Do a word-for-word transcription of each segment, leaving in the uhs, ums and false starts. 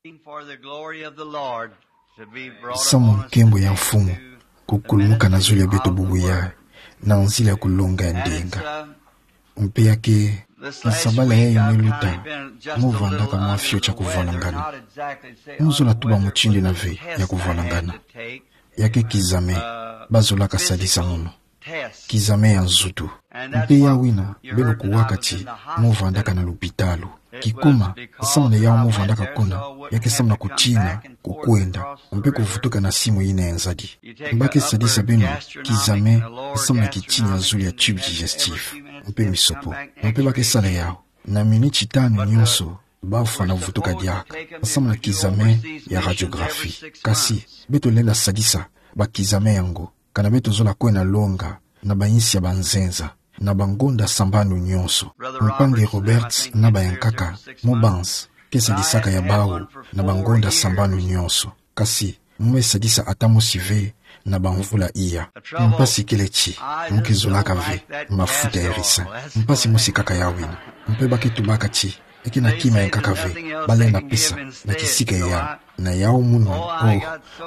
For the glory of the Lord to be brought upon us today. Samu nkembo ya Mfumu kukulumuka na zulu ya beto bubu yayi, na nzila ya kulonga ya ndinga. Mpe ya ke, nsabala yayi me luta, mu vandaka mwa fioti ya kuvwalangana. Mu zola tuba mutindu ina ve ya kuvwalangana. Ya ke kizame ba zolaka sadisa munu. Kizame ya nzutu. Mpe yawu ina beno kuwaka ti mu vandaka na lupitalu. Kikuma, samu na yawu mu vandaka kuna, ya ke samu na kutina, kukwenda, mpe kuvutuka na simu ina ya nzadi. Ba ke sadisa beno kizame samu na kitini ya zulu ya tube digestif, mpe misopo. Mpe ba ke sala yawu na miniti tanu nyonso bafwana vutuka diaka, samu na kizame ya radiographie. Kasi beto lenda sadisa ba kizame yango kana beto zola kwenda longa na bayinsi ya banzenza, na bangonda sambanu nyonso. Mpangi Roberts na bayankaka, mu banzi, ke sadisaka ya bawu na bangonda sambanu nyonso. Kasi mu me sadisa ata mosi ve na bamvula iya. Mpasi kele ti mu ke zolaka ve mafuta ya ricin. Mpasi mosi kaka yawu ina. Mpe ba ke tubaka ti ya ke na kima ya nkaka ve ba lenda pesa na kisika yayi. Na yawu munu, oh,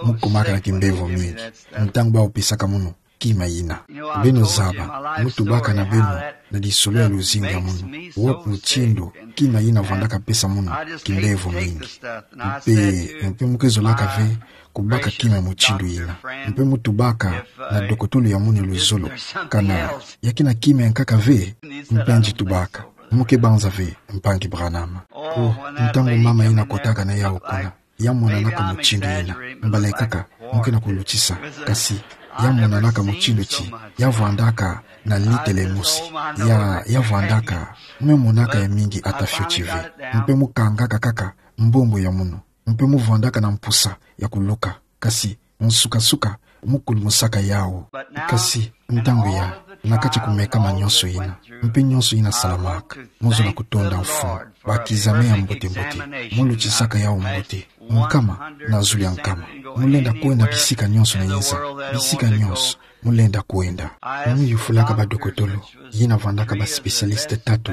mu kumaka na kimbevo mingi ntangu ba pesaka munu kima ina. Beno zaba, mu tubaka na beno na lisolo ya luzingu ya munu, wapi mutindu kima ina vandaka pesa munu kimbevo mingi. Mpe, mpe mu ke zolaka ve kubaka kima mutindu ina. Mpe mu tubaka na dokotolo ya munu ya luzolo kana ya ke na kima ya nkaka ve. Mpe nge tubaka, mu ke banza ve, Mpangi Branham. Oh, ntangu mama ina kotaka na yawu kuna, ya monanaka mutindu ina. Mbala ya nkaka mu ke na kulutisa, kasi ya monanaka mutindu ti ya vandaka na litele mosi. Ya, ya vandaka, mu me monaka ya mingi ata fioti ve. Mpe mu kangaka kaka mbombo ya munu. Mpe mu vandaka na mpusa ya kuluka. Kasi, nsuka-nsuka, mu kulumusaka yawu. Kasi, ntangu ya, na kati ya kumekama nyonso ina, mpe nyonso ina salamaka, mu zola kutonda Mfumu, ba kizame ya mbote-mbote, mu lutisaka yawu mbote, nkama na zulu ya nkama, mu lenda kwenda bisika nyonso na yinza, bisika nyonso mu lenda kwenda. Mu yufulaka badokotolo, yina vandaka ba spécialiste tatu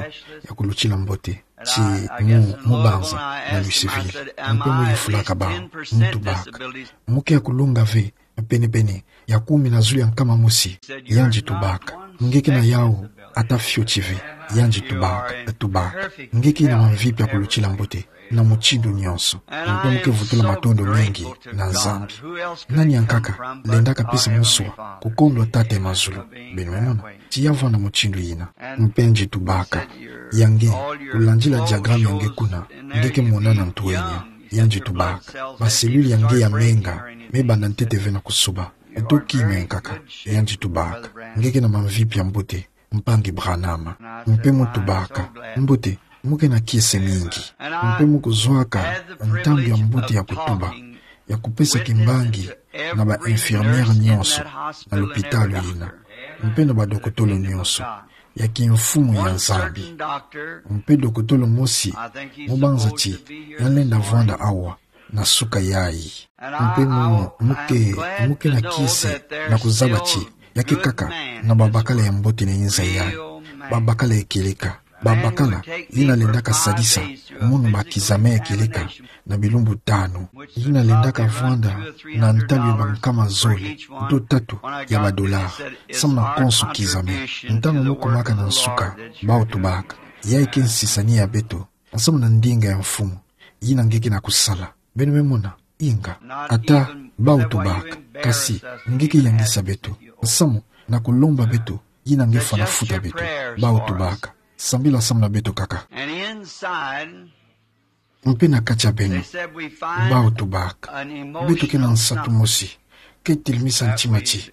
ya kulutila mbote, ti mu, mu banza na Louisville. Mpe mu yufulaka bawu, mu tubaka: Mu ke ya kulonga ve pene-pene ya kumi na zulu ya nkama mosi? Yandi tubaka: Nge ke na yawu ata fioti ve. Yandi tubaka, tubaka: Nge ke na mamvipi ya kulutila mbote na mutindu nyonso. Mpe mu ke vutula matondo mengi na Nzambi. Nani ya nkaka lendaka pesa moswa kukondwa Tata ya mazulu? Beno mona ti ya vwanda mutindu yina. Mpe yandi tubaka: Ya nge, kulandila diagramme ya nge kuna, nge ke mona na ntwenya. Yandi tubaka: Ba cellule ya nge ya menga me banda ntete ve na kusuba. Uto kima ya nkaka. Yandi tubaka: Nge ke na mamvipi ya mbote, Mpangi Branham. Mpe mu tubaka: Mbote, mu ke na kiese mingi. Mpe mu kuzwaka ntangu ya mbote ya kutuba, ya kupesa kimbangi na ba infirmière nyonso na lupitalu yina, mpe na badokotolo nyonso ya kimfumu ya Nzambi. Mpe dokotolo mosi, mu banza ti ya lenda vwanda awa na suka yayi. Mpe mu, mu ke, mu ke na kiese na kuzaba ti ya ke kaka na babakala ya mbote na yinza yayi, babakala ya kieleka, babakala yina lendaka sadisa munu ba kizame ya kieleka na bilumbu tanu, yina lendaka vwanda na ntalu ya bankama zole to tatu ya ba dollars, samu na konso kizame. Ntangu mu kumaka na nsuka, bawu tubaka: Yayi ke nsisani ya beto, samu na ndinga ya Mfumu yina nge ke na kusala. Beno me mona, inga. Ata bawu tubaka: Kasi nge ke yangisa beto, samu na kulomba beto yina nge fwana futa beto. Bawu tubaka: Sambila samu na beto kaka. Mpe na kati ya beno, bawu tubaka: Beto ke na nsatu mosi ke telemisa ntima ti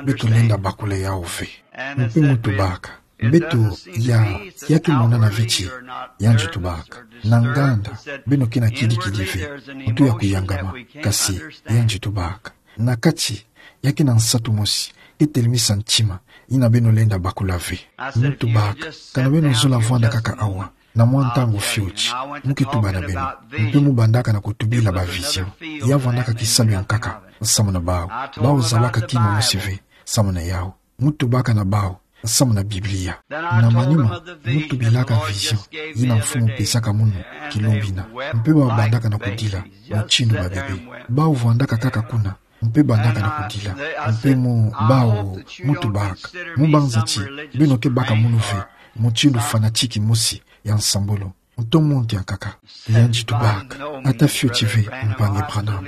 beto lenda bakula yawu ve. Mpe mu tubaka: Beto ya, ya ke monana ve ti, yandi tubaka, na nganda beno ke na kidi-kidi ve, uto ya kuyangama. Kasi yandi tubaka: Na kati ya ke na nsatu mosi ke telemisa ntima yina beno lenda bakula ve. Mu tubaka: Kana beno zola vwanda kaka awa na mwa ntangu fioti, mu ke tuba na beno. Mpe mu bandaka na kutubila ba vision. Ya vwandaka kisalu ya nkaka samu na bawu. Bawu zabaka kima mosi ve samu na yawu. Mu tubaka na bawu: nsamu na Biblia. Na manima, mu tubilaka vision yina Mfumu pesaka munu kilumbu ina. Mpe babandaka na kudila mutindu ba bebe. Bawu vandaka kaka kuna, mpe bandaka na kudila. Mpe mu, bawu, mu tubaka. Mu banza ti, beno ke baka munu ve mutindu fanatique mosi ya nsambulu. Muto munti ankaka. Yandi tubaka: Ata fioti ve, mpangi Branham.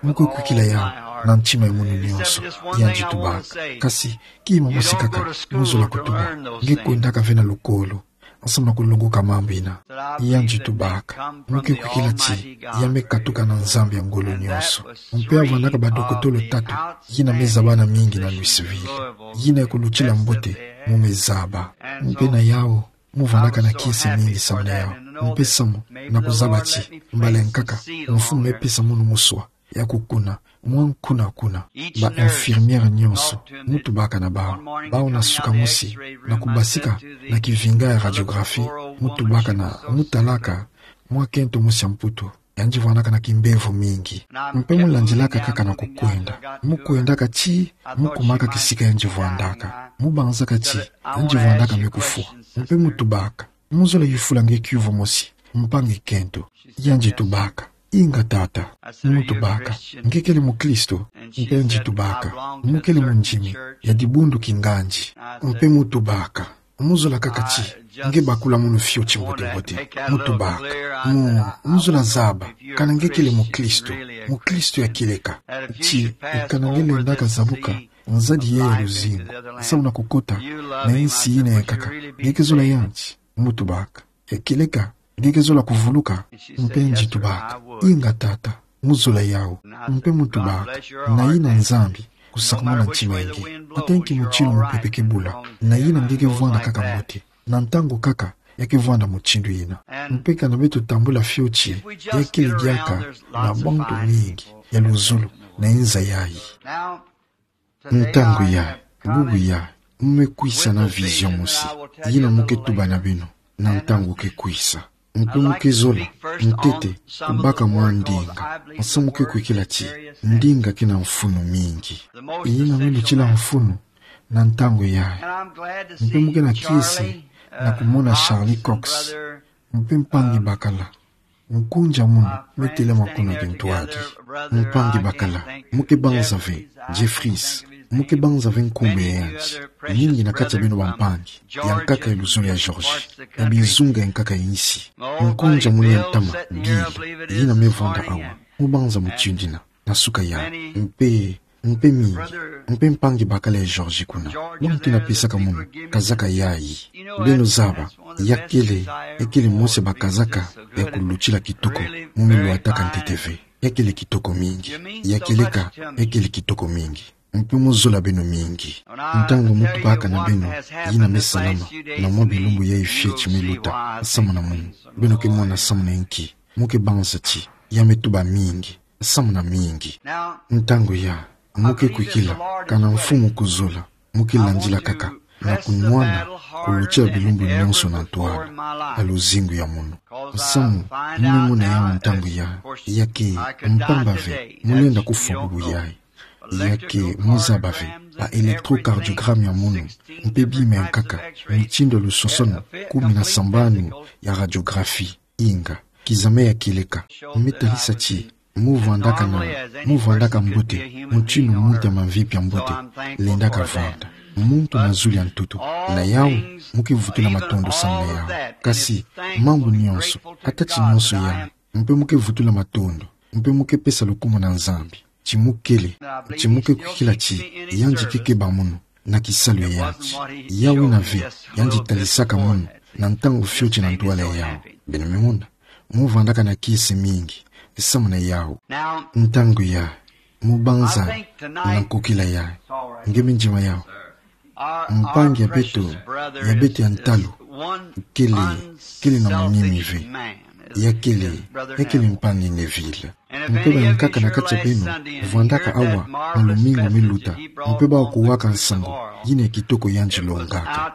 Mu ke kwikila yawu na ntima ya munu nyonso. Yandi tubaka: Kasi, kima mosi kaka mu zola kutuba. Nge kwendaka ve na lukolo nsamu na kulongoka mambu ina. Yandi tubaka: Mu ke kwikila ti ya me katuka na Nzambi ya ngolo nyonso. Mpe avandaka badokotolo tatu yina me zabana mingi na Louisville, yina ya kulutila mbote mu me zaba. Mpe na yawu, mu vandaka na kiese mingi samu na yawu. Mpe samu na kuzaba ti, mbala ya nkaka, Mfumu me pesa munu muswa ya kukuna, mwa kuna kuna. Ba infirmière nyonso, mu tubaka na bawu. Bawu na suka mosi, na kubasika na kivinga ya radiographie, mu tubaka na, mu talaka mwa kento mosi ya Mputu. Yandi vandaka na kimbevo mingi. Mpe mu landilaka kaka na kukwenda. Mu kwendaka ti, mu kumaka kisika yandi vandaka. Mu banzaka ti, yandi vandaka me kufwa. Mpe mu tubaka: Mu zola yufula nge kiuvu mosi, mpangi kento. Yandi tubaka: Inga tata. Mu tubaka: Nge kele mukristo? Mpe yandi tubaka: Mu kele mundimi ya dibundu kingandi. Mpe mu tubaka: Mu zola kaka ti nge bakula munu fioti mbote mbote. Mu tubaka: Mu, mu zola zaba kana nge kele mukristo, mukristo ya kieleka. Ti, kana nge lendaka zabuka nzadi ya luzingu, samu na kukota na insi yina ya nkaka, nge ke zola yandi. Mu tubaka: Ya kieleka, nge ke zola kuvuluka? Mpe yandi tubaka: Inga tata, mu zola yawu. Mpe mu tubaka: Na yina Nzambi kusakumuna ntima ya nge. Ata nki mutindu mupepe ke bula, na yina nge ke vwanda kaka mbote. Na ntangu kaka, ya ke vwanda mutindu yina. Mpe kana beto tambula fioti, ya kele diaka na bantu mingi ya luzolo na inza yayi. Ntangu yayi, bubu yayi, mu me kwisa na vision mosi yina mu ke tuba na beno, na ntangu ke kwisa. Mpe mu ke zola ntete kubaka mwa ndinga, nsamu mu ke kwikila ti ndinga ke na mfunu mingi. Yina me lutila mfunu na ntangu yayi. Mpe mu ke na kiese na kumona Charlie Cox, mpe mpangi bakala. Nkunja munu me telama kuna bintwadi. Mpangi bakala, mu ke banza ve Jeffries, mu ke banza ve nkumbu ya yandi. Mingi na kati ya beno bampangi ya nkaka ya luzolo ya Georgie, ya bizunga ya nkaka ya insi. Nkunja munu ya ntama, Bill, yina me vwanda awa. Mu banza mutindu yina na suka yayi. Mpe, mpe mingi, mpe mpangi bakala ya Georgie kuna. Buna ti na pesaka munu kazaka yayi. Beno zaba, ya kele, ya kele mosi ya bakazaka ya kulutila kitoko mu me lwataka ntete ve. Ya kele kitoko mingi. Ya kieleka, ya kele kitoko mingi. Mpe mu zola beno mingi. Ntangu mu tubaka na beno, yina me salama na mwa bilumbu yayi fioti me luta, samu na munu, beno ke mona samu na nki mu ke banza ti ya me tuba mingi, samu na mingi. Ntangu yayi, mu ke kwikila kana Mfumu kuzola, mu ke landila kaka na kunwana kulutila bilumbu nyonso na ntwala ya luzingu ya munu. Samu mu me mona yawu ntangu yayi, ya ke mpamba ve mu lenda kufwa bubu yayi. Ya ke mu zaba ve ba électrocardiogramme ya munu, mpe bima ya nkaka, mutindu ya lusosono kumi na sambanu ya radiographie. Inga, kizame ya kieleka, me talisa ti mu vwandaka na, mu vwandaka mbote mutindu muntu ya mamvipi ya mbote lendaka vwanda. Muntu na zulu ya ntutu. Na yawu, mu ke vutula matondo samu na yawu. Kasi mambu nyonso, ata ti nyonso yawu, mpe mu ke vutula matondo, mpe mu ke pesa lukumu na Nzambi ti mu kele, ti mu ke kwikila ti yandi ke keba munu na kisalu ya yandi. Yawu yina ve yandi talisaka munu na ntangu fioti na ntwala yawu. Beno me mona, mu vwandaka na kiese mingi samu na yawu. Ntangu yayi, mu banza na nkokila yayi. Nge me ndima yawu? Mpangi ya beto, ya beto ya ntalu, kele, kele na munimi ve. Ya kele, ya kele mpangi Neville. Mpe bankaka na kati ya beno vwandaka awa na lumingu me luta, mpe bawu kuwaka nsangu yina ya kitoko yandi longaka.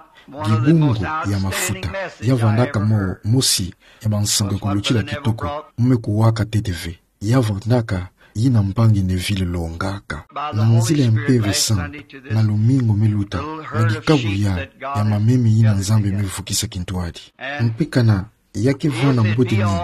Dibungu ya mafuta, ya vwandaka mo, mosi ya bansangu ya kulutila kitoko mu me kuwaka ntete ve. Ya vwandaka yina mpangi Neville alongaka. Na nzila ya Mpeve Santu, na lumingu me luta, na dikabu ya, ya mameme yina Nzambi amevukisa kintwadi. Mpe kana, ya kevwanda mbote mingi,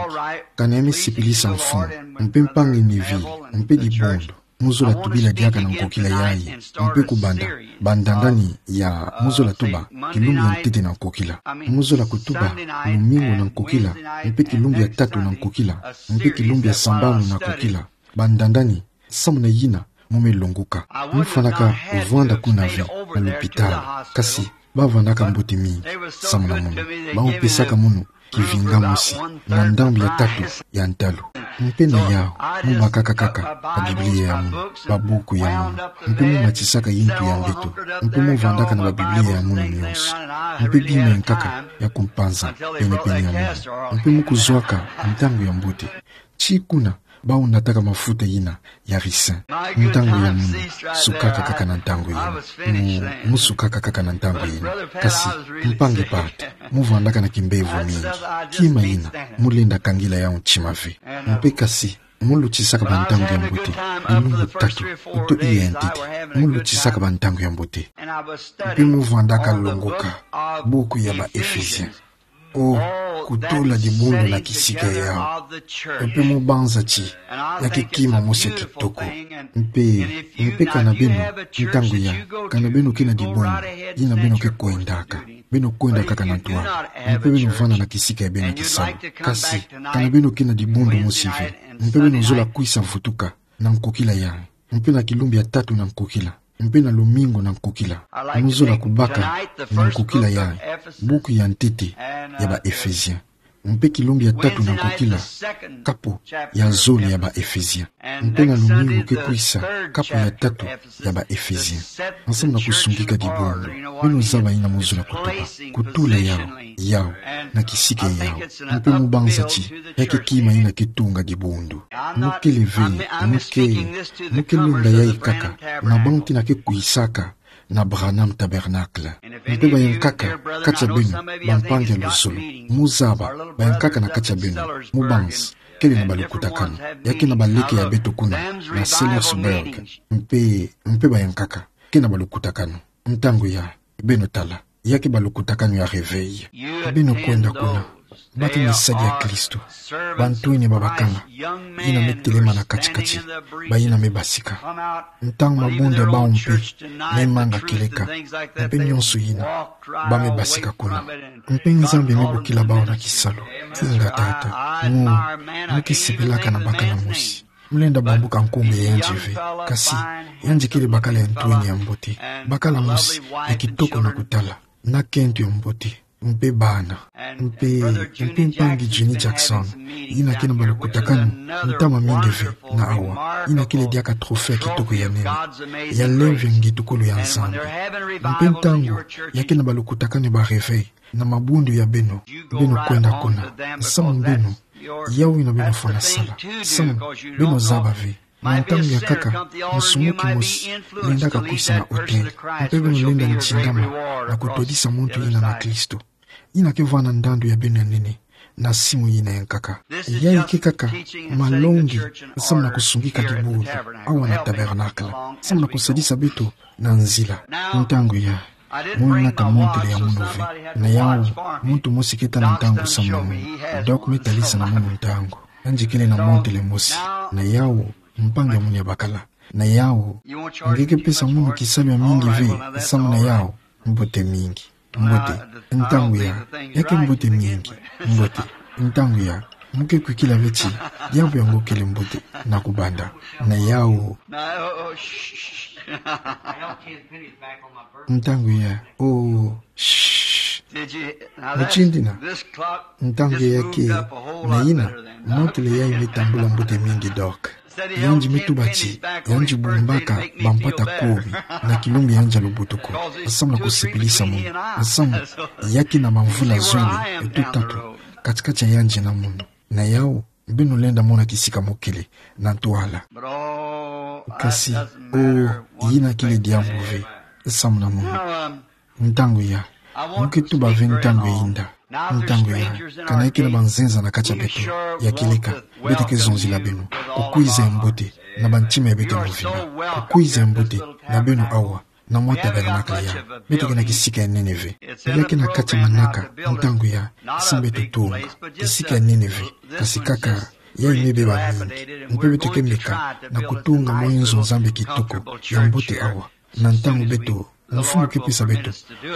kana ya mesipilisa mfumu, mpe mpangi Neville, mpe dibundu, mozola tubila diaka na nkokila yayi, mpe kubanda, bandandani ya mozola tuba, kilumbu ya ntete na nkokila. Mozola kutuba, lumingu na nkokila, mpe kilumbu ya tatu na nkokila, mpe kilumbu ya sambanu na nkokila. Bandandani, samu na yina, mu me longoka. Mufwanaka vwanda kuna ve na lopitalo. Kasi, bavwandaka mbote mingi, samu na munu. Bamupesaka munu, kivinga mosi, na ndambu ya tatu, ya ntalu. Mpe na yawu, mubakaka kaka, ba Biblia ya munu, ba buku ya munu. Mpe mumatisaka yintu ya mbeto. Mpe muvwandaka na ba Biblia ya munu nyonso. Mpe bima ya nkaka, ya kumpanza, pene-pene ya munu. Mpe mukuzwaka, ntangu ya mbote. Ti kuna, bawu nataka mafuta yina, ya ricin. Ntangu ya munu, sukaka kaka na ntangu yina. Mu, musukaka kaka na ntangu yina. Kasi, mpangi Pat, muvwandaka na kimbevo mingi. Kima yina, mulenda kangila yawu ntima ve. Mpe kasi, mulutisaka bantangu ya mbote. Bilumbu tatu, uto iya ya ntete. Mulutisaka bantangu ya mbote. Mpe muvwandaka longoka, buku ya ba Ephésien. O, kutula dibundu na kisika yawu. Mpe mubanza ti, ya ke kima mosi ya kitoko. Mpe, mpe kana beno, ntangu ya, kana beno ke na dibundu, yina beno ke kwendaka. Beno kwendaka kaka na ntwala. Mpe beno vwanda na kisika ya beno kisalu. Kasi, kana beno ke na dibundu mosi ve. Mpe beno zola kwisa vutuka, na nkokila ya. Mpe na kilumbu ya tatu na nkokila. Mpe na lumingu na nkokila. Muzola kubaka na nkokila ya buku ya ntete ya ba Ephésien. Mpe kilumbu ya tatu na nkokila, kapo ya zole ya ba Ephésien. Mpe na lumingu ke kwisa, kapo ya tatu ya ba Ephésien. Nsamu na kusungika dibundu, beno zaba yina muzola kutuba. Kutula yawu, yawu, na kisika yawu. Mpe mubanza ti, ya ke kima yina ke tunga dibundu. Mu ke leveye, mu ke, mu ke longa yayi kaka, na bantu yina ke kwisaka, na Branham Tabernacle. Mpe bayankaka, kati ya beno, bampangi ya luzolo. Muzaba, bayankaka na kati ya beno, mubanza, kele na balukutakanu. Ya ke na baleke ya beto kuna, na Sellersburg. Mpe, mpe bayankaka, ke na balukutakanu. Ntangu ya, beno tala. Ya ke balukutakanu ya réveil. Beno kwenda kuna. Bato na misadi ya Kristo. Bantwenia babakala. Yina me telema na kati-kati. Bayina me basika. Ntangu mabundu ya bawu mpe me manga kieleka. Mpe nyonso yina. Ba me basika kuna. Mpe Nzambi me bokila bawu na kisalu. Inga tata. Mu, mu ke sepelaka na bakala mosi. Mulenda bambuka nkumbu ya yandi ve. Kasi, yandi kele bakala ya ntwenia ya mbote. Bakala mosi, ya kitoko na kutala. Na kento ya mbote. Mpe bana. Mpe, mpe mpangi Jeannie Jackson. Yina ke na balukutakanu. Ntama mingi ve, na awa. Yina kele diaka trophée ya kitoko ya nene. Ya lemvo ya ngetukulu ya Nzambi. Mpe ntangu, ya ke na balukutakanu ba réveil. Na mabundu ya beno, beno kwenda kuna. Nsamu beno, yawu yina beno fwana sala. Nsamu, beno zaba ve. Na ntangu ya nkaka, musumuki mosi, lendaka kwisa na hôtel. Mpe beno lenda ntingama, na kutwadisa muntu yina na Kristo. Yina ke vwanda ndandu ya beno ya nene, na simu yina ya nkaka. Yayi ke kaka, malongi, nsamu na kusungika dibundu, awa na Tabernacle. Nsamu na kusadisa beto, na nzila. Ntangu ya. Mu nata montre ya munu ve. Na yawu, muntu mosi ke tala ntangu samu na munu. Doc me talisa na munu ntangu. Yandi kele na montre mosi. Na yawu, mpangi ya munu ya bakala. Na yawu, nge ke pesa munu kisalu ya mingi ve, samu na yawu, mbote mingi. Mbote, ntangu ya, ya ke mbote mingi. Mbote, ntangu ya, mu ke kwikila ve ti, diambu yango kele mbote, na kubanda. Na yawu. Ntangu ya, oh, shh. Mutindi na, ntangu ya ke, na yina, montre yayi me tambula mbote mingi Doc. Yandi me tuba ti, yandi bumbaka bampata kumi, na kilumbu yandi ya lubutuku. Nsamu na kusepelisa munu. Nsamu, ya ke na bamvula zole, uto tatu, kati-kati ya yandi na munu. Na yawu, beno lenda mona kisika mu kele, na ntwala. Kasi, oh, yina kele diambu ve, samu na munu. Ntangu ya, mu ke tuba ve ntangu ya inda. Ntangu ya, kana ya ke na banzenza na kati ya beto, ya kieleka, beto ke zonzila beno. Kukwiza ya mbote, na bantima ya beto ya mvimba. Kukwiza ya mbote na beno awa, na mwa tabernacle ya. Beto ke na kisika ya nene ve. Ya ke na kati ya manaka, ntangu ya, samu beto tunga. Kisika ya nene ve, kasi kaka, ya ime beba mingi. Mpe beto ke meka, na kutunga mwa inzo Nzambi kitoko, ya mbote awa. Na ntangu beto, mfumu ke pesa beto,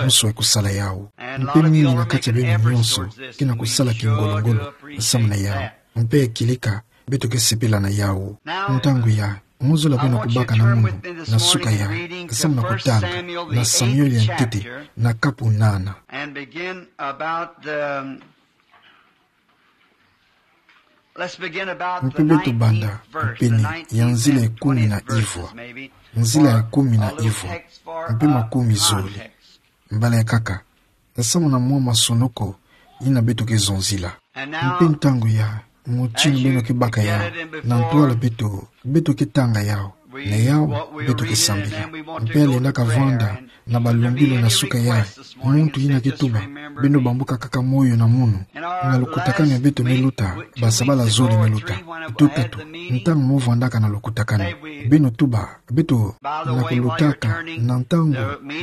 nso ya kusala yawu. Mpe mingi na kati ya beno nyonso, ke na kusala kingolo-ngolo, samu na yawu. Mpe kilika, beto ke sepela na yawu. Ntangu ya, mozolo beno kubaka na munu, na suka ya, samu na kutanga, na Samuel ya ntete, na kapu nana. And begin about the, let's begin about the nineteenth verse, the nineteenth and twentieth verses, maybe. Mpe beto banda, kupene, ya nzila ya kumi na ivwa. Nzila ya kumi na ivwa. Mpe makumi zole. Mbala ya kaka. Samu na mwa masonoko, yina beto ke zonzila. Mpe ntangu ya, mutindu beno ke baka ya, na ntwala beto, beto ke tanga yawu, na yawu, beto ke sambila. Mpe yalendaka vwanda, na balumbilu na suka ya, muntu yina ke tuba, beno bambuka kaka moyo na munu, na lukutakanu ya beto me luta, basabala zole me luta. Tuta tu, ntangu mo vwandaka na lukutakanu, beno tuba, beto na kulutaka, na ntangu,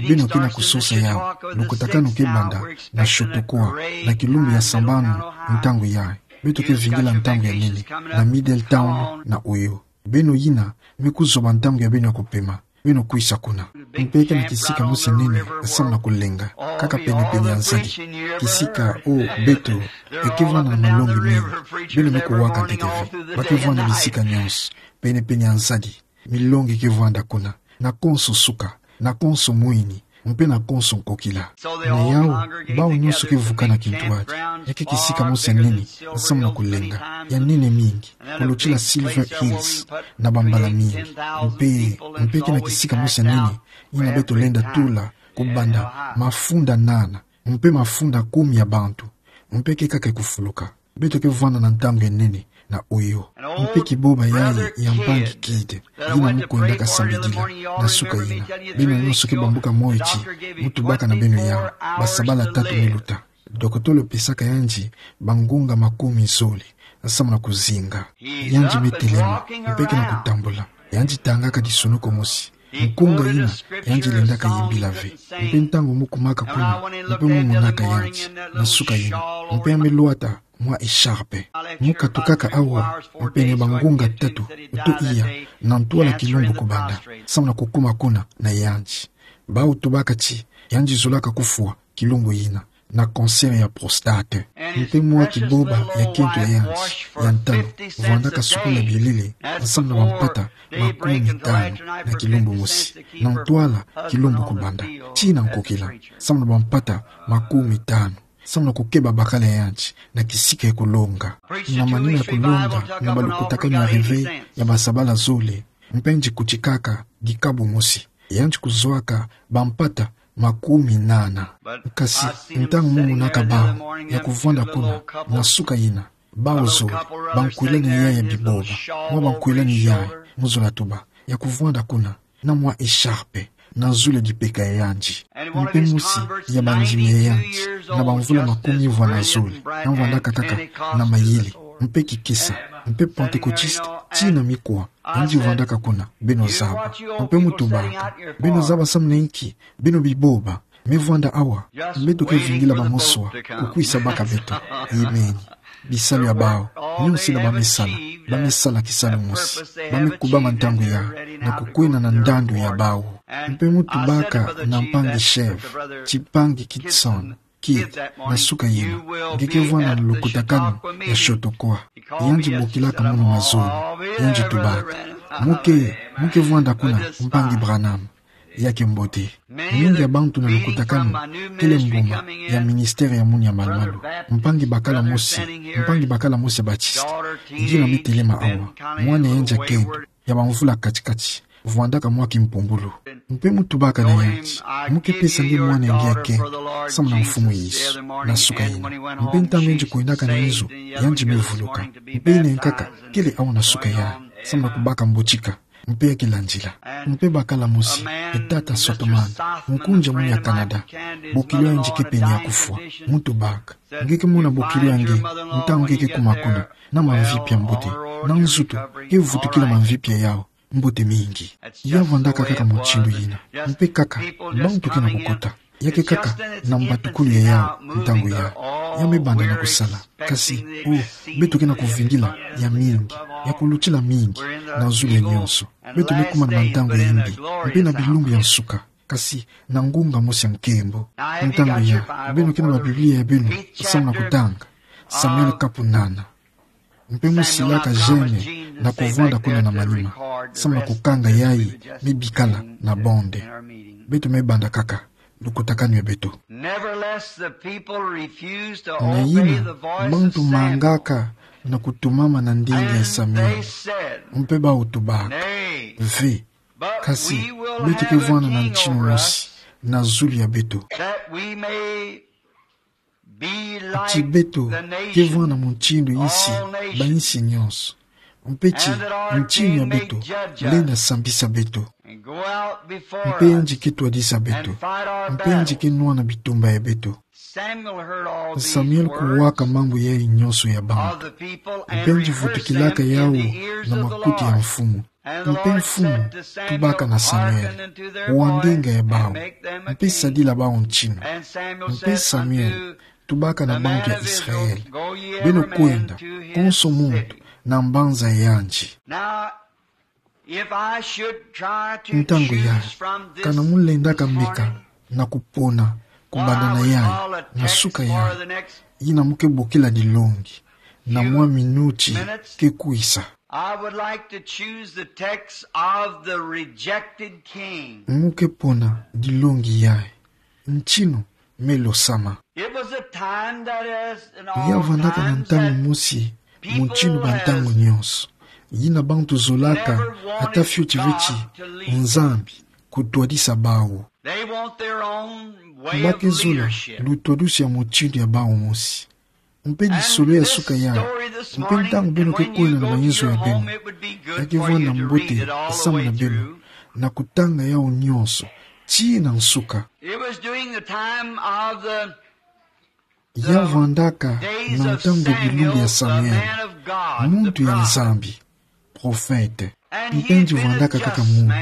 beno ke na kusosa yawu, lukutakanu ke banda, na Chautauqua, na kilumbu ya sambanu, ntangu ya. Beto ke vingila ntangu ya nene, na Middletown, na Ohio. Beno yina, me kuzoba ntangu ya beno ya kupema, beno kwisa kuna. Mpe ke na kisika mosi ya nene, samu na kulenga, kaka pene-pene ya nzadi. Kisika o beto, e ke vwanda na malongi mingi, beno me kuwaka ntete ve, ba ke vwanda bisika nyonso, pene-pene ya nzadi. Milongi ke vwanda kuna, na konso suka, na konso mwini, mpe na konso nkokila. Na yawu, bawu nyonso ke vukana kintwadi, ya ke kisika mosi ya nene, samu na kulenga, ya nene mingi, kulutila Silver Hills, na bambala mingi, mpe, mpe ke na kisika mosi ya nene, yina beto lenda tula, kubanda, mafunda nana, mpe mafunda kumi ya bantu, mpe ke kaka kufuluka. Beto ke vwanda na ntangu ya nene na Ohio. Mpe kiboba yayi ya mpangi Kidd, yina mu kwendaka sambidila na suka yina. Beno nyonso ke bambuka moyo ti, mu tubaka na beno yawu, basabala tatu me luta. Dokotolo pesaka yandi bangunga makumi zole, samu na kuzinga. Yandi me telema, mpe ke na kutambula. Yandi tangaka lisonoko mosi. Nkunga yina, yandi lendaka yimbila ve. Mpe ntangu mu kumaka kuna, mpe mu monaka yandi, na suka yina. Mpe ya me lwata, mwa écharpe. Mu katukaka awa, mpe na bangunga tatu, to iya, na ntwala kilumbu kubanda, samu na kukuma kuna, na yandi. Bawu tubaka ti, yandi zolaka kufwa, kilumbu yina, na cancer ya prostate. Mpe mwa kiboba ya kento ya yandi, ya ntalu, vwandaka sukula bielele, samu na bampata, makumi tanu, na kilumbu mosi, na ntwala, kilumbu kubanda, tii na nkokila, samu na bampata, makumi tanu, samu na kukeba bakala ya yandi, na kisika ya kulonga. Na manima ya kulonga, na balukutakanu ya réveil, ya basabala zole, mpe yandi kutikaka, dikabu mosi. Yandi kuzwaka, bampata, makumi nana. Kasi, ntangu mu monaka bawu, ya kuvwanda kuna, na suka yina, bawu zole, bankwelani yayi ya biboba, mwa bankwelani yayi, mu zola tuba, ya kuvwanda kuna, na mwa écharpe, na zole dipeka ya yandi. Mpe mosi, ya bandimi ya yandi, na bamvula makumi vwa na zole, na vwandaka kaka, na mayele, mpe kikesa, mpe Pentecôtiste, tii na mikwa, yandi vwandaka kuna, beno zaba. Mpe mu tubaka, beno zaba samu na inki, beno biboba, me vwanda awa, beto ke vingila bamosi wa, kukwisa baka beto. Amen. Bisalu ya bawu, nyonso yina ba me sala, ba me sala kisalu mosi, ba me kubama ntangu ya, na kukwenda na ndandu ya bawu. Mpe mu tubaka na mpangi Chef, ti mpangi Kitson, Kidd, na suka yina, nge ke vwanda na lukutakanu ya Chautauqua. Yandi bokilaka munu mazulu, yandi tubaka. Mu ke, mu ke vwanda kuna, mpangi Branham. Ya ke mbote. Mingi ya bantu na lukutakanu, kele mbuma, ya ministère ya munu ya malu-malu. Mpangi bakala mosi, mpangi bakala mosi ya Baptiste. Yina me telema awa, mwana ya yandi ya kento, ya bamvula kati-kati, vwandaka mwa kimpumbulu. Mpe mu tubaka na yandi, mu ke pesa nge mwana ya nge ya kento, samu na Mfumu Yesu, na suka yina. Mpe ntangu yandi kwendaka na inzo, yandi me vuluka. Mpe yina nkaka, kele awa na suka yandi, samu na kubaka mbotika. Mpe ya ke landila. Mpe bakala mosi, e tata Sothmann, nkunzi ya munu ya Canada. Bokilo ya yandi ke pene ya kufwa, mu tubaka. Nge ke mona bokilo ya nge, ntangu nge ke kuma kuna, na mamvipi ya mbote, na nzutu, ke vutukila mamvipi ya yawu, mbote mingi. Ya vandaka kaka mutindu yina. Mpe kaka, bantu ke na kukota. Ya ke kaka na mbatukulu ya yawu ntangu yayi. Ya me banda na kusala. Kasi, o, beto ke na kuvingila ya mingi, ya kulutila mingi na zulu ya nyonso. Beto me kuma na bantangu ya imbi, mpe na bilumbu ya nsuka, kasi na ngunga mosi ya nkembo. Ntangu yayi, beno ke na ba Biblia ya beno, samu na kutanga Samuel kapu nana. Mpe musilaka gêne na kuvwanda kuna na manima, samu na kukanga yayi me bikala na bonde. Beto me banda kaka lukutakanu ya beto. Nevertheless, the people refused to obey the voice of Samuel. Na yina, bantu mangaka na kutumama na ndinga ya Samuel. And they said, mpe bawu tubaka, "Nay, ve, but we will have a king over us." Kasi, beto ke vwanda na ntinu mosi na zulu ya beto. That we may be like the nations, all nations. Ti beto ke vwanda mutindu yinsi, bansi nyonso. Mpe ti, and that our king may judge us. Mutindu ya beto lenda sambisa beto. And go out before us. Mpe yandi ke twadisa beto. And fight our battles. Mpe yandi ke nwana bitumba ya beto. Samuel heard all these words. Samuel kuwaka mambu yayi nyonso ya bantu. Of the people, and rehearsed them in the ears of the Lord. Mpe yandi vutukilaka yawu na makutu ya Mfumu. Mpe Mfumu tubaka na Samuel: Wa ndinga ya bawu, mpe sadila bawu ntinu. Mpe Samuel tubaka na bantu ya Israel: Beno kwenda, konso muntu, na mbanza ya yandi. Ntangu yayi, kana mu lendaka meka na kupona, kubanda na yayi, na suka yayi, yina mu ke bokila dilongi, na mwa minuti ke kwisa. I would like to choose the text of the rejected king. Mu ke pona dilongi yayi: Ntinu me losama. It was a time that, as in all times, that people has never wanted to obey the Lord. Ya vandaka na ntangu mosi, mu ntinu ba ntangu nyonso, yina bantu zolaka ata fioti ve ti Nzambi kutwadisa bawu. They want their own way of leadership. Ba ke zola lutwadusi ya mutindu ya bawu mosi. Mpe lisolo ya suka yayi, mpe ntangu beno ke kwenda na mayinzo ya beno, ya ke vwanda mbote samu na beno na kutanga yawu nyonso tii na nsuka. It was during the time of the, the days of Samuel, the man of God, the prophet. Ya vandaka na ntangu ya bilumbu ya Samuel, muntu ya Nzambi, prophète. Mpe yandi vwandaka kaka muntu,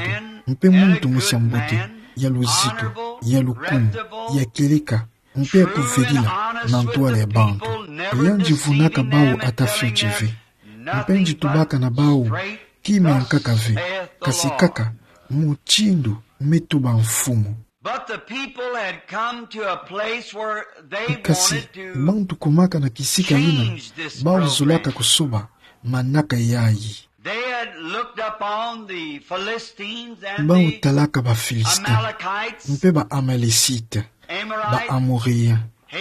mpe muntu mosi ya mbote, ya luzito, ya lukumu, ya kieleka, mpe ya kuvelila na ntwala ya bantu. Yandi vunaka bawu ata fioti ve. Mpe yandi tubaka na bawu kima ya nkaka ve, kasi kaka mutindu me tuba Mfumu. But the people had come to a place where they wanted to change this program. Kasi, bantu kumaka na kisika yina, bawu zolaka kusoba manaka yayi. They had looked upon the Philistines and the Amalekites, Amoriens, ba Amoriens, ba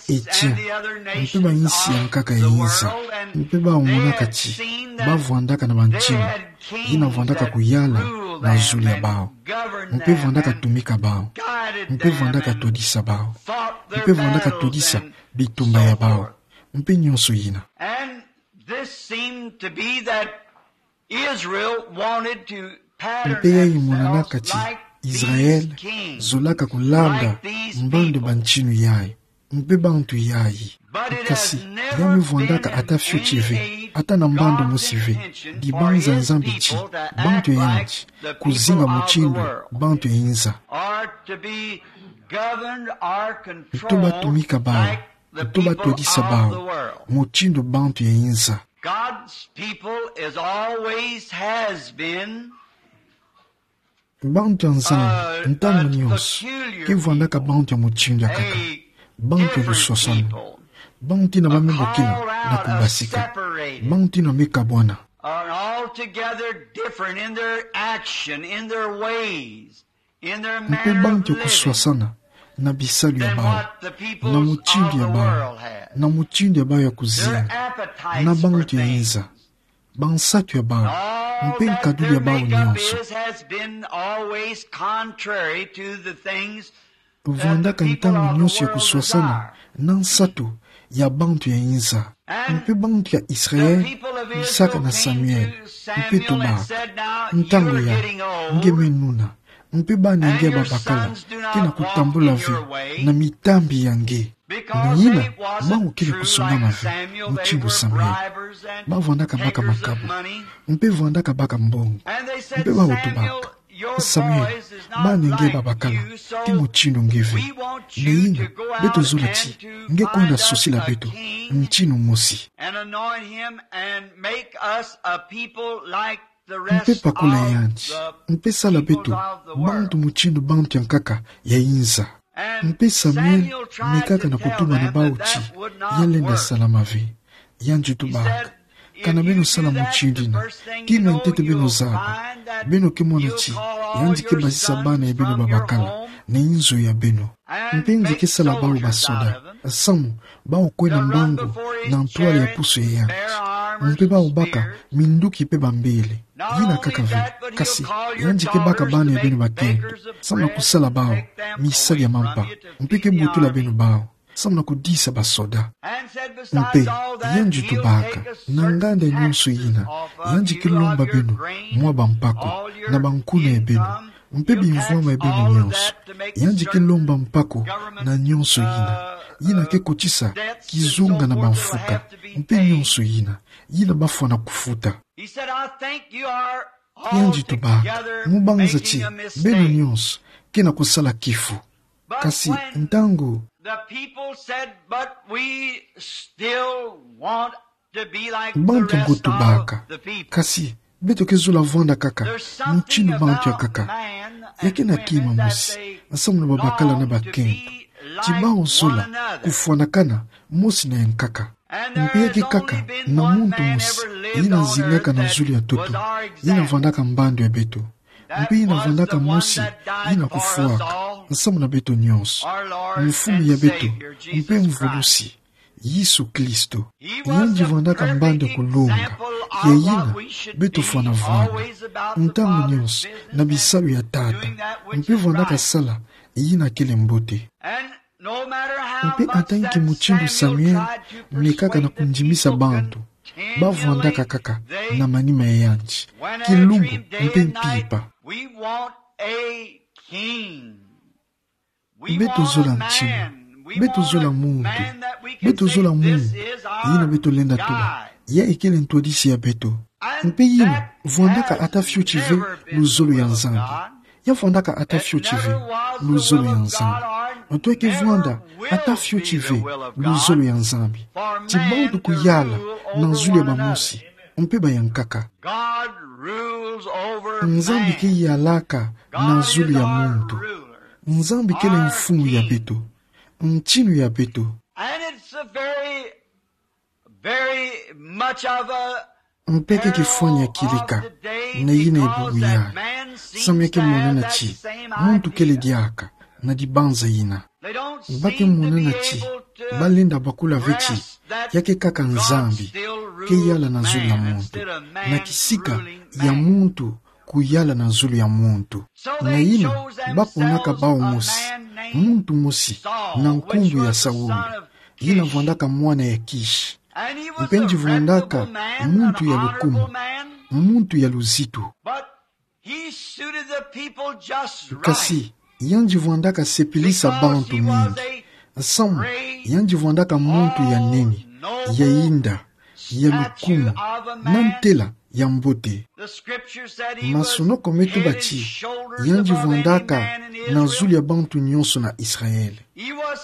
Hittites, and the other nations of the world. Mpe bayinsi ya nkaka ya yinza, mpe bawu monaka ti ba vwandaka na bantinu yina vwandaka kuyala na zulu ya bawu, mpe vwandaka tumika bawu, mpe vwandaka twadisa bawu, mpe vwandaka twadisa bitumba ya bawu, mpe nyonso yina. And this seemed to be that Israel wanted to pattern themselves like these kings, like these people. Mpe yayi monanaka ti Israel zolaka kulanda mbandu bantinu yayi, mpe bantu yayi. Kasi, ya me vwandaka ata fioti ve, ata na mbandu mosi ve, dibanza Nzambi ti bantu ya yandi kuzinga mutindu bantu ya yinza. Nto batumika bawu, nto batwadisa bawu mutindu bantu ya yinza. God's people is always has been Bantu ya Nzambi, ntangu nyonso, ke vwandaka bantu ya mutindu ya nkaka, bantu ya luswaswanu, bantu yina ba me bokila na kubasika, bantu yina me kabwana. Are altogether different in their action, in their ways, in their manner of living. Mpe bantu ya kuswasana na bisalu ya bawu, na mutindu ya bawu, na mutindu ya bawu ya kuzinga, na bantu ya yinza, bansatu ya bawu, mpe nkaduli ya bawu nyonso. Vwandaka ntangu nyonso ya kuswasana na nsatu ya bantu ya yinza. Mpe bantu ya Israel bisaka na Samuel, mpe tubaka: Ntangu yayi, nge me nuna, mpe bana ya nge babakala ke na kutambula ve na mitambi ya nge. Na yina, bawu kele kusongama ve mutindu Samuel. Bavwandaka baka makabu, mpe vwandaka baka mbongo, mpe bawu tubaka: Samuel, bana nge babakala ti mutindu nge ve. Na yina, beto zola ti nge kwenda sosila beto ntinu mosi. Mpe pakola yandi, mpe sala beto bantu mutindu bantu ya nkaka ya inza. Mpe Samuel mekaka na kutubana bawu ti ya lenda salama ve. Yandi tubaka: Kana beno sala mutindu yina, kima ntete beno zaba, beno ke mona ti yandi ke basisa bana ya beno babakala na inzo ya beno. Mpe yandi ke sala bawu basoda, samu bawu kwenda mbangu na ntwala ya pusu ya yandi. Mpe bawu baka minduki mpe bambele. Yina kaka ve, kasi yandi ke baka bana ya beno bakento, samu na kusala bawu misalu ya mampa, mpe ke butula beno bawu samu na kudisa basoda. Mpe yandi tubaka: Na nganda nyonso yina, yandi ke lomba beno mwa bampaku na bankuna ya beno, mpe bimvwama ya beno nyonso. Yandi ke lomba mpaku na nyonso yina, yina ke kotisa kizunga na bamfuka, mpe nyonso yina, yina bafwana kufuta. Yandi tubaka: Mu banza ti beno nyonso ke na kusala kifu. Kasi ntangu bantu yango tubaka: Kasi beto ke zola vwanda kaka mutindu bantu ya nkaka. Ya ke na kima mosi, samu na babakala na bakento, ti bawu zola kufwanakana mosi na ya nkaka. Mpe ya ke kaka na muntu mosi yina zingaka na zulu ya ntoto, yina vwandaka mbandu ya beto, mpe yina vwandaka mosi yina kufwaka samu na beto nyonso, Mfumu ya beto mpe Mvulusi, Yesu Kristo. Yandi vwandaka mbandu ya kulonga ya yina beto fwana vwanda ntangu nyonso na bisalu ya Tata, mpe vwandaka sala yina kele mbote. Mpe ata nki mutindu Samuel mekaka na kundimisa bantu, bavwandaka kaka na manima ya yandi, kilumbu mpe mpimpa. Beto zola ntinu, beto zola muntu, beto zola muntu yina beto lenda tuba: Ya kele ntwadisi ya beto. Mpe yina vwandaka ata fioti ve luzolo ya Nzambi. Ya vwandaka ata fioti ve luzolo ya Nzambi. Nto ya ke vwanda ata fioti ve luzolo ya Nzambi, ti bantu kuyala na zulu ya bamosi mpe ba ya nkaka. Nzambi ke yalaka na zulu ya muntu. Nzambi kele Mfumu ya beto, ntinu ya beto. Mpe ke kifwani ya kilika na yina ya bubu yayi, samu ya ke monana ti muntu kele diaka na dibanza yina. Ba ke monana ti ba lenda bakula ve ti ya ke kaka Nzambi ke yala na zulu ya muntu, na kisika ya muntu kuyala na zulu ya muntu. Na yina ba ponaka bawu mosi, muntu mosi na nkumbu ya Saul, yina vwandaka mwana ya Kish. Mpe yandi vwandaka muntu ya lukumu, muntu ya luzitu. Kasi yandi vwandaka sepelisa bantu mingi, samu yandi vwandaka muntu ya nene, ya yinda, ya lukumu, na ntela ya mbote. Masonoko me tuba ti yandi vwandaka na zulu ya bantu nyonso na Israël.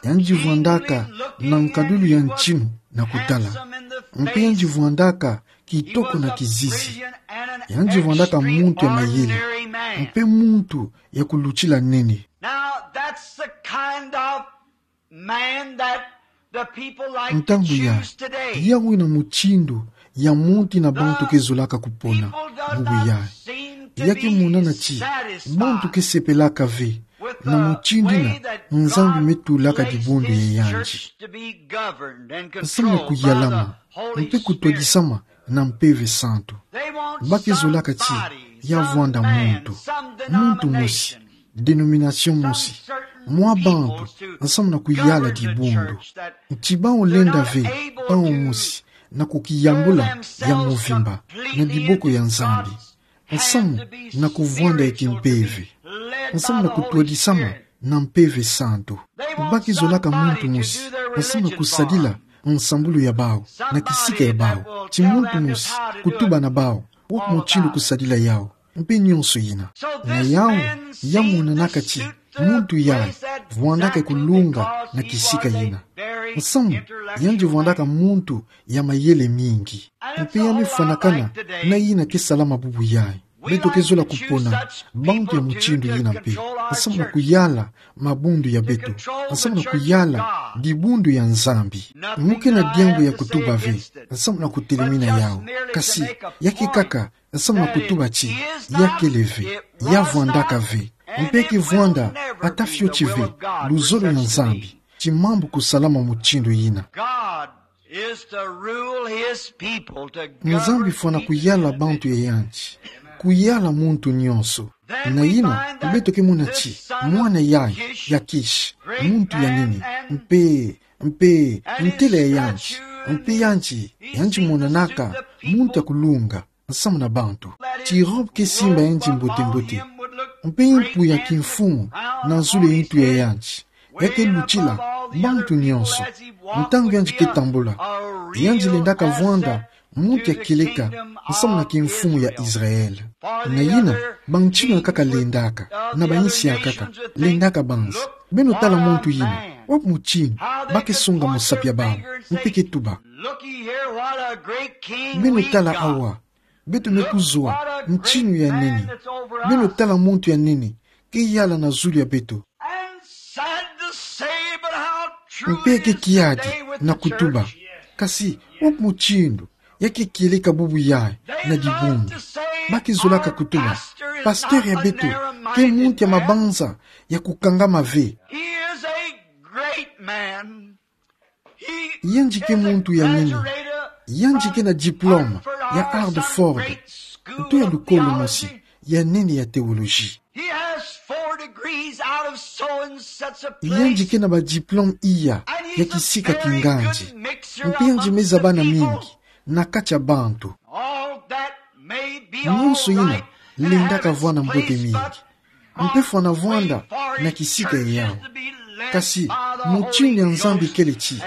Yandi vwandaka na nkadulu ya ntinu na kutala. Mpe yandi vwandaka kitoko na kizizi. Yandi vwandaka muntu ya mayele, mpe muntu ya kulutila nene. Ntangu yayi, yawu yina mutindu ya muntu ke zolaka kupona. Bubu yayi, ya ke monana ti bantu ke sepelaka ve na mutindu yina Nzambi me tulaka dibundu ya yandi, samu na kuyalama mpe kutwadisama na Mpeve Santu. Ba ke zolaka ti ya vwanda muntu, muntu mosi, dénomination mosi, mwa bantu, samu na kuyala dibundu. Ti bawu lenda ve bawu mosi na kukiyambula ya mvimba na diboko ya Nzambi, samu na kuvwanda ya kimpeve, samu na kutwadisama na Mpeve Santu. Ba ke zolaka muntu mosi Nsamu na kusadila nsambulu ya bawu, na kisika ya bawu. Ti muntu mosi kutuba na bawu wapi mutindu kusadila yawu, mpe nionso yina. Na yawu, ya monanaka ti muntu yayi vwandaka kulunga na kisika yina. Nsamu, yandi vwandaka muntu ya mayele mingi. Mpe ya me fwanakana na yina ke salama bubu yayi. Beto ke zola kupona bantu ya mutindu yina mpe, nsamu na kuyala mabundu ya beto, nsamu na kuyala dibundu ya Nzambi. Mu ke na diambu ya kutuba ve nsamu na kutelemina yawu. Kasi, ya ke kaka nsamu na kutuba ti ya kele ve, ya vwandaka ve, mpe ke vwanda ata fioti ve luzolo ya Nzambi. Ti mambu kusalama mutindu yina. God is to rule his people, to govern. Nzambi fwana kuyala bantu ya yandi, kuyala muntu nionso. Na yina, beto ke mona ti mwana yayi ya Kish, muntu ya nene, mpe, mpe ntela ya yandi, mpe yandi, yandi monanaka muntu ya kulunga nsamu na bantu. Ti robe ke simba yandi mbote-mbote, mpe yimpu ya kimfumu na zulu ya ntu ya yandi, ya ke lutila bantu nionso. Ntangu yandi ke tambula, yandi lendaka vwanda muntu ya kieleka nsamu na kimfumu ya Israël. Na yina, bantinu ya nkaka lendaka, na bayinsi ya nkaka lendaka banza. Beno tala muntu yina, wapi mutindu ba ke songa musapi ya bawu, mpe ke tuba. Beno tala awa, beto me kuzwa ntinu ya nene. Beno tala muntu ya nene ke yala na zulu ya beto. Mpe ke kiadi na kutuba. Kasi, wapi mutindu ya ke kieleka bubu yayi na dibundu? Ba ke zolaka kutuba, pasteur ya beto ke muntu ya mabanza ya kukangama ve. Yandi ke muntu ya nene. Yandi ke na diplôme ya Harvard, ntu ya lukolo mosi ya nene ya théologie. Yandi ke na ba diplôme iya ya kisika kingandi. Mpe yandi me zaba na mingi na kati ya bantu. Nionso yina lendaka vwanda mbote mingi, mpe fwana vwanda na kisika yawu. Kasi, mutindu ya Nzambi kele ti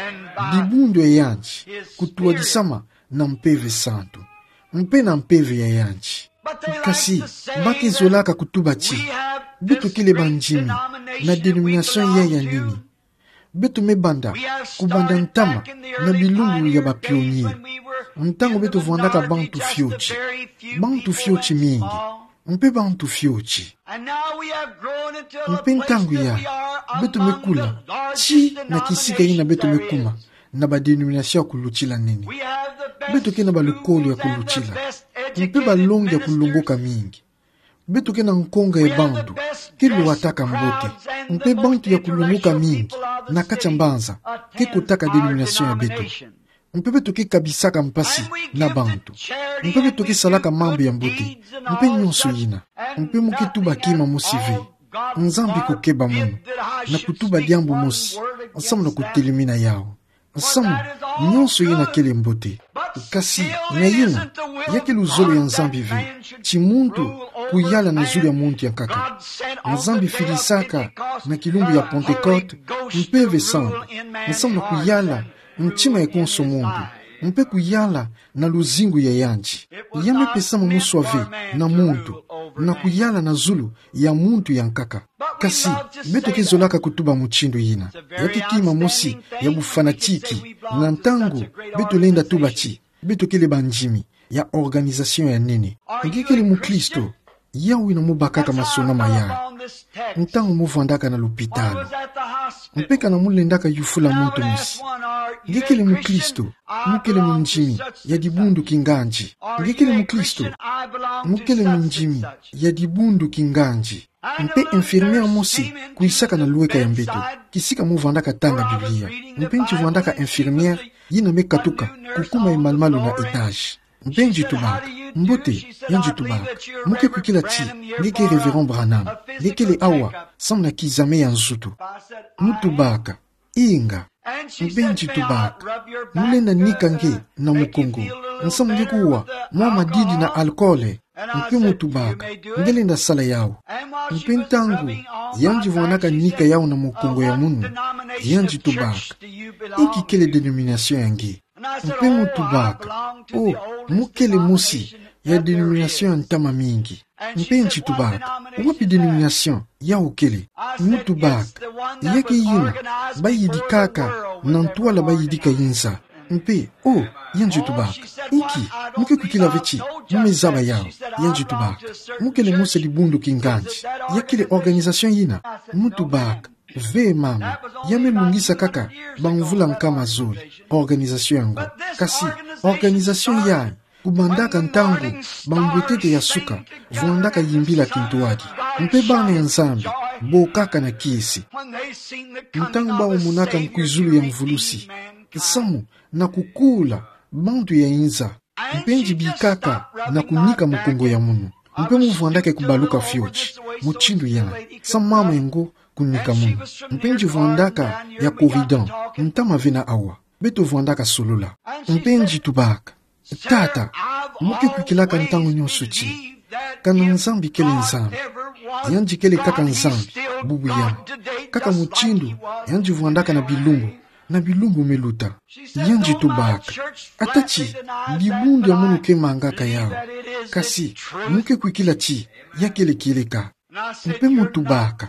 dibundu ya yandi kutuadisama na Mpeve Santu, mpe na mpeve ya yandi. Kasi, ba ke zolaka kutuba ti beto kele bandimi na dénomination yayi ya nene. Beto me banda kubanda ntama na bilumbu ya ba pionniers, ntangu beto vwandaka bantu fioti, bantu fioti mingi, mpe bantu fioti. Mpe ntangu yayi, beto me kula ti na kisika yina beto me kuma na ba dénomination ya kulutila nene. Beto ke na balukolo ya kulutila, mpe balongi ya kulongoka mingi. Beto ke na nkonga ya bantu ke lwataka mbote, mpe bantu ya kulongoka mingi na kati ya mbanza ke kotaka dénomination ya beto. Mpe beto ke kabisaka mpasi na bantu, mpe beto ke salaka mambu ya mbote, mpe nionso yina. Mpe mu ke tuba kima mosi ve. Nzambi kukeba munu na kutuba diambu mosi nsamu na kutelemina yawu. Nsamu, nionso yina kele mbote. Kasi, na yina, ya ke luzolo ya Nzambi ve ti muntu kuyala na zulu ya muntu ya nkaka. Nzambi filisaka na kilumbu ya Pentecôte Mpeve Santu nsamu na kuyala ntima ya konso muntu, mpe kuyala na luzingu ya yandi. Ya me pesama moswa ve na muntu na kuyala na zulu ya muntu ya nkaka. Kasi, beto ke zolaka kutuba mutindu yina. Ya ke kima mosi ya bufanatique, na ntangu beto lenda tuba ti beto kele bandimi ya organisation ya nene. Nge kele mukristo, yawu wina mu bakaka masonama yayi, ntangu mu vwandaka na lupitalu, mpe kana mu lendaka yufula muntu mosi: Nge kele mukristo? Mu kele mundimi ya dibundu kingandi? Nge kele mukristo? Mu kele mundimi ya dibundu kingandi? Mpe infirmière mosi kwisaka na lweka ya mbeto, kisika mu vwandaka tanga Biblia. Mpe nge vwandaka infirmière yina me katuka kukuma ye malumalu na étage. Mpe nge tubaka: Mbote. Nge tubaka: Mu ke kwikila ti nge ke Révérend Branham? Nge kele awa samu na kizame ya nzutu? Mu tubaka: Inga. Mpe nge tubaka: Mu lenda nika nge na mukongo, nsamu nge kuwa mwa madidi na alcool? Mpe mu tubaka: Nge lenda sala yawu. Mpe ntangu yandi vwandaka nika yawu na mukongo ya munu, Yandi tubaka: Inki kele denomination ya nge? Mpe mo tubaka: O, mo kele mosi ya denomination ya ntama mingi. Mpe nti tubaka: Wapi denomination yau kele? Mo tubaka: Ya ke yina bayidikaka na ntwala bayidika inza. Mpe, o, yandi tubaka: Inki, mo ke kwikila ve ti mo me zaba yau? Yandi tubaka: Mo kele mosi ya dibundu kingandi. Ya kele organisation yina? Mo tubaka: Ve mama, ya me lungisa kaka bamvula nkama zole, organisation yango. Kasi organisation yayi, kubandaka ntangu bambwetete ya suka, vwandaka yimbila kintwadi. Mpe bana ya Nzambi bokaka na kiese ntangu bau monaka nkwizulu ya mvulusi, nsamu na kukula bantu ya inza. Mpe nti bikaka na kunika mukongo ya munu. Mpe mo vwandaka kubaluka fioti mutindu yandi, sa mama yango kunika munu. Mpe nti vwandaka ya Corydon, ntama ve na awa. Beto vwandaka solola. Mpe nti tubaka: Tata, mo ke kwikilaka ntangu nyonso ti kana Nzambi kele Nzambi. Yandi kele kaka Nzambi bubu yai, kaka mutindu yandi vwandaka na bilumbu, na bilumbu me luta. Yandi tubaka: Ata ti dibundu ya munu ke mangaka yau, kasi mo ke kwikila ti ya kele kieleka. Mpe mo tubaka: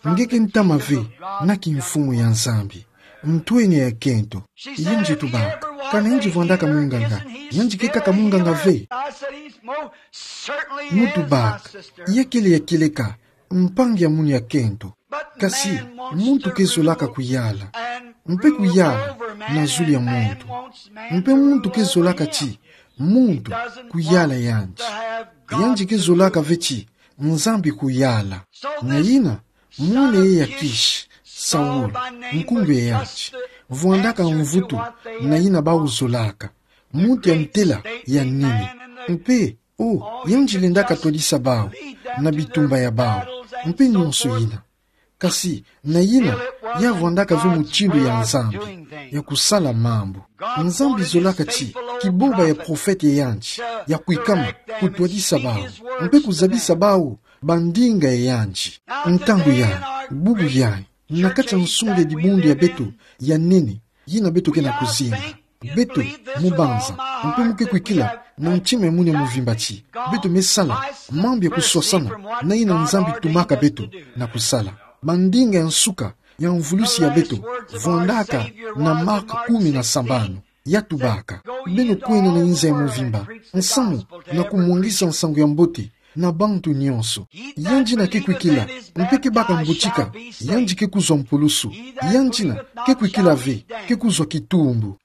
Nge ke ntama ve na kimfumu ya Nzambi, ntwenya ya kento. Yandi tubaka: Kana yandi vwandaka munganga, yandi ke kaka munganga ve? Mo tubaka: Ya kele ya kieleka, mpangi ya munu ya kento. Kasi muntu ke zolaka kuyala, mpe kuyala na zulu ya muntu. Mpe muntu ke zolaka ti muntu kuyala yandi. Yandi ke zolaka ve ti Nzambi kuyala. Na yina, mwana ye ya Kishi, Saul, nkumbu ya yandi, vwandaka mvutu na yina bau zolaka, muntu ya ntela ya nene. Mpe, o, yandi lendaka twadisa bau na bitumba ya bau, mpe nyonso yina. Kasi na yina, ya vwandaka ve mutindu ya Nzambi ya kusala mambu. Nzambi zolaka ti kiboba ya profete ya yandi ya kwikama, kutwadisa bau, mpe kuzabisa bau bandinga ya yandi. Ntangu yai, bubu yai, na kati ya nsonga ya dibundu ya beto ya nene, yina beto ke na kuzinga, beto mo banza, mpe mo ke kwikila na ntima ya munu ya mvimba ti beto me sala mambu ya kuswasana na yina Nzambi tumaka beto na kusala. Bandinga ya nsuka ya mvulusi ya beto vwandaka na Mark kumi na sambanu. Ya tubaka: Beno kwenda na inza ya mvimba, nsamu na kumwangisa nsangu ya mbote na bantu nyonso. Yandi yina ke kwikila, mpe ke baka mbutika, yandi ke kuzwa mpulusu. Yandi yina ke kwikila ve, ke kuzwa kitumbu.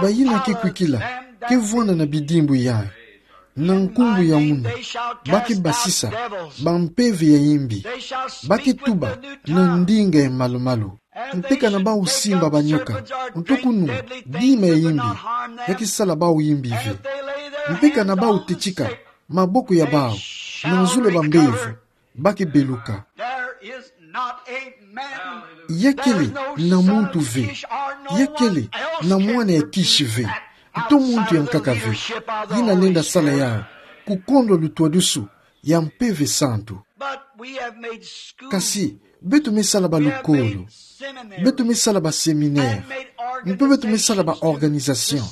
Bayina ke kwikila ke vwanda na bidimbu yai: Na nkumbu ya munu, ba ke basisa bampeve ya imbi, ba ke tuba na ndinga ya malu-malu. Mpe kana bau simba banyoka, nto kunu dima ya imbi, ya ke sala bau imbi ve. Mpe kana bau tetika maboko ya bau na zulu ya bambevo, ba ke beluka. Ya kele na muntu ve, ya kele na mwana ya Kishi ve, nto muntu ya nkaka ve, yina lenda sala yau kukondwa lutwadusu ya Mpeve Santu. Kasi beto me sala balukolo, beto me sala baseminaire, mpe beto me sala baorganisation,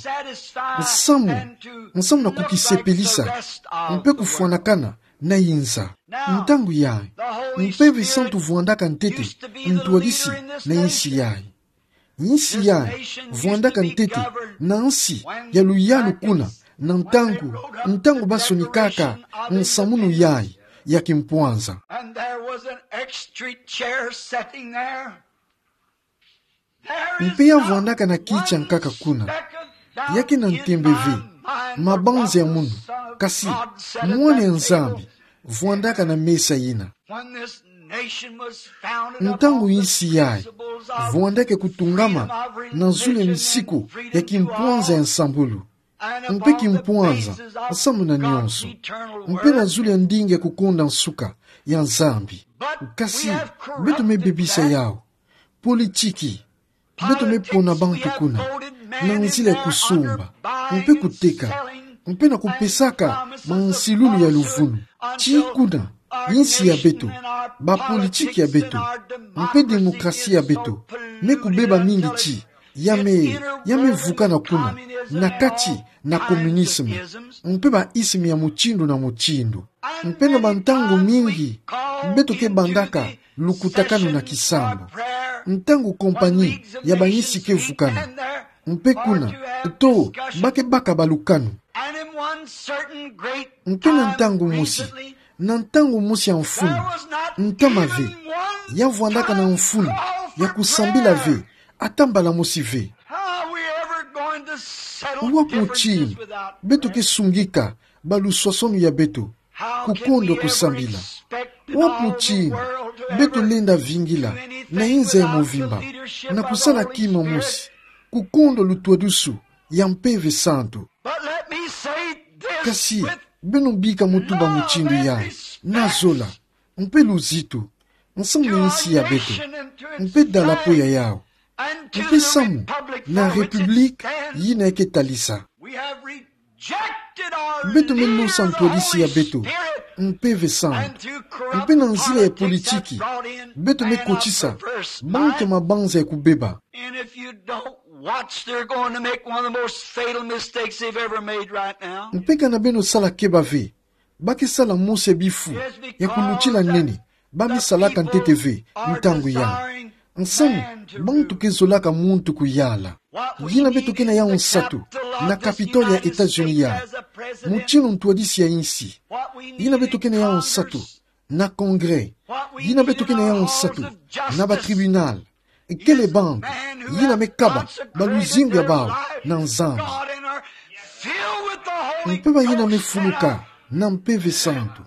nsamu, nsamu na kukisepelisa mpe kufwanakana na inza. Ntangu yai, Mpeve Santu vwandaka ntete ntwadisi na insi yai. Insi yai vwandaka ntete na nsi ya luyalu kuna na ntangu, ntangu ba sonikaka nsamunu yai ya kimpwanza. Mpe ya vwandaka na kiti ya nkaka kuna. Ya ke na ntembe ve mabanza ya munu, kasi Mwana ya Nzambi vwandaka na mesa yina. Ntangu insi yai vwandaka kutungama na zulu ya misiku ya kimpwanza ya nsambulu, mpe kimpwanza nsamu na nyonso, mpe na zulu ya ndinga ya kukonda nsuka ya Nzambi. Kasi beto me bebisa yau. Politiki, beto me pona bantu kuna na nzila ya kusumba mpe kuteka, mpe na kupesaka mansilulu ya luvunu. Ti kuna Insi ya beto, bapolitiki ya beto, mpe demokrasi ya beto, me kubeba mingi ti, ya me, ya me vukana kuna, na kati na communisme, mpe ba isme ya mutindu na mutindu. Mpe na bantangu mingi, beto ke bandaka lukutakanu na kisambu. Ntangu kompanyi ya bainsi ke vukana. Mpe kuna, to, ba ke baka balukanu. Mpe na ntangu mosi, na ntangu mosi ya mfunu, ntama ve, ya vwandaka na mfunu ya kusambila ve, ata mbala mosi ve. Wapi mutindu beto ke sungika baluswaswanu ya beto, kukondwa kusambila? Wapi mutindu beto lenda vingila na inza ya muvimba na kusala kima mosi, kukondwa lutwadusu ya Mpeve Santu? Kasi, beno bika mu tuba mutindu yayi, na zola, mpe luzitu, nsamu na insi ya beto, mpe dalapo ya yawu, mpe samu na République yina ke talisa. Beto me nosa ntwadisi ya beto, Mpeve Santu, mpe na nzila ya politiki, beto me kotisa bantu ya mabanza ya kubeba. And if you don't watch, they're going to make one of the most fatal mistakes they've ever made right now. Mpe kana beno sala keba ve, ba ke sala mosi ya bifu ya kulutila nene ba me salaka ntete ve ntangu yayi. Nsamu, bantu ke zolaka muntu kuyala. Yina beto ke na yawu nsatu na Capitole ya États-Unis yayi, mutindu ntwadisi ya insi. Yina beto ke na yawu nsatu na Congrès. Yina beto ke na yawu nsatu na batribunal. Kele bantu yina me kaba baluzingu ya bawu na Nzambi. Mpe bayina me fuluka na Mpeve Santu,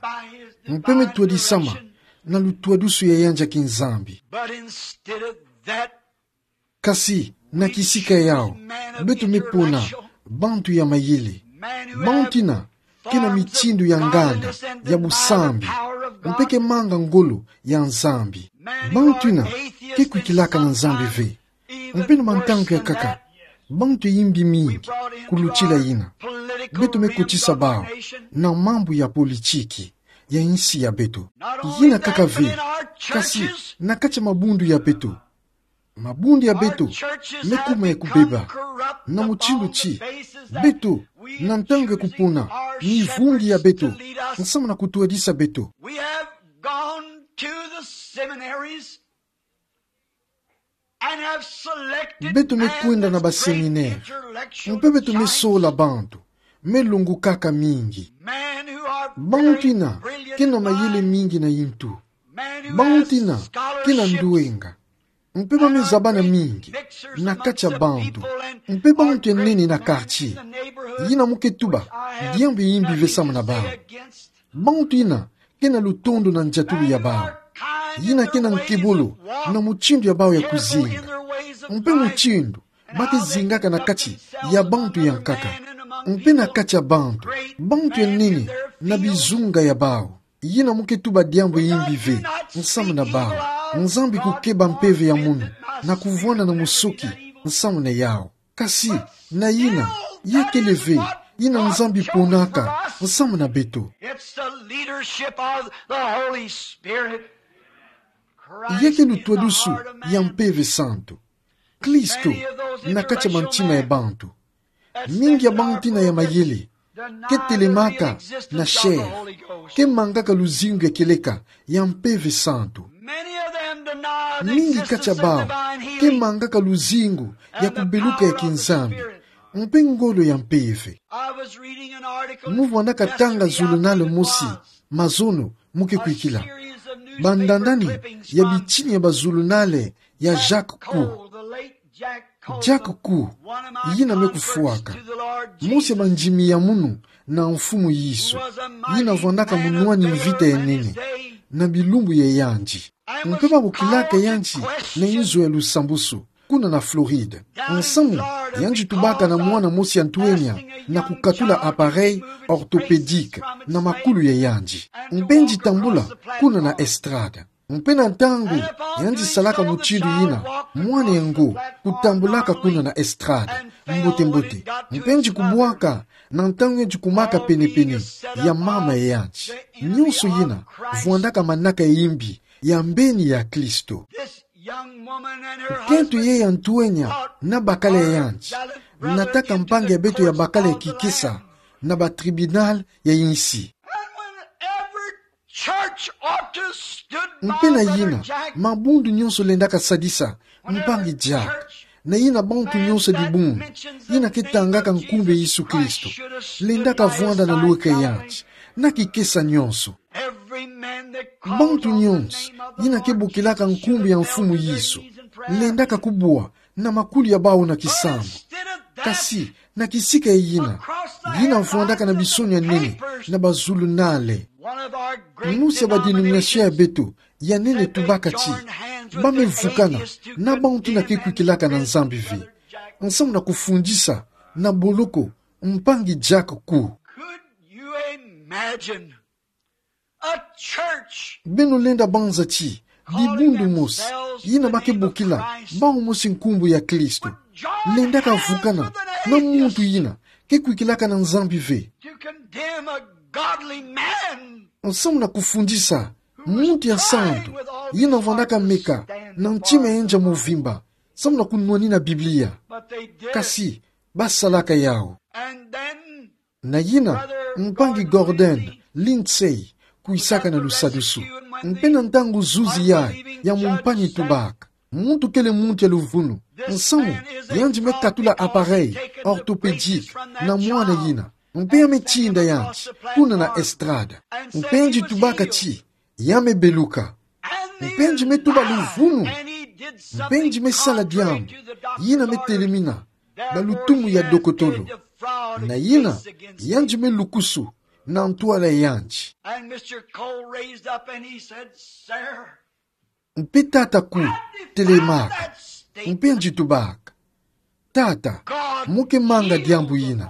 mpe me twadisama na lutwadusu ya yandi ya kinzambi. But instead of that, Kasi, na kisika yawu, beto me pona bantu ya mayele. Bantu yina ke na mitindu ya nganda ya busambi, mpe ke manga ngolo ya Nzambi. Bantu yina ke kwikilaka na Nzambi ve. Mpe na mantangu ya nkaka, bantu ya yimbi mingi kulutila yina. Beto me kotisa bawu na mambu ya politiki ya insi ya beto. Yina kaka ve, kasi na kati ya mabundu ya beto. Mabundu ya beto me kuma ya kubeba. Na mutindu ti, beto, na ntangu ya kupona mivungi ya beto, nsamu na kutwadisa beto, We have gone to the seminaries and have selected beto me kwenda na baseminaire, mpe beto me sola bantu me longokaka mingi. Bantu yina ke na mayele mingi na yintu. Bantu yina ke na nduwenga. Mpe ba me zabana mingi na kati ya bantu. Mpe bantu ya nene na quartier, yina mu ke tuba diambu ya yimbi ve samu na bawu. Bantu yina ke na lutondo na ndiatulu ya bawu. Yina ke na nkebolo na mutindu ya bawu ya kuzinga. Mpe mutindu ba ke zingaka na kati ya bantu ya nkaka. Mpe na kati ya bantu, bantu ya nene na bizunga ya bawu. Yina mu ke tuba diambu ya yimbi ve nsamu na bawu. Nzambi kukeba mpeve ya munu na kuvwanda na musoki nsamu na yawu. Kasi, na yina, ya kele ve yina Nzambi ponaka nsamu na beto. It's the leadership of the Holy Spirit. Ya ke lutwadusu ya Mpeve Santu. Kristo na kati ya mantima ya bantu. Mingi ya bantu yina ya mayele ke telemaka na chair, ke mangaka luzingu ya kieleka ya Mpeve Santu. Mingi kati ya bawu ke mangaka luzingu ya kubeluka ya kinzambi mpe ngolo ya mpeve. Mu vwandaka tanga zulunale mosi mazono mu ke kwikila. Bandandani ya bitini ya bazulunale ya Jack Coe. Jack Coe, yina me kufwaka mosi ya bandimi ya munu na Mfumu Yesu, yina vwandaka munwani mvita ya nene na bilumbu ya yandi. Mpe ba bokilaka yandi na inzo ya lusambusu kuna na Floride. Nsamu, yandi tubaka na mwana mosi ya ntwenya na kukatula appareil orthopédique na makulu ya yandi. Mpe yandi tambula kuna na estrade. Mpe na ntangu yandi salaka mutindu yina, mwana yango kutambulaka kuna na estrade, Mbote-mbote. Mpe yandi kubwaka, na ntangu yandi kumaka pene-pene ya mama ya yandi. Nyonso yina, vwandaka manaka ya imbi, ya mbeni ya Kristo. Nkento ye ya ntwenya, na bakala ya yandi, nataka mpangi ya beto ya bakala ya kikesa, na ba tribunal ya insi. Mpe na yina, mabundu nyonso lendaka sadisa mpangi diaka. Na yina bantu nyonso dibundu, yina ke tangaka nkumbu ya Yesu Kristo, lendaka vwanda na lweka ya yandi, na kikesa nyonso. Bantu nyonso, yina ke bokilaka nkumbu ya Mfumu Yesu, lendaka kubwa na makulu ya bawu na kisambu. Kasi, na kisika ya yina, yina vwandaka na bisonia nene, na bazulunale. Mosi ya ba denomination ya beto ya nene tubaka ti, ba me vukana na bantu yina ke kwikilaka na Nzambi ve. Nsamu na kufundisa na boloko mpangi diaka ko. Beno lenda banza ti dibundu mosi, yina ba ke bokila bawu mosi nkumbu ya Kristo, lendaka vukana na muntu yina ke kwikilaka na Nzambi ve. Nsamu na kufundisa muntu ya santu, yina vwandaka meka na ntima ya yandi ya mvimba, nsamu na kunwanina Biblia. Kasi, ba salaka yawu. Na yina, mpangi Gordon Lindsay kwisaka na lusadusu. Mpe na ntangu zuzi yayi ya mumpani tubaka, muntu kele muntu ya luvunu, nsamu, yandi me katula appareil orthopédique na mwana yina. Mpe ya me tinda yandi kuna na estrada. Mpe yandi tubaka ti, ya me beluka. Mpe yandi me tuba luvunu. Mpe yandi me sala diambu yina me telemina na lutumu ya dokotolo. Na yina, yandi me lukusu na ntwala ya yandi. Mpe tata Ku telemaka. Mpe yandi tubaka: Tata, mu ke manga diambu yina.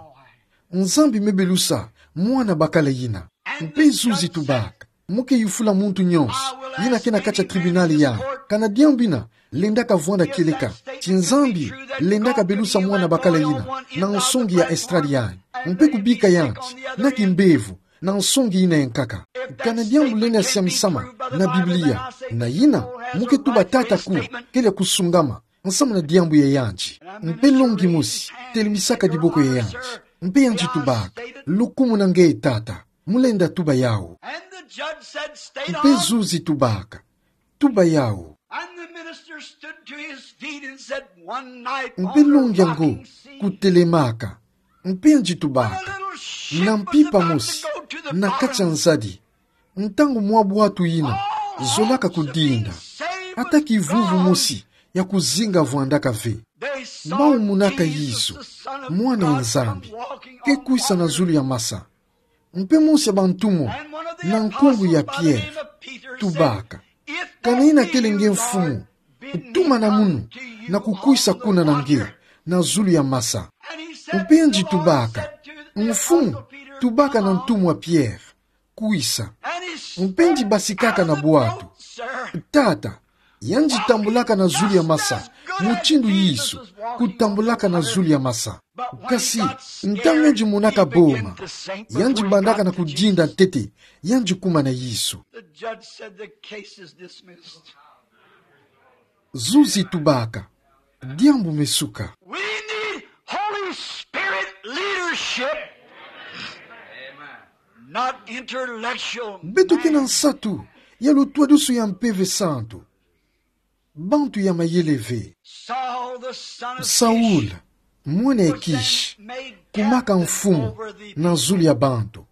Nzambi me belusa mwana bakala yina. Mpe zuzi tubaka: Mu ke yufula muntu nyonso yina ke na kati ya tribunal yayi, kana diambu yina lendaka vwanda kieleka, ti Nzambi lendaka belusa mwana bakala yina na nsongi ya estrada yayi, mpe kubika yandi na kimbevo na nsongi yina ya nkaka. Kana diambu lenda siamisama na Biblia, na yina, mu ke tuba tata Ku kele ya kusungama nsamu na diambu ya yandi. Mpe longi mosi telemisaka diboko ya yandi. Mpe yandi tubaka: Lukumu na nge, tata. Mu lenda tuba yawu. Mpe zuzi tubaka: Tuba yawu. Mpe longi yango kutelemaka. Mpe yandi tubaka: Na mpimpa mosi, na kati ya nzadi, ntangu mwa bwatu yina zolaka kudinda, ata kivuvu mosi ya kuzinga vwandaka ve. Bawu monaka Yesu, mwana ya Nzambi, ke kwisa na zulu ya masa. Mpe mosi ya bantumwa, na nkumbu ya Pierre, tubaka: Kana yina kele nge Mfumu, tumana munu na kukwisa kuna na nge na zulu ya masa. Mpe yandi tubaka: Mfumu, tubaka na ntumwa Pierre, kwisa. Mpe yandi basikaka na bwatu. Tata, yandi tambulaka na zulu ya masa mutindu Yesu kutambulaka na zulu ya masa. Kasi, ntangu yandi monaka boma, yandi bandaka na kudinda ntete, yandi kuma na Yesu. Zuzi tubaka: Diambu me suka. We need Holy Spirit leadership, not intellectual. Beto ke na nsatu ya lutwadusu ya Mpeve Santu, bantu ya mayele ve. Saul, mwana ya Kishi, kumaka mfumu na zulu ya bantu.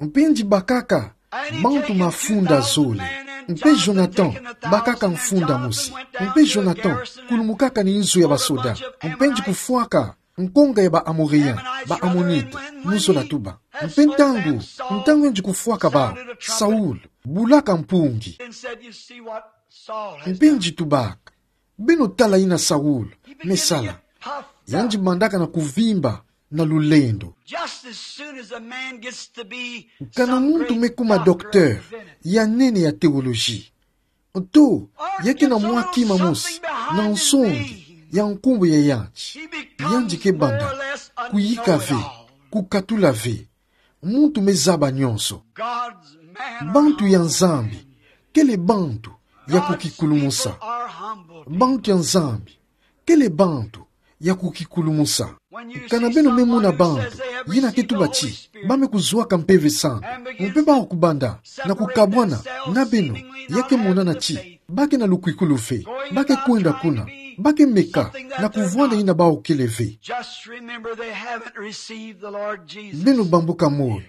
Mpe yandi bakaka bantu mafunda zole. Mpe Jonathan bakaka mfunda mosi. Mpe Jonathan kulumukaka na inzo ya basoda. Mpe yandi kufwaka nkonga ya ba Amoréens, ba Ammonite, mu zola tuba. Mpe ntangu, ntangu yandi kufwaka bawu, Saul bulaka mpungi. Mpe yandi tubaka: Beno tala yina Saul me sala. Yandi bandaka na kuvimba na lulendo. Kana muntu me kuma docteur ya nene ya théologie, to ya ke na mwa kima mosi na nsongi ya nkumbu ya yandi, yandi ke banda, kuyika ve, kukatula ve, muntu me zaba nyonso. Bantu ya Nzambi kele bantu ya kukikulumusa. Bantu ya Nzambi kele bantu ya kukikulumusa. Kana beno me mona bantu yina ke tuba ti ba me kuzwaka Mpeve Santu, mpe bawu kubanda na kukabwana na beno, ya ke monana ti ba ke na lukwikilu ve, ba ke kwenda kuna, ba ke meka na kuvwanda yina bawu kele ve. Just remember, they haven't received the Lord Jesus. Beno bambuka moyo,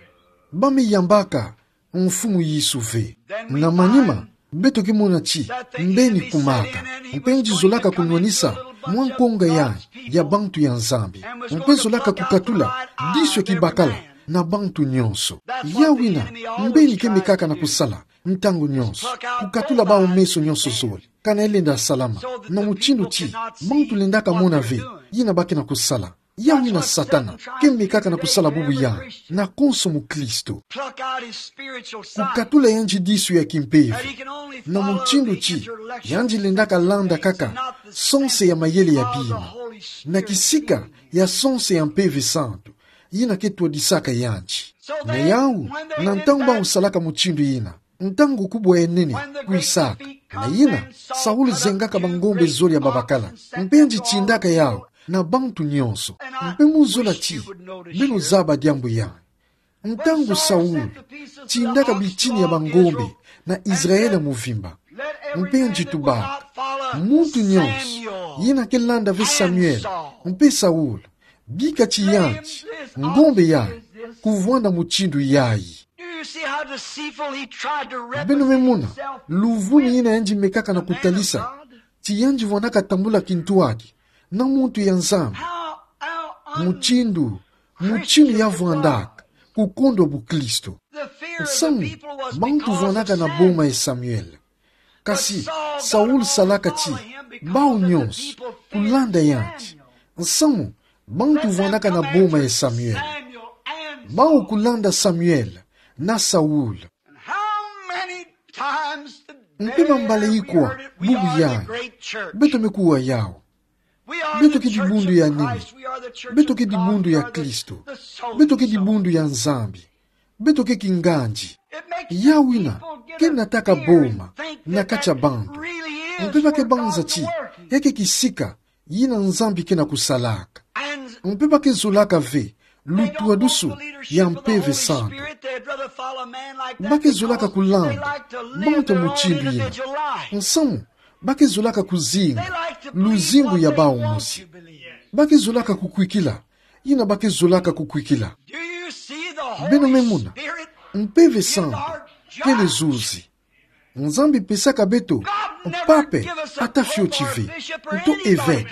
ba me yambaka Mfumu Yesu ve. Na manima, beto ke mona ti mbeni kumaka, mpe yandi zolaka kunwanisa mwa nkonga yandi ya bantu ya Nzambi, mpe zolaka kukatula disu ya kibakala na bantu nyonso. Yawu yina mbeni ke mekaka na kusala ntangu nyonso, kukatula bawu meso nyonso zole, kana yalenda salama, na mutindu ti bantu lendaka mona ve yina ba ke na kusala. Yawu yina Satana ke mekaka na kusala bubu yandi na konso mukristo. Pluck out his spiritual sight. Kukatula yandi disu ya kimpeve, that he can only follow the injured road. Na mutindu ti yandi lendaka landa kaka sonse ya mayele ya bima, na kisika ya sonse ya Mpeve Santu yina ke twadisaka yandi. Na yawu, na ntangu bawu salaka mutindu yina, ntangu kubwa ya nene kwisaka, na yina Saul zengaka bangombe zole ya babakala, mpe yandi tindaka yawu na bantu nyonso. Mpe mu zola ti beno zaba diambu yandi. Ntangu Saul tindaka bitini ya bangombe na Israel muvimba, mpe yandi tubaka: Muntu nyonso yina ke landa ve Samuel mpe Saul, bika ti yandi ngombe yayi kuvwanda mutindu yayi. Do you see how deceitful he tried to represent himself? Beno me mona luvunu yina yandi mekaka na kutalisa ti yandi vwandaka tambula kintwadi na muntu ya Nzambi. How, how un- Mutindu, mutindu ya vwandaka kukondwa bukristo. The fear of the people was because of Samuel. Nsamu, bantu vwandaka na boma ya Samuel. Kasi Saul salaka ti bawu nyonso kulanda yandi. Nsamu, bantu vwandaka na boma ya Samuel. Bawu kulanda Samuel na Saul. Mpe bambala ikwa bubu yayi beto me kuwa yawu. Beto ke dibundu ya nene. Beto ke dibundu ya Kristo. Beto ke dibundu ya Nzambi. Beto ke kingandi. Yawu yina ke nataka boma na kati ya bantu. Mpe ba ke banza ti ya ke kisika yina Nzambi ke na kusalaka. Mpe ba ke zolaka ve lutwadusu ya Mpeve Santu. Ba ke zolaka kulanda bantu mutindu yina. Nsamu, ba ke zolaka kuzinga luzingu ya bawu mosi. Ba ke zolaka kukwikila yina ba ke zolaka kukwikila. Beno me mona, Mpeve Santu kele zuzi. Nzambi pesaka beto pape ata fioti ve, nto evêque,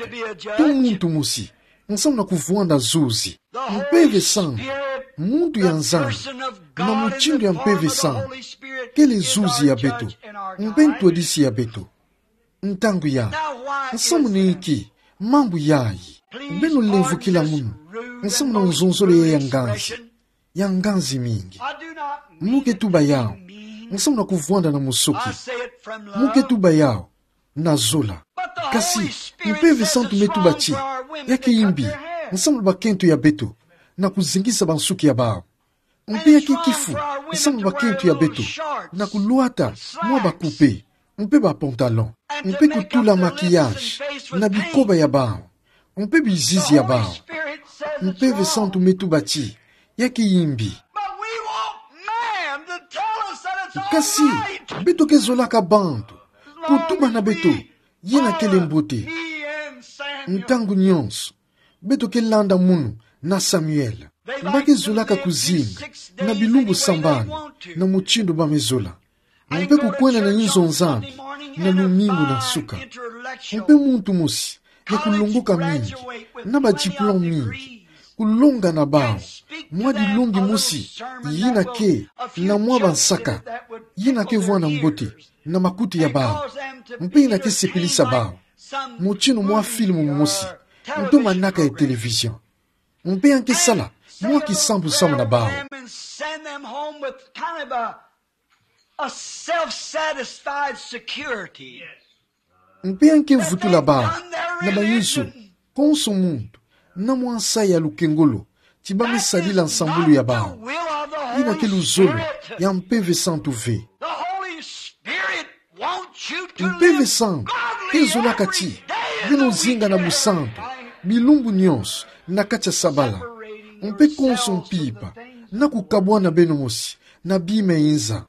nto muntu mosi, nsamu na kuvwanda zuzi. Mpeve Santu, muntu ya Nzambi, na mutindu ya Mpeve Santu, kele zuzi ya beto mpe ntwadisi ya beto. Ntangu yayi, nsamu na inki mambu yayi? Beno lemvukila munu, nsamu na nzonzolo ya nganzi, ya nganzi mingi. Mu ke tuba yawu nsamu na kuvwanda na musoki. Mu ke tuba yawu na zola. Kasi Mpeve Santu me tuba ti ya ke imbi nsamu na bakento ya beto na kuzingisa bansuki ya bawu. Mpe ya ke kifu nsamu na bakento ya beto na kulwata mwa ba kupe mpe ba pantalon, mpe kutula maquillage na bikoba ya bawu mpe bizizi ya bawu. Mpeve Santu me tuba ti ya ke imbi. But we want man to tell us that it's all right. Kasi beto ke zolaka bantu kutuba na beto yina kele mbote. Ntangu nyonso beto ke landa munu na Samuel. Ba ke zolaka kuzinga na bilumbu sambanu na mutindu ba me zola, mpe kukwenda na inzo Nzambi na lumingu na nsuka. Mpe muntu mosi ya kulongoka mingi, na ba diplôme mingi, kulonga na bawu mwa dilongi mosi yina ke na mwa bansaka yina ke vwanda mbote na makutu ya bawu, mpe yina ke sepelisa bawu, mutindu mwa film mosi, nto manaka ya télévision. Mpe ya ke sala mwa kisambu samu na bawu. Mpe ya ke vutula bawu na bainzo konso muntu Na mwansa ya lukengolo, ti bamesarila nsambulu ya bawu. Yina ke luzolo ya Mpeve Santu ve. Mpeve Santu ke zolaka ti beno zinga na busantu bilumbu nyonso na kati ya sabala. Mpe konso mpimpa na kukabwana beno mosi na bima ya inza.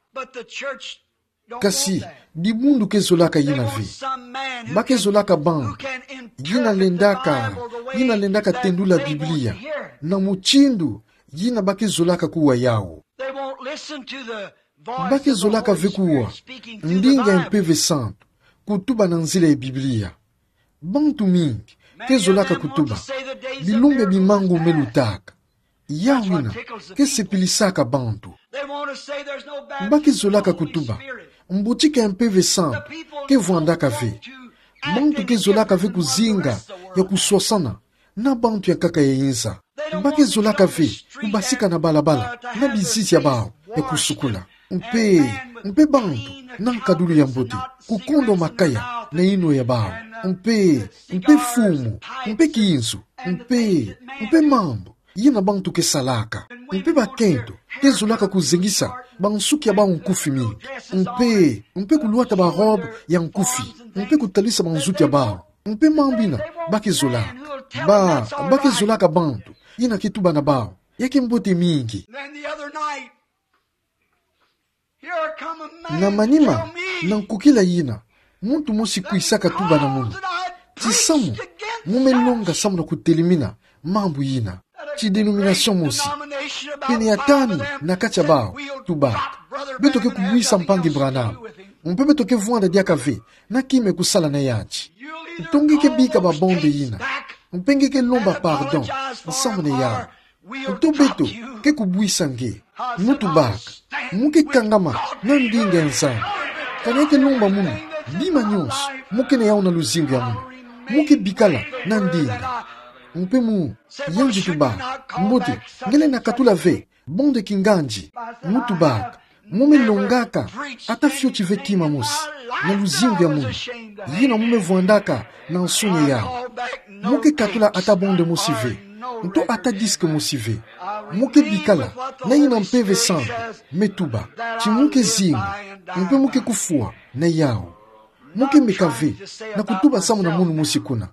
Kasi dibundu ke zolaka yina ve. Ba ke zolaka bantu yina lendaka, yina lendaka tendula Biblia na mutindu yina ba ke zolaka kuwa yawu. Ba ke zolaka ve kuwa ndinga ya Mpeve Santu kutuba na nzila ya Biblia. Bantu mingi ke zolaka kutuba bilumbu ya bimangu me lutaka. Yawu yina ke sepilisaka bantu. Ba ke zolaka kutuba mbotika ya Mpeve Santu ke vwandaka ve. Bantu ke zolaka ve kuzinga ya kuswasana na bantu ya nkaka ya inza. Ba ke zolaka ve kubasika na balabala na bizizi ya bawu ya kusukula. Mpe, mpe bantu na nkadulu ya mbote, kukondo makaya na yinwa ya bawu. Mpe, mpe fumu, mpe kinzu, mpe, mpe mambu yina bantu ke salaka. Mpe bakento ke zolaka kuzengisa bansuki ya bawu nkufi mingi. Mpe, mpe kulwata barobe ya nkufi. Mpe kutalisa banzuki ya bawu. Mpe mambu yina ba ke zolaka. Ba, ba ke zolaka bantu yina ke tuba na bawu. Ya ke mbote mingi. Na manima na nkukila yina, muntu mosi kwisaka tuba na munu ti samu mu me longa samu na kutelimina mambu yina. Ti denomination mosi, pene ya tanu na kati ya bawu tubaka: Beto ke kubwisa mpangi Branham. Mpe beto ke vwanda diaka ve na kima ya kusala na yandi. Nto nge ke bika babonde yina. Mpe nge ke lomba pardon nsamuni yawu. Nto beto ke kubwisa nge. Mu tubaka. Mu ke kangama na ndinga ya Nzambi. Kana ke lomba munu bima nyonso mu ke na yawu na luzingu ya munu. Mu ke bikala na ndinga. Mpe mu, yandi tubaka: Mbote, nge lenda katula ve bonde kingandi. Mu tubaka: Mu me longaka ata fioti ve kima mosi na luzingu ya munu yina mu me vwandaka na nsoni yawu. Mu ke katula ata bonde mosi ve, nto ata disque mosi ve. Mu ke bikala na yina Mpeve Santu me tuba. Ti mu ke zinga, mpe mu ke kufwa na yawu. Mu ke meka ve na kutuba samu na munu mosi kuna.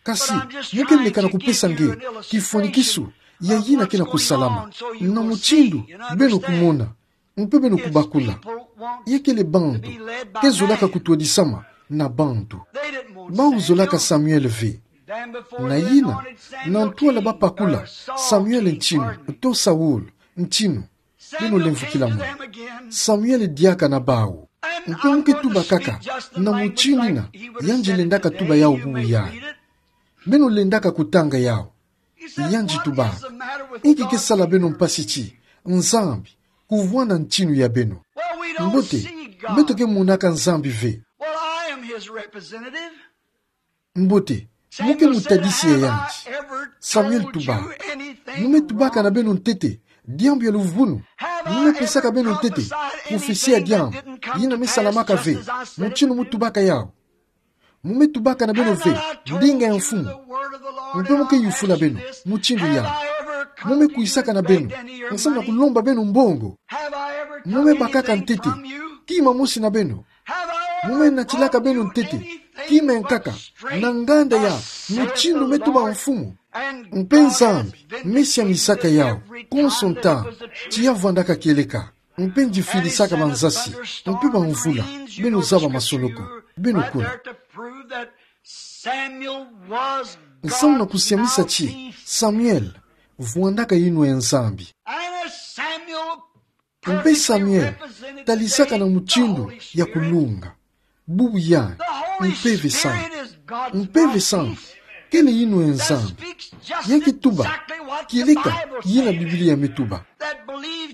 Kasi mu ke meka na kupesa nge kifwanikisu ya yina ke na kusalama, na mutindu beno kumona mpe beno kubakula. Ya kele bantu ke zolaka kutwadisama na bantu. Bawu zolaka Samuel ve. Na yina, na ntwala ba pakula Samuel ntinu, nto Saul ntinu, beno lemvukila munu. Samuel diaka na bawu. Mpe mu ke tuba kaka na mutindu yina yandi lendaka tuba yawu bubu yandi. Beno lendaka kutanga yawu. Yandi tubaka: Inki ke sala beno mpasi ti Nzambi kuvwanda ntinu ya beno? Mbote, beto ke monaka Nzambi ve. Mbote, mu ke mutadisi ya yandi. Samuel tubaka: Mu me tubaka na beno ntete diambu ya luvunu? Mu me pesaka beno ntete profesi ya diambu yina me salamaka ve, mutindu mu tubaka yawu? Mu me tubaka na beno ve ndinga ya Mfumu? Mpe mu ke yufula beno mutindu yawu? Mu me kwisaka na beno nsamu na kulomba beno mbongo? Mu me bakaka ntete kima mosi na beno? Mu me natilaka beno ntete kima ya nkaka na nganda ya mutindu me tuba Mfumu? Mpe Nzambi me siamisaka yawu konso ntangu, ti ya vwandaka kieleka. Mpe ndifilisaka banzasi mpe bamvula. Beno zaba masolo ko. Beno kuna. Nsamu na kusiamisa ti Samuel vwandaka yinwa ya Nzambi. Mpe Samuel talisaka na mutindu ya kulunga. Bubu yandi, Mpeve Santu. Mpeve Santu kele yinwa ya Nzambi. Ya ke tuba kieleka yina Biblia me tuba.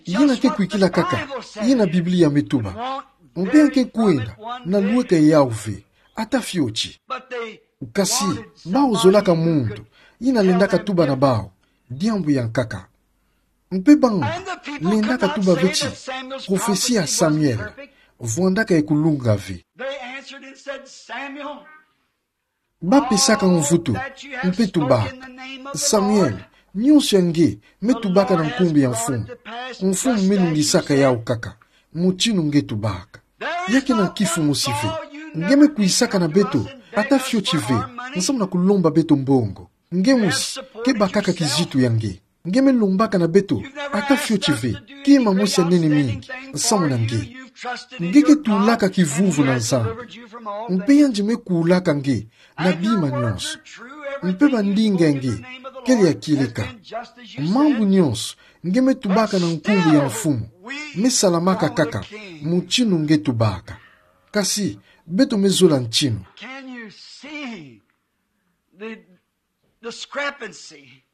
Yina ke kwikila kaka yina Biblia me tuba. Mpe ya ke kwenda na lweka yawu ve ata fioti. Kasi bawu zolaka muntu yina lendaka tuba na bawu diambu ya nkaka. Mpe bawu lendaka tuba ve ti profesi ya Samuel vwandaka ya kulunga ve. Ba pesaka mvutu, mpe tubaka. Samuel, nyonso ya nge, me tubaka na nkumbu ya mfumu. Mfumu me nungisaka yau kaka. Mutinu nge tubaka. Ya kena nkifu mosi ve. Nge me kwisaka na beto, ata fioti ve, nsamu na kulomba beto mbongo. Nge mosi, ke bakaka kizitu ya nge. Nge me lombaka na beto, ata fioti ve, kima mosi ya nene mingi, nsamu na nge. Nge ke tulaka kivuvu na Nzambi. Mpe yandi me kulaka nge, na bima nyonso. Mpe bandinga ya nge, kele ya kieleka. Mambu nyonso, nge me tubaka na nkumbu ya mfumu. Me salamaka kaka, mutinu nge tubaka. Kasi, beto me zola ntinu. Can you see the discrepancy?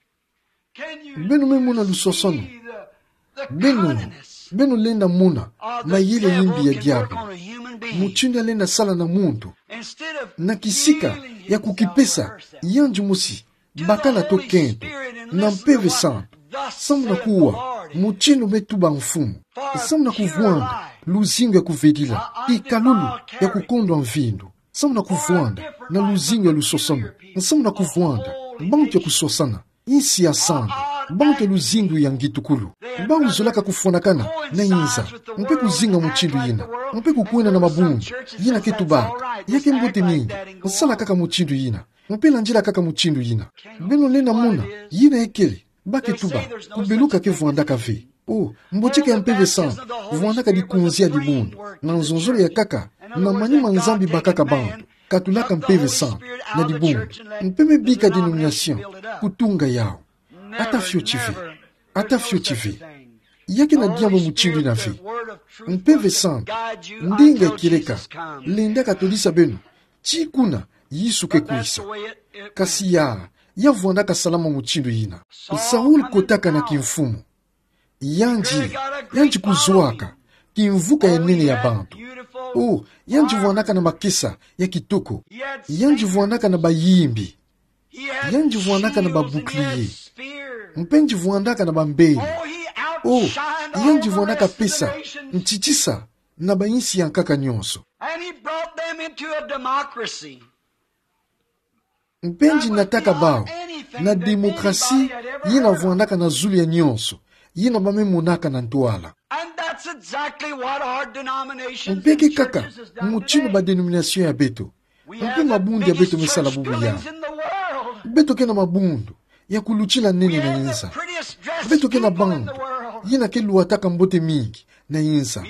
Can you Beno me mona lusosono. See the, the Beno, cunningness beno lenda mona, of the mayele devil yimbi ya can work diabu. On a human being? Mutinu ya lenda sala na muntu. Instead of Na kisika healing ya himself kukipesa, or herself, yandi mosi, bakala to kento, na Mpeve Santu, samu na kuwa, mutinu me tuba mfumu, samu na kuvwanda luzingu ya kuvedila, ikalulu ya kukondwa mvindu, samu na kuvwanda na luzingu ya lusosono, samu na kuvwanda bantu ya kusosana, insi ya santu, bantu ya luzingu ya ngitukulu. Bau zolaka kufwanakana na inza, mpe kuzinga mutindu yina, mpe kukwenda na mabundu yina ke tubaka, ya ke mbote mingi, sala kaka mutindu yina. Mpe landila kaka mutindu yina. Beno lenda mona, yina ekele, ba ke tuba, kubeluka ke vwandaka ve. O, mbotika ya Mpeve Santu, vwandaka dikunzi ya dibundu, na nzonzolo ya nkaka, na manima Nzambi bakaka bantu, katulaka Mpeve Santu, na dibundu. Mpe me bika denomination, kutunga yau. Ata fioti ve. Ata fioti ve. Ya kena diambu mutindu yina ve. Mpeve Santu, ndinga ya kieleka, lendaka todisa beno ti kuna Yesu ke kwisa. Kasi ya, ya vwandaka salama mutindu yina. Saul kotaka na kimfumu. Yandi, yandi kuzwaka kimvuka ya nene ya bantu. O, yandi vwandaka na makesa ya kitoko. Yandi vwandaka na bayimbi. Yandi vwandaka na ba bouclier. Mpe yandi vwandaka na bambele. O, yandi vwandaka pesa ntitisa na bainsi ya nkaka nyonso. And he brought them into a democracy. Mpe yandi nataka bau na démocratie yina vwandaka na zulu ya nyonso, yina ba me monaka na ntwala. And that's exactly what our denominations Mpe ke and kaka churches has done mutindu ba today. Denomination ya beto. Mpe mabundu ya beto me sala bubu ya. Beto ke na mabundu ya kulutila nene na inza. Beto ke na bantu yina ke lwataka mbote mingi na inza.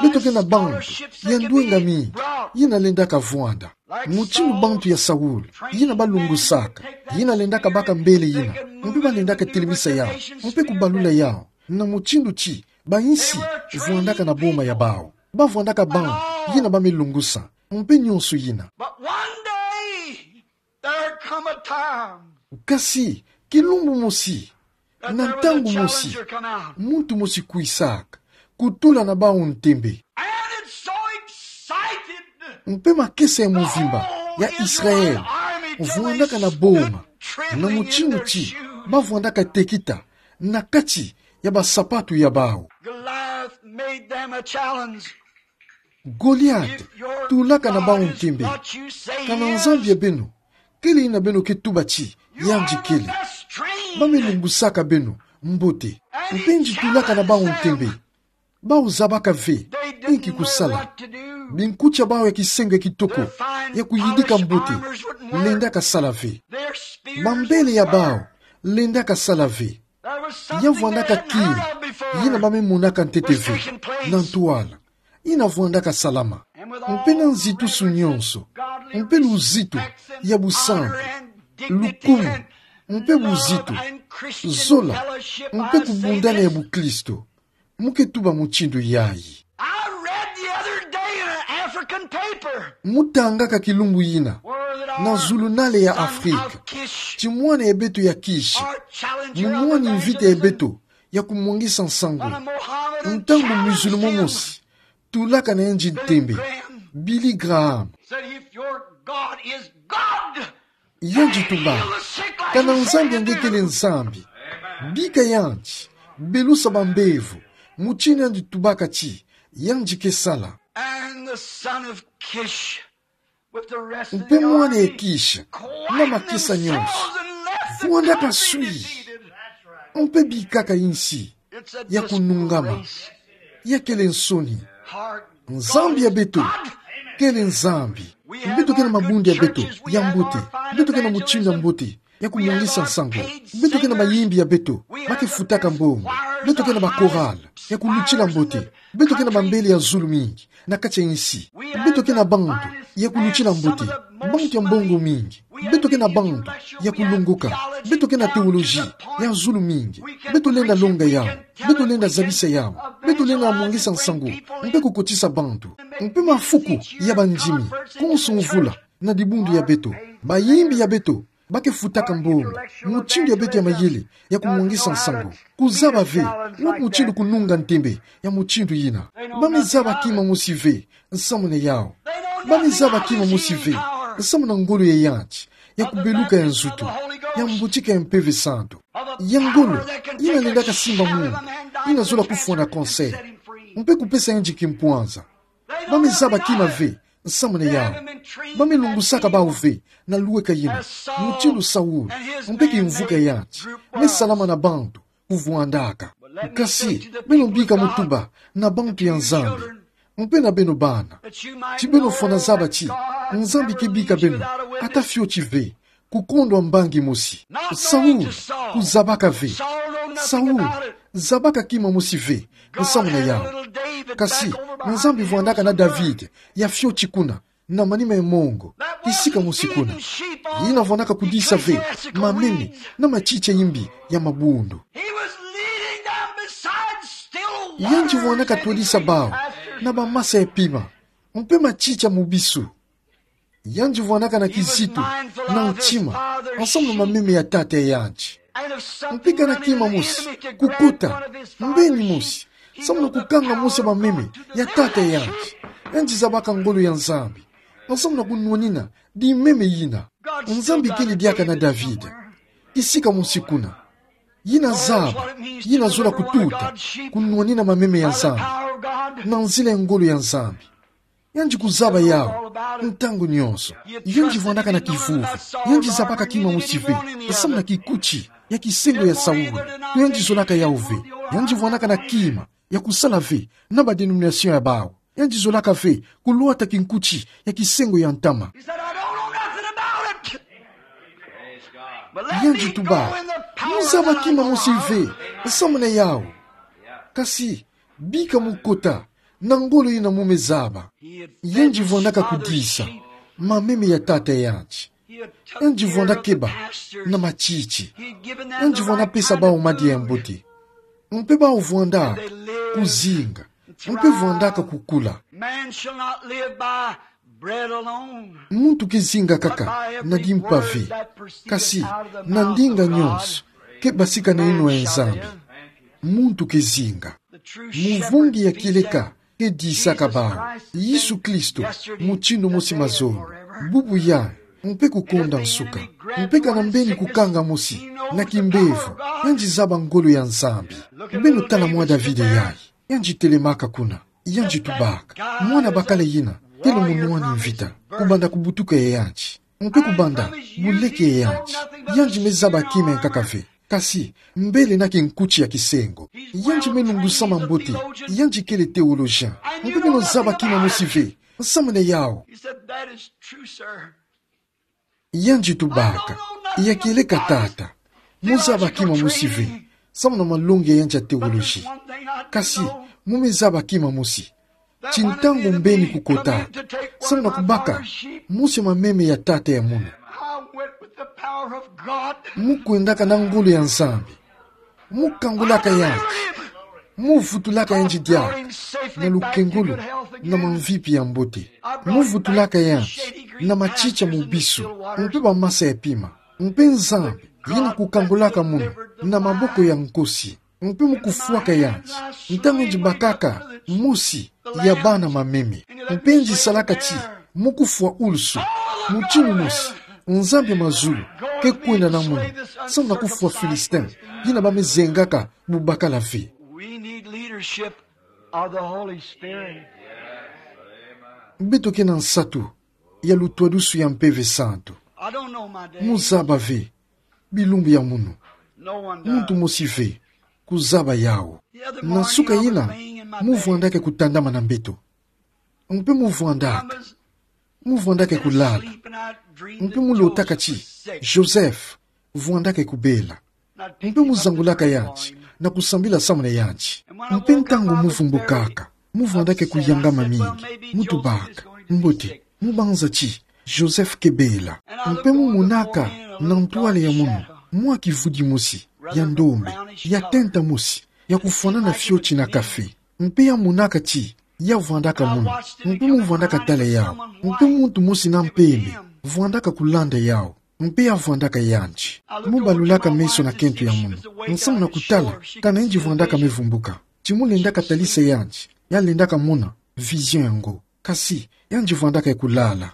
Beto ke na bantu ya ndwenga mingi yina lendaka vwanda. Mutindu bantu ya Saul, yina ba lungusaka, yina lendaka baka mbele yina, mpe ba lendaka telemisa yau, mpe kubalula yau, na mutindu ti bainsi vwandaka na boma ya bau. Ba vwandaka bantu yina ba me lungusa, mpe nyonso yina. But one day, there come a time Kasi, kilumbu mosi, na ntangu mosi, muntu mosi kwisaka, kutula na bau ntembe. And it's so excited. Mpe makesa ya muvimba ya Israel vwandaka na boma, na mutindu ti ba vwandaka tekita na kati ya basapatu ya bau. Goliath made them a challenge. Goliath tulaka na bau ntembe. Kana Nzambi ya beno kele yina beno ke tuba ti yandi kele, ba me lungusaka beno mbote. Mpe yandi tulaka na bau ntembe. Bau zabaka ve inki kusala. Binkuti ya bau ya kisengo ya kitoko ya kuyidika mbote lendaka sala ve. Bambele ya bau lendaka sala ve. Ya vwandaka kiri yina ba me monaka ntete ve na ntwala. Yina vwandaka salama. Mpe na nzitusu nyonso, mpe luzitu ya busantu, lukumu, mpe buzitu, zola, mpe kubundana ya buklisto, mu ke tuba mutindu yayi. I read the other day in an African paper Mu tangaka kilumbu yina na zulunale ya Afrika ti mwana ya beto ya Kishi mu mwani mvita ya beto ya kumwangisa nsangu. Ntangu musulman mosi tulaka na yandi ntembe, Billy Graham, said, "If your God is God, yandi tuba, kana Nzambi ya nge kele Nzambi, bika yandi, belusa bambevo, mutindu yandi tubaka ti yandi ke sala." And the son of Kish Mpe mwana ya Kish, na makesa nyonso, vwandaka swi. Mpe bikaka insi ya kunungama, ya kele nsoni. Nzambi ya beto kele Nzambi. Beto ke na mabundu ya beto ya mbote. Beto ke na mutindu ya mbote ya kumungisa nsangu. Beto ke na mayimbi ya beto ba ke futaka mbongo. Beto ke na ba chorale ya kulutila mbote. Beto ke na bambele ya zulu mingi na kati ya insi. Beto ke na bantu ya kulutila mbote, bantu ya mbongo mingi. Beto ke na bantu ya kulongoka. Beto ke na théologie ya zulu mingi. Beto lenda longa yawu. Beto lenda zabisa yawu. Beto lenda mungisa nsangu mpe kukotisa bantu. Mpe mafuku ya bandimi, konso mvula, na dibundu ya beto, bayimbi ya beto ba ke futaka mbongo. Mutindu ya beto ya mayele ya kumungisa nsangu, kuzaba ve wapi mutindu kununga ntembe ya mutindu yina. Ba me zaba kima mosi ve nsamwini yawu. Ba me zaba kima mosi ve nsamwini ngolo ya yanti, ya kubeluka ya nzutu, ya mbotika ya Mpeve Santu, ya ngolo yina lendaka simba muntu yina zola kufwa na cancer mpe kupesa yandi kimpwanza. Ba me zaba kima ve nsamwini yawu. Ba me lungusaka bawu ve na lweka yina, mutindu Saul mpe kimvuka ya yanti me salama na bantu kuvwandaka. Kasi beno bika mutuba na bantu ya Nzambi mpe na beno bana, ti beno fwana zaba ti Nzambi ke bika beno ata fioti ve kukondwa mbangi mosi. Saul kuzabaka ve. Saul zabaka kima mosi ve nsamwini yawu. Kasi Nzambi vwandaka na David ya fioti kuna, na manima ya mongo, kisika mosi kuna. Yina vwandaka kudisa ve mameme na matiti ya imbi ya mabundu. Yandi vwandaka twadisa bawu na bamasa ya pima mpe matiti ya mubisu. Yandi vwandaka na kizitu na ntima, nsamwini mameme ya tata ya yandi. Mpe kana kima mosi kukota mbeni mosi, nsamwini kukanga mosi mameme ya tata ya yandi, yandi zabaka ngolo ya Nzambi nsamwini kunwanina dimeme yina. Nzambi kele diaka na David kisika mosi kuna. Yina zaba yina zola kututa kunwanina mameme ya Nzambi na nzila ya ngolo ya Nzambi. Yandi kuzaba yawu ntangu nyonso. Yandi vwandaka na kivuvu. Yandi zabaka kima mosi ve nsamwini kikuti ya kisengo ya Saul. Yandi zolaka yawu ve. Yandi vwandaka na kima ya kusala ve na ba dénomination ya bawu. Yandi zolaka ve kulwata kinkuti ya kisengo ya ntama. Yandi tuba: Mu zaba kima mosi ve nsamwini yawu. Kasi bika mu kota na ngolo yina mu me zaba. Yandi vwandaka kudisa mameme ya tata ya yandi. Yandi vwanda keba na matiti. Yandi vwanda pesa bawu madia ya mbote. Mpe bawu vwanda kuzinga. Mpe vwandaka kukula. Man shall not live by bread alone. Muntu ke zinga kaka na dimpa ve, kasi na ndinga nyonso ke basika na yinwa ya Nzambi. Muntu ke zinga. Muvungi ya kieleka ke disaka bawu: Yesu Kristo, mutindu mosi mazono, bubu yayi, mpe kukonda nsuka. Mpe kana mbeni kukanga mosi na kimbevo, yandi zaba ngolo ya Nzambi. Beno tala mwa David yayi. Yandi telemaka kuna. Yandi tubaka: Mwana bakala yina, tele munwani mvita, kubanda kubutuka ya yandi, mpe kubanda buleke ya yandi, yandi me zaba kima nkaka ve, kasi mbele na kinkuti ya kisengo. Yandi me lungusama mbote. Yandi kele théologien. Mpe beno zaba kima mosi ve nsamwini yawu. He said, "That is true, sir." Yandi tubaka: Ya kieleka tata, mu zaba kima mosi ve nsamwini malongi ya yandi ya théologie. Kasi mu me zaba kima mosi ti ntangu mbeni kukota, nsamwini kubaka mosi mameme ya tata ya munu. I went with the power of God. Mu kwendaka na ngolo ya Nzambi. Mu kangulaka yandi. Mu vutulaka yandi diaka na lukengolo na mamvipi ya mbote. Mu vutulaka yandi na matiti ya mubisu, mpe bamasa ya pima. Mpe Nzambi yina kukangulaka munu na maboko ya nkosi. Mpe mu kufwaka yandi ntangu yandi bakaka mosi ya bana mameme. Mpe yandi salaka ti mu kufwa ulusu, mutindu mosi Nzambi ya mazulu ke kwenda na munu, nsamwini kufwa Philistin yina ba me zengaka bubakala ve. We need leadership of the Holy Spirit. Beto ke na nsatu ya lutwadusu ya Mpeve Santu. Mu zaba ve bilumbu ya munu. Muntu mosi ve kuzaba yau. Na suka yina, mu vwandaka kutandama na mbeto. Mpe mu vwandaka, mu vwandaka kulala. Mpe mu lotaka ti Joseph vwandaka kubela. Mpe mu zangulaka yandi na kusambila samuna yandi. Mpe ntangu mu vumbukaka, mu vwandaka kuyangama mingi. Mu tubaka: Mbote, mu banza ti Joseph ke bela. Mpe mu monaka na ntwala ya munu mwa kivudi mosi ya ndombe, ya tenta mosi, ya kufwanana fioti na kafe. Mpe ya monaka ti ya vwandaka munu. Mpe mu vwandaka tala yau. Mpe muntu mosi na mpembe vwandaka kulanda yau. Mpe ya vwandaka yandi. Mu balulaka meso na kento ya munu, nsamu na kutala kana yandi vwandaka me vumbuka. Ti mu lendaka talisa yandi, ya lendaka mona vision yango. Kasi yandi vwandaka kulala.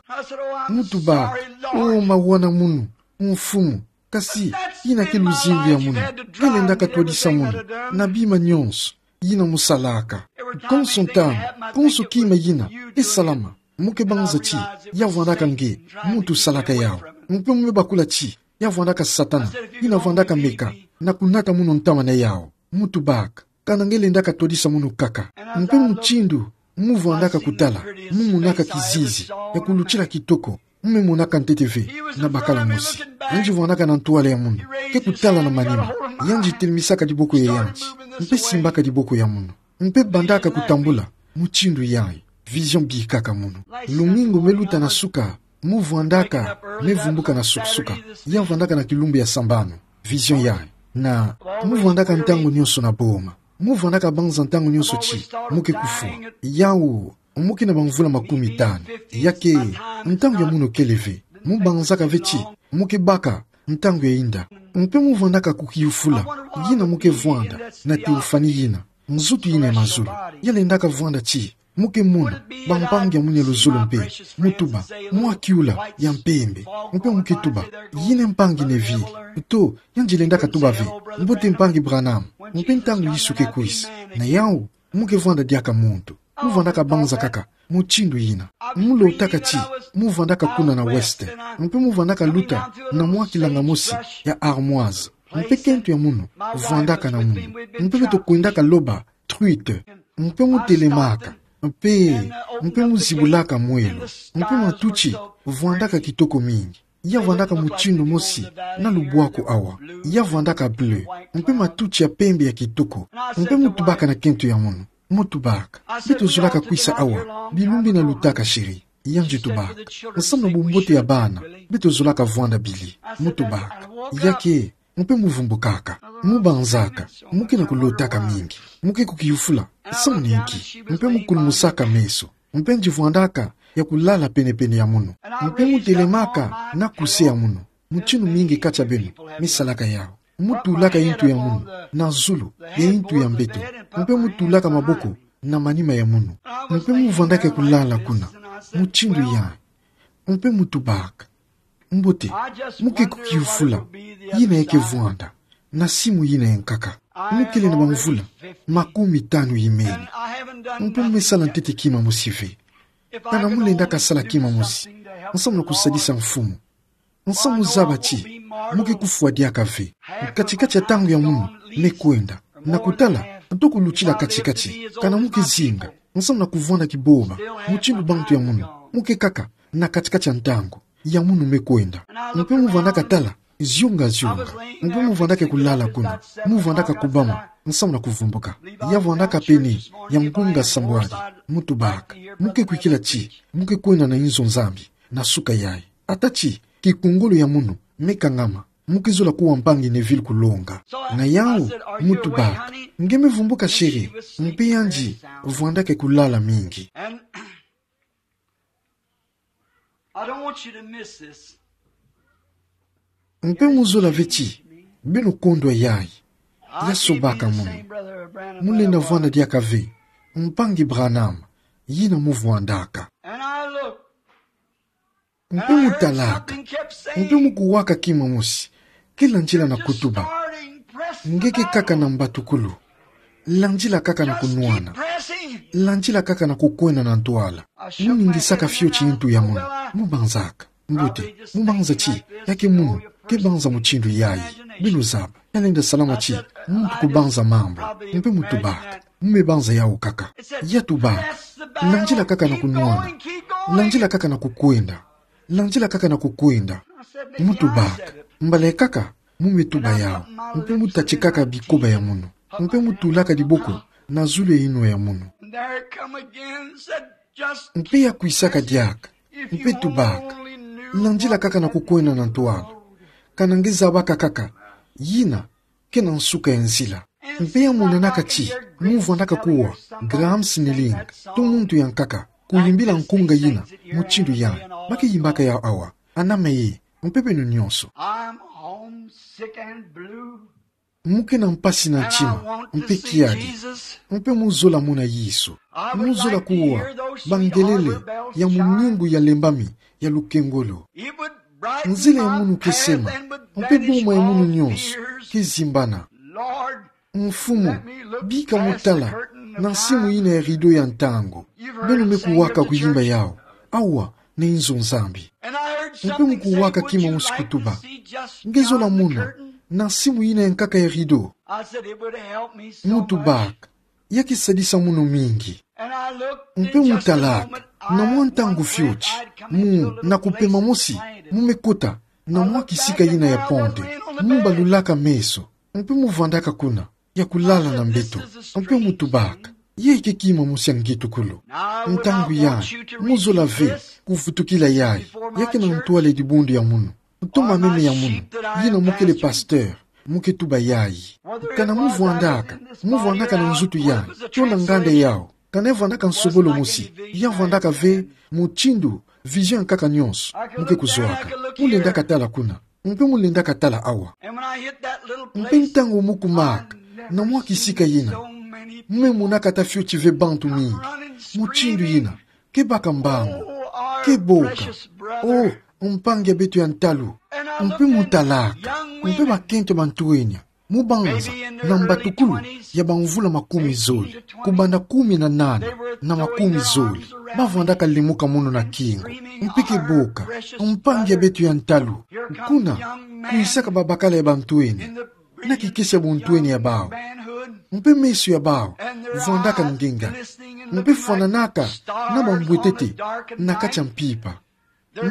Mu tubaka: O mawa na munu, Mfumu, kasi yina ke luzingu ya munu. Nge lendaka twadisa munu na bima nyonso yina mu salaka. Konso ntangu, konso kima yina ke salama, mu ke banza ti ya vwandaka nge muntu salaka yau. Mpe mu me bakula ti ya vwandaka Satana, yina vwandaka meka na kunata munu ntama na yau. Mu tubaka kana nge lendaka twadisa munu kaka. Mpe mutindu mu vwandaka kutala, mu monaka kizizi ya kulutila kitoko. Mu me monaka ntete ve na bakala mosi. Yandi vwandaka na ntwala ya munu, ke kutala na manima. Yandi telmisaka diboko ya yandi, mpe simbaka diboko ya munu. Mpe bandaka kutambula mutindu yayi. Vision bikaka munu. Lumingu me luta na suka, mu vwandaka me vumbuka na suka-suka. Ya vwandaka na kilumbu ya sambanu. Vision yayi. Na mu vwandaka ntangu nyonso na boma. Mu vwandaka banza ntangu nyonso ti mu ke kufwa. Yau mu ke na bamvula makumi tanu. Ya ke ntangu ya munu kele ve. Mu banzaka ve ti mu ke baka ntangu ya inda. Mpe mu vwandaka kukiyufula yina mu ke vwanda na teofani yina, nzutu yina ya mazulu. Ya lendaka vwanda ti mu ke mona bampangi ya munu ya luzolo mpe. Mu tuba: Mwa kiula ya mpembe. Mpe mu ke tuba: Yina mpangi Neville. To, yandi lendaka tuba ve: Mbote mpangi Branham. Mpe ntangu Yesu ke kwisa, na yau mu ke vwanda diaka muntu. Mu vwandaka banza kaka mutindu yina. Mu lotaka ti mu vwandaka kuna na West. Mpe mu vwandaka luta na mwa kilanga mosi ya armoise. Mpe kento ya munu vwandaka na munu. Mpe beto kwendaka loba truite. Mpe mu telemaka. Mpe, mpe mu zibulaka mwelo. Mpe matuti vwandaka kitoko mingi. Ya vwandaka mutindu mosi na lubwaku awa. Ya vwandaka bleu. Mpe matuti ya pembe ya kitoko. Mpe mu tubaka na kento ya munu. Mu tubaka: Beto zolaka kwisa awa bilumbu yina lutaka, chéri? Yandi tubaka: Nsamu na bumbote ya bana, beto zolaka vwanda, Billy. Mu tubaka: Ya ke, mpe mu vumbukaka. Mu banzaka, mu ke na kulotaka mingi. Mu ke kukiyufula samu na inki. Mpe mu kulumusaka meso. Mpe yandi vwandaka ya kulala pene-pene ya munu. Mpe mu telemaka na kuse ya munu. Mutindu mingi kati ya beno me salaka yau. Mu tulaka intu ya munu na zulu ya intu ya mbeto. Mpe mu tulaka maboko na manima ya munu. Mpe mu vwandaka kulala kuna. Mutindu yayi. Mpe mu tubaka: Mbote, mu ke kukiyufula yina ya ke vwanda na simu yina ya nkaka. Mu kele na bamvula makumi tanu imeni. Mpe mu me sala ntete kima mosi ve. Kana mu lendaka sala kima mosi nsamu na kusadisa mfumu, nsamu zaba ti mu ke kufwa diaka ve. Kati-kati ya ntangu ya munu me kwenda, na kutala nto kulutila kati-kati, kana mu ke zinga nsamu na kuvwanda kiboma mutindu bantu ya munu. Mu ke kaka na kati-kati ya ntangu ya munu me kwenda. Mpe mu vwandaka tala zionga-zionga. Mpe mu vwandaka kulala kuna. Mu vwandaka kubama nsamu na kuvumbuka. Ya vwandaka pene ya ngunga sambwadi. Mu tubaka: Mu ke kwikila ti mu ke kwenda na inzo Nzambi na suka yayi. Ata ti kikungulu ya munu me kangama, mu ke zola kuwa mpangi Neville kulonga. Na yau, mu tubaka: Nge me vumbuka, chéri? Mpe yandi vwandaka kulala mingi. I don't want you to miss this. Mpe mu zola ve ti beno kondwa yayi. Ya sobaka munu. Mu lenda vwanda diaka ve, mpangi Branham, yina mu vwandaka. And I look. Mpe mu talaka. Mpe mu kuwaka kima mosi ke landila na kutuba: Nge ke kaka na mbatukulu. Landila kaka na kunwana. Landila kaka na kukwenda na ntwala. Muningisaka fioti ntu ya munu. Mubanzaka. Mbuti, mubanza ti, ya ke munu, ke banza mutindu yayi. Beno zaba, ya lenda salama ti, muntu kubanza mambu. Mpe mutubaka. Mume banza yawu kaka. Ya tubaka. Landila kaka na kunwana. Landila kaka na kukwenda. Landila kaka na kukwenda. Mutubaka. Mbala kaka, mume tuba yawu. Mpe mutatikaka bikoba ya munu. Mpe mutulaka diboko na zulu ya inwa ya munu. Mpe ya kwisaka diaka. Mpe tubaka. Landila kaka na kukwenda na ntwala. Kana nge zabaka kaka. Yina ke na nsuka ya nzila. Mpe ya monenaka ti, muvwandaka kuwa, Graham Snelling, to muntu ya nkaka, kuyimbila nkunga yina, mutindu yayi, ba ke yimbaka yawu awa, anama ye, mpe beno nyonso. I'm homesick and blue. Mu ke na mpasi na ntima, mpe kiadi, mpe mu zola mona Yesu. Mu zola kuwa bangelele ya muningu ya lembami ya lukengolo. Nzila ya munu ke sema, mpe boma ya munu nyonso ke zimbana. Mfumu, bika mu tala na nsimu yina ya rido ya ntangu. Beno me kuwaka kuyimba yawu. Awa, na inzo Nzambi. Mpe mu kuwaka kima mosi kutuba: Nge zola mona na nsimu yina ya nkaka ya rido. Mu tubaka: Ya ke sadisa munu mingi. Mpe mu talaka, na mwa ntangu fioti, mu, na kupema mosi, mu me kota na mwa kisika yina ya ponte. Mu balulaka meso, mpe mu vwandaka kuna, ya kulala na mbeto. Mpe mu tubaka: Yayi ke kima mosi ya ngetukulu. Ntangu yayi, mu zola ve kuvutukila yayi, ya ke na ntwala ya dibundu ya munu, to mameme ya munu, yina mu kele pasteur, mu ke tuba yayi. Kana mu vwandaka, mu vwandaka na nzutu yayi, to na nganda yawu, kana ya vwandaka nsobolo mosi, ya vwandaka ve mutindu vision ya nkaka nyonso mu ke kuzwaka. Mu lendaka tala kuna, mpe mu lendaka tala awa. Mpe ntangu mu kumaka na mwa kisika yina, mu me monaka ata fioti ve bantu mingi mutindu yina, ke baka mbangu, ke boka. Oh, mpangi ya beto ya ntalu. Mpe mu talaka, mpe bakento bantwenya, mu banza na mbatukulu ya bamvula makumi zole, kubanda kumi na nana na makumi zole, ba vwandaka lemuka munu na kingu, mpe ke boka: Mpangi ya beto ya ntalu. Kuna, kwisaka babakala ya bantwenya na kikesi ya buntwenya ya bawu, mpe meso ya bawu vwandaka ngenga, mpe fwananaka na bambwetete na kati ya mpimpa.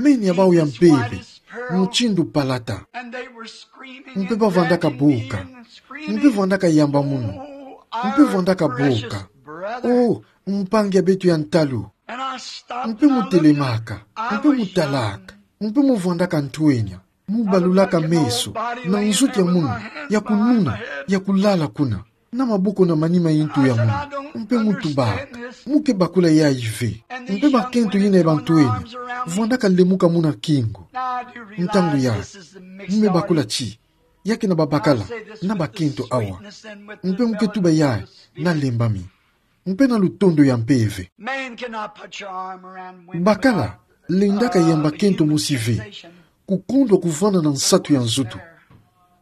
Meni ya bawu ya mpeve mutindu palata. Mpe ba vwandaka boka, mpe vwandaka yamba munu, mpe vwandaka boka: Oh, mpangi ya beto ya ntalu. Mpe mu telemaka, mpe mu talaka, mpe mu vwandaka ntwenya, mu balulaka meso na nzutu ya munu, ya kununa, ya kulala kuna, na maboko na manima ya ntu ya munu. Mpe mu tubaka: Mu ke bakula yayi ve. Mpe bakento yina ya bantwenya vwandaka lemuka munu na kingu. Ntangu yayi, mu me bakula ti, ya ke na babakala na bakento awa. Mpe mu ke tuba yayi na lembami, mpe na lutondo ya mpeve. Bakala lendaka yamba kento mosi ve kukundwa kuvwanda na nsatu ya nzutu.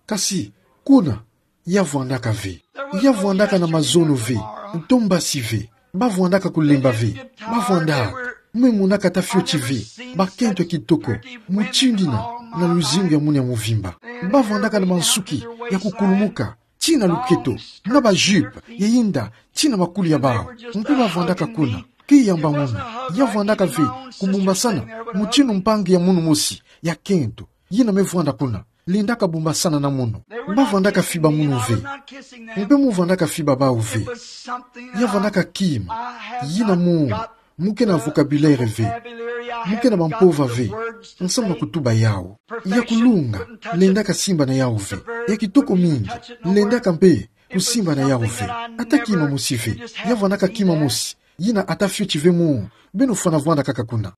Kasi, kuna, ya vwandaka ve. Ya vwandaka na mazono ve, to mbasi ve. Ba vwandaka kulemba ve. Ba vwandaka. Mu me monaka ata fioti ve bakento ya kitoko mutindu yina na luzingu ya munu ya muvimba. Ba vwandaka na bansuki ya kukulumuka tii na luketo, na ba jupe ya yinda tii na makulu ya bawu. Mpe ba vwandaka kuna, ke yamba munu. Ya vwandaka ve kubumbasana mutindu mpangi ya munu mosi ya kento yina me vwanda kuna, lendaka bumbasana na munu. Ba vwandaka fiba munu ve. Mpe mu vwandaka fiba bawu ve. Ya vwandaka kima yina mu, mu ke na vocabulaire ve, mu ke na bampova ve, nsamu na kutuba yawu. Ya kulunga, lendaka simba na yawu ve. Ya kitoko mingi, lendaka mpe kusimba na yawu ve. Ata kima mosi ve. Ya vwandaka kima mosi yina ata fioti ve mu, beno fwana vwanda kaka kuna.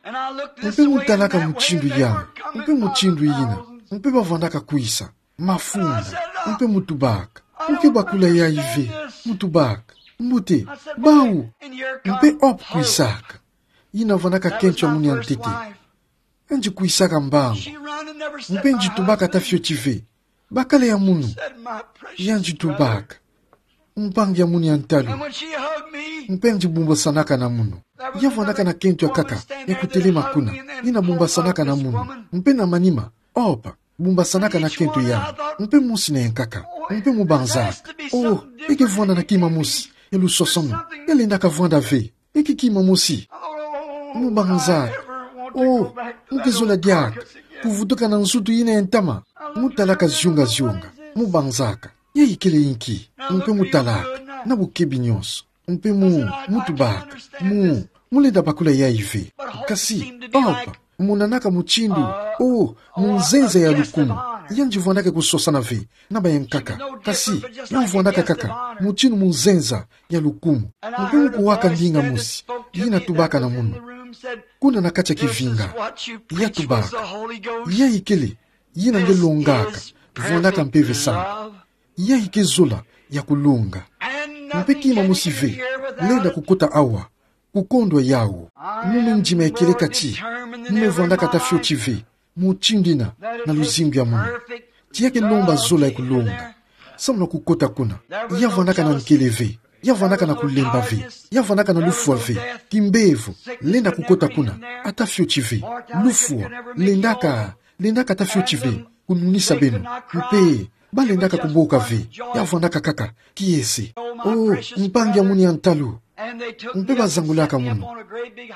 Mpe mu talaka mutindu yina, mpe mutindu yina, mpe ba vwandaka kwisa, mafunda. Mpe mu tubaka: Mu ke bakula yayi ve. Mu tubaka: Mbote, bawu. Mpe hop kwisaka. Yina vwandaka kento ya munu ya ntete. Yandi kwisaka mbangu. Mpe yandi tubaka ata fioti ve bakala ya munu. Yandi tubaka: Mpangi ya munu ya ntalu. Mpe yandi bumbasanaka na munu. Ya vwanaka na kento ya nkaka, ya kutelema kuna. Yina bumbasanaka na munu. Mpe na manima, opa, bumbasanaka na kento ya. Mpe mosi na ya nkaka. Mpe mu banzaka: Oh, eke vwanda na kima mosi ya lusosono. Ya lendaka vwanda ve. Eke kima mosi. Mu banzaka: Oh, mu ke zola diaka kuvutuka na nsutu yina ya ntama. Mu talaka zionga-zionga. Mu banzaka: Ya ikele inki? Mpe mu talaka na bukebi nyonso. Mpe mu, mu tubaka: Mu, mu lenda bakula yayi ve. Kasi, opa, monanaka mutindu, oh, munzenza ya lukumu. Yandi vwandaka kusosana ve na ba ya nkaka. Kasi, ya vwandaka kaka mutindu munzenza ya lukumu. Mpe mu kuwaka ndinga mosi yina tubaka na munu. Kuna na kati ya kivinga, ya tubaka: Ya ikele yina nge longaka, vwandaka Mpeve Santu. Ya ike zola ya kulonga. Mpe kima mosi ve lenda kukota awa kukondwa yawu. Mu me ndima ya kieleka ti mu me vwandaka ata fioti ve mutindu yina na luzingu ya munu. Ti ya ke lomba zola ya kulonga. Samu na kukota kuna, ya vwandaka na nkele ve. Ya vwandaka na kulemba ve. Ya vwandaka na lufwa ve. Kimbevo lenda kukota kuna ata fioti ve. Lufwa lendaka, lendaka ata fioti ve kununisa beno. Mpe ba lendaka kuboka ve. Ya vwandaka kaka kiese. Oh, mpangi ya munu ya ntalu. Mpe ba zangulaka munu.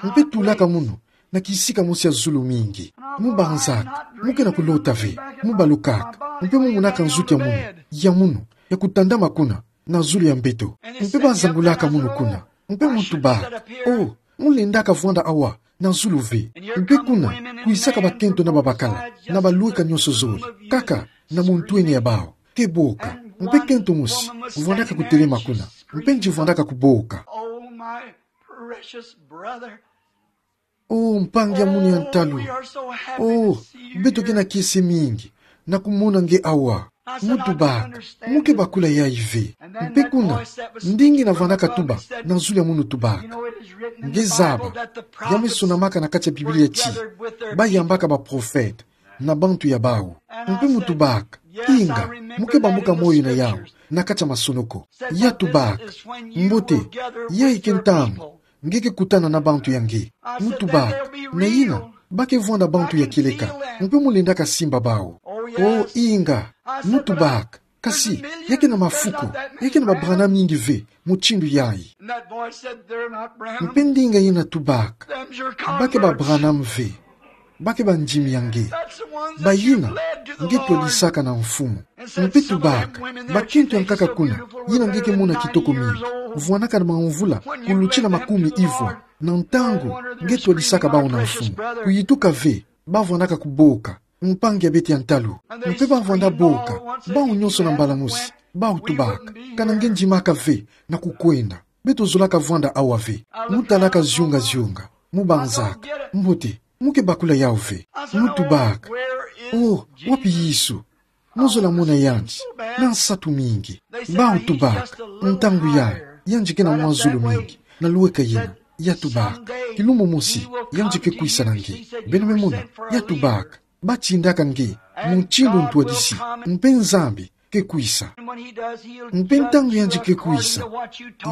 Mpe tulaka munu na kisika mosi ya zulu mingi. Mu banzaka: Mu ke na kulota ve. Mu balukaka. Mpe mu monaka nzuki ya munu, ya munu, ya kutandama kuna na zulu ya mbeto. Mpe ba zangulaka munu kuna. Mpe mu tubaka: Oh, mu lendaka vwanda awa na zulu ve. Mpe kuna kwisaka bakento na babakala, na balweka nyonso zole, kaka na muntwenia ya bawu. Ke boka. Mpe kento mosi vwandaka kutelema kuna. Mpe yandi vwandaka kuboka. Oh, my precious brother. Oh, mpangi ya munu ya ntalu. Oh, beto ke na kiese mingi na kumona nge awa. Mu tubaka: Mu ke bakula yayi ve. Mpe kuna, ndinga yina vwandaka tuba na zulu ya munu tubaka: Nge zaba, ya me sonamaka na kati ya Biblia ti ba yambaka baprofete na bantu ya bawu. Mpe mu tubaka: Inga, mu ke bambuka moyo na yawu na kati ya masonoko. Ya tubaka: Mbote, ya ike ntangu nge ke kutana na bantu ya nge. Mu tubaka: Na yina, ba ke vwanda bantu ya kieleka. Mpe mu lendaka simba bawu. Oh, inga. Mu tubaka: Kasi, ya ke na mafuku, ya ke na ba Branham mingi ve mutindu yayi. Mpe ndinga yina tubaka: Ba ke ba Branham ve. Ba ke bandimi ya nge. Bayina nge twadisaka na mfumu. Mpe tubaka: Bakento ya nkaka kuna, yina nge ke mona kitoko mingi, vwanaka na mamvula kulutila makumi ivwa. Na ntangu nge twadisaka bawu na mfumu, kuyituka ve ba vwanaka kuboka. Mpangi ya beto ya ntalu. Mpe ba vwanda boka, bawu nyonso na mbala mosi. Bawu tubaka: Kana nge ndimaka ve na kukwenda, beto zolaka vwanda awa ve. Mu talaka zionga-zionga. Mu banzaka: Mbote, mu ke bakula yawu ve. Mu tubaka: Oh, wapi Yesu? Mu zola mona yandi na nsatu mingi. Bawu tubaka: Ntangu yayi, yandi ke na mwa zulu mingi. Na lweka yina, ya tubaka: Kilumbu mosi yandi ke kwisa na nge. Beno me mona, ya tubaka: Ba tindaka nge mutindu ntwadisi. Mpe Nzambi ke kwisa. Mpe ntangu yandi ke kwisa,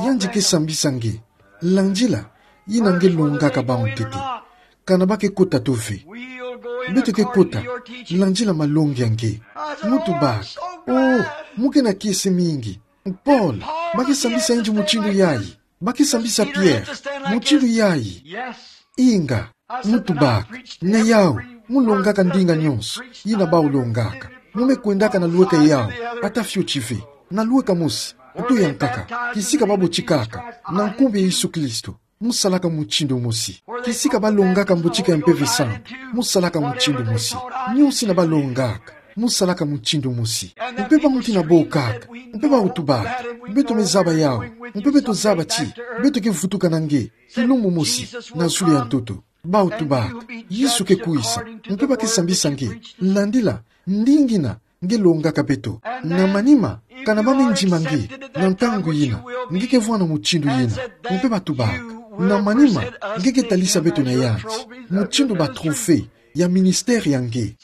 yandi ke sambisa nge landila yina nge longaka bawu ntete. Kana ba ke kota to ve, beto ke kota landila malongi ya nge. Mu tubaka: Oh, mu ke na kiese mingi. Paul, ba ke sambisa yandi mutindu yayi. Ba ke sambisa Pierre mutindu yayi. Inga. Mu tubaka: Na yawu, mu longaka ndinga nyonso yina bawu longaka. Mu me kwendaka na lweka yawu ata fioti ve. Na lweka mosi to ya nkaka, kisika ba botikaka na nkumbu ya Yesu Kristo, mu salaka mutindu mosi. Kisika ba longaka mbotika ya Mpeve Santu, mu salaka mutindu mosi. Nyonso yina ba longaka, mu salaka mutindu mosi. Mpe ba muti na bokaka, mpe bawu tubaka: Beto me zaba yawu. Mpe beto zaba ti beto ke vutuka na nge kilumbu mosi na zulu ya ntoto. Bawu tubaka: Yesu ke kwisa, mpe ba ke sambisa nge landila ndinga yina nge longaka beto. Na manima, kana ba me ndima nge na ntangu yina, nge ke vwanda mutindu yina. Mpe ba tubaka: Na manima, nge ke talisa beto na yandi mutindu ba trophée ya ministère ya nge.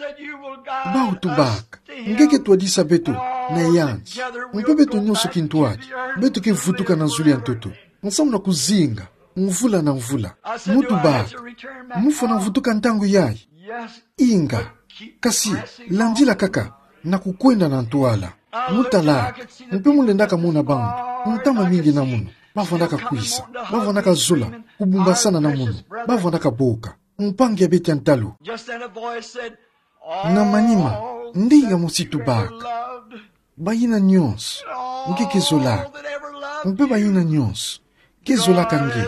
Bawu tubaka: Nge ke twadisa beto na yandi. Mpe beto nyonso kintwadi, beto ke vutuka na zulu ya ntoto, nsamu na kuzinga, mvula na mvula. Mutu baka, mufwana vutuka ntangu yayi. Inga, kasi, landila kaka, na kukwenda na ntwala. Mutalaka, mpe mulendaka mona bambu, ntama mingi na munu, bavwandaka kwisa, bavwandaka zola, kubumbasana na munu, bavwandaka boka, mpangi ya bete ya ntalu. Na manima, ndinga mosi tubaka: Bayina nyonso nge ke zolaka, mpe bayina nyonso ke zolaka nge,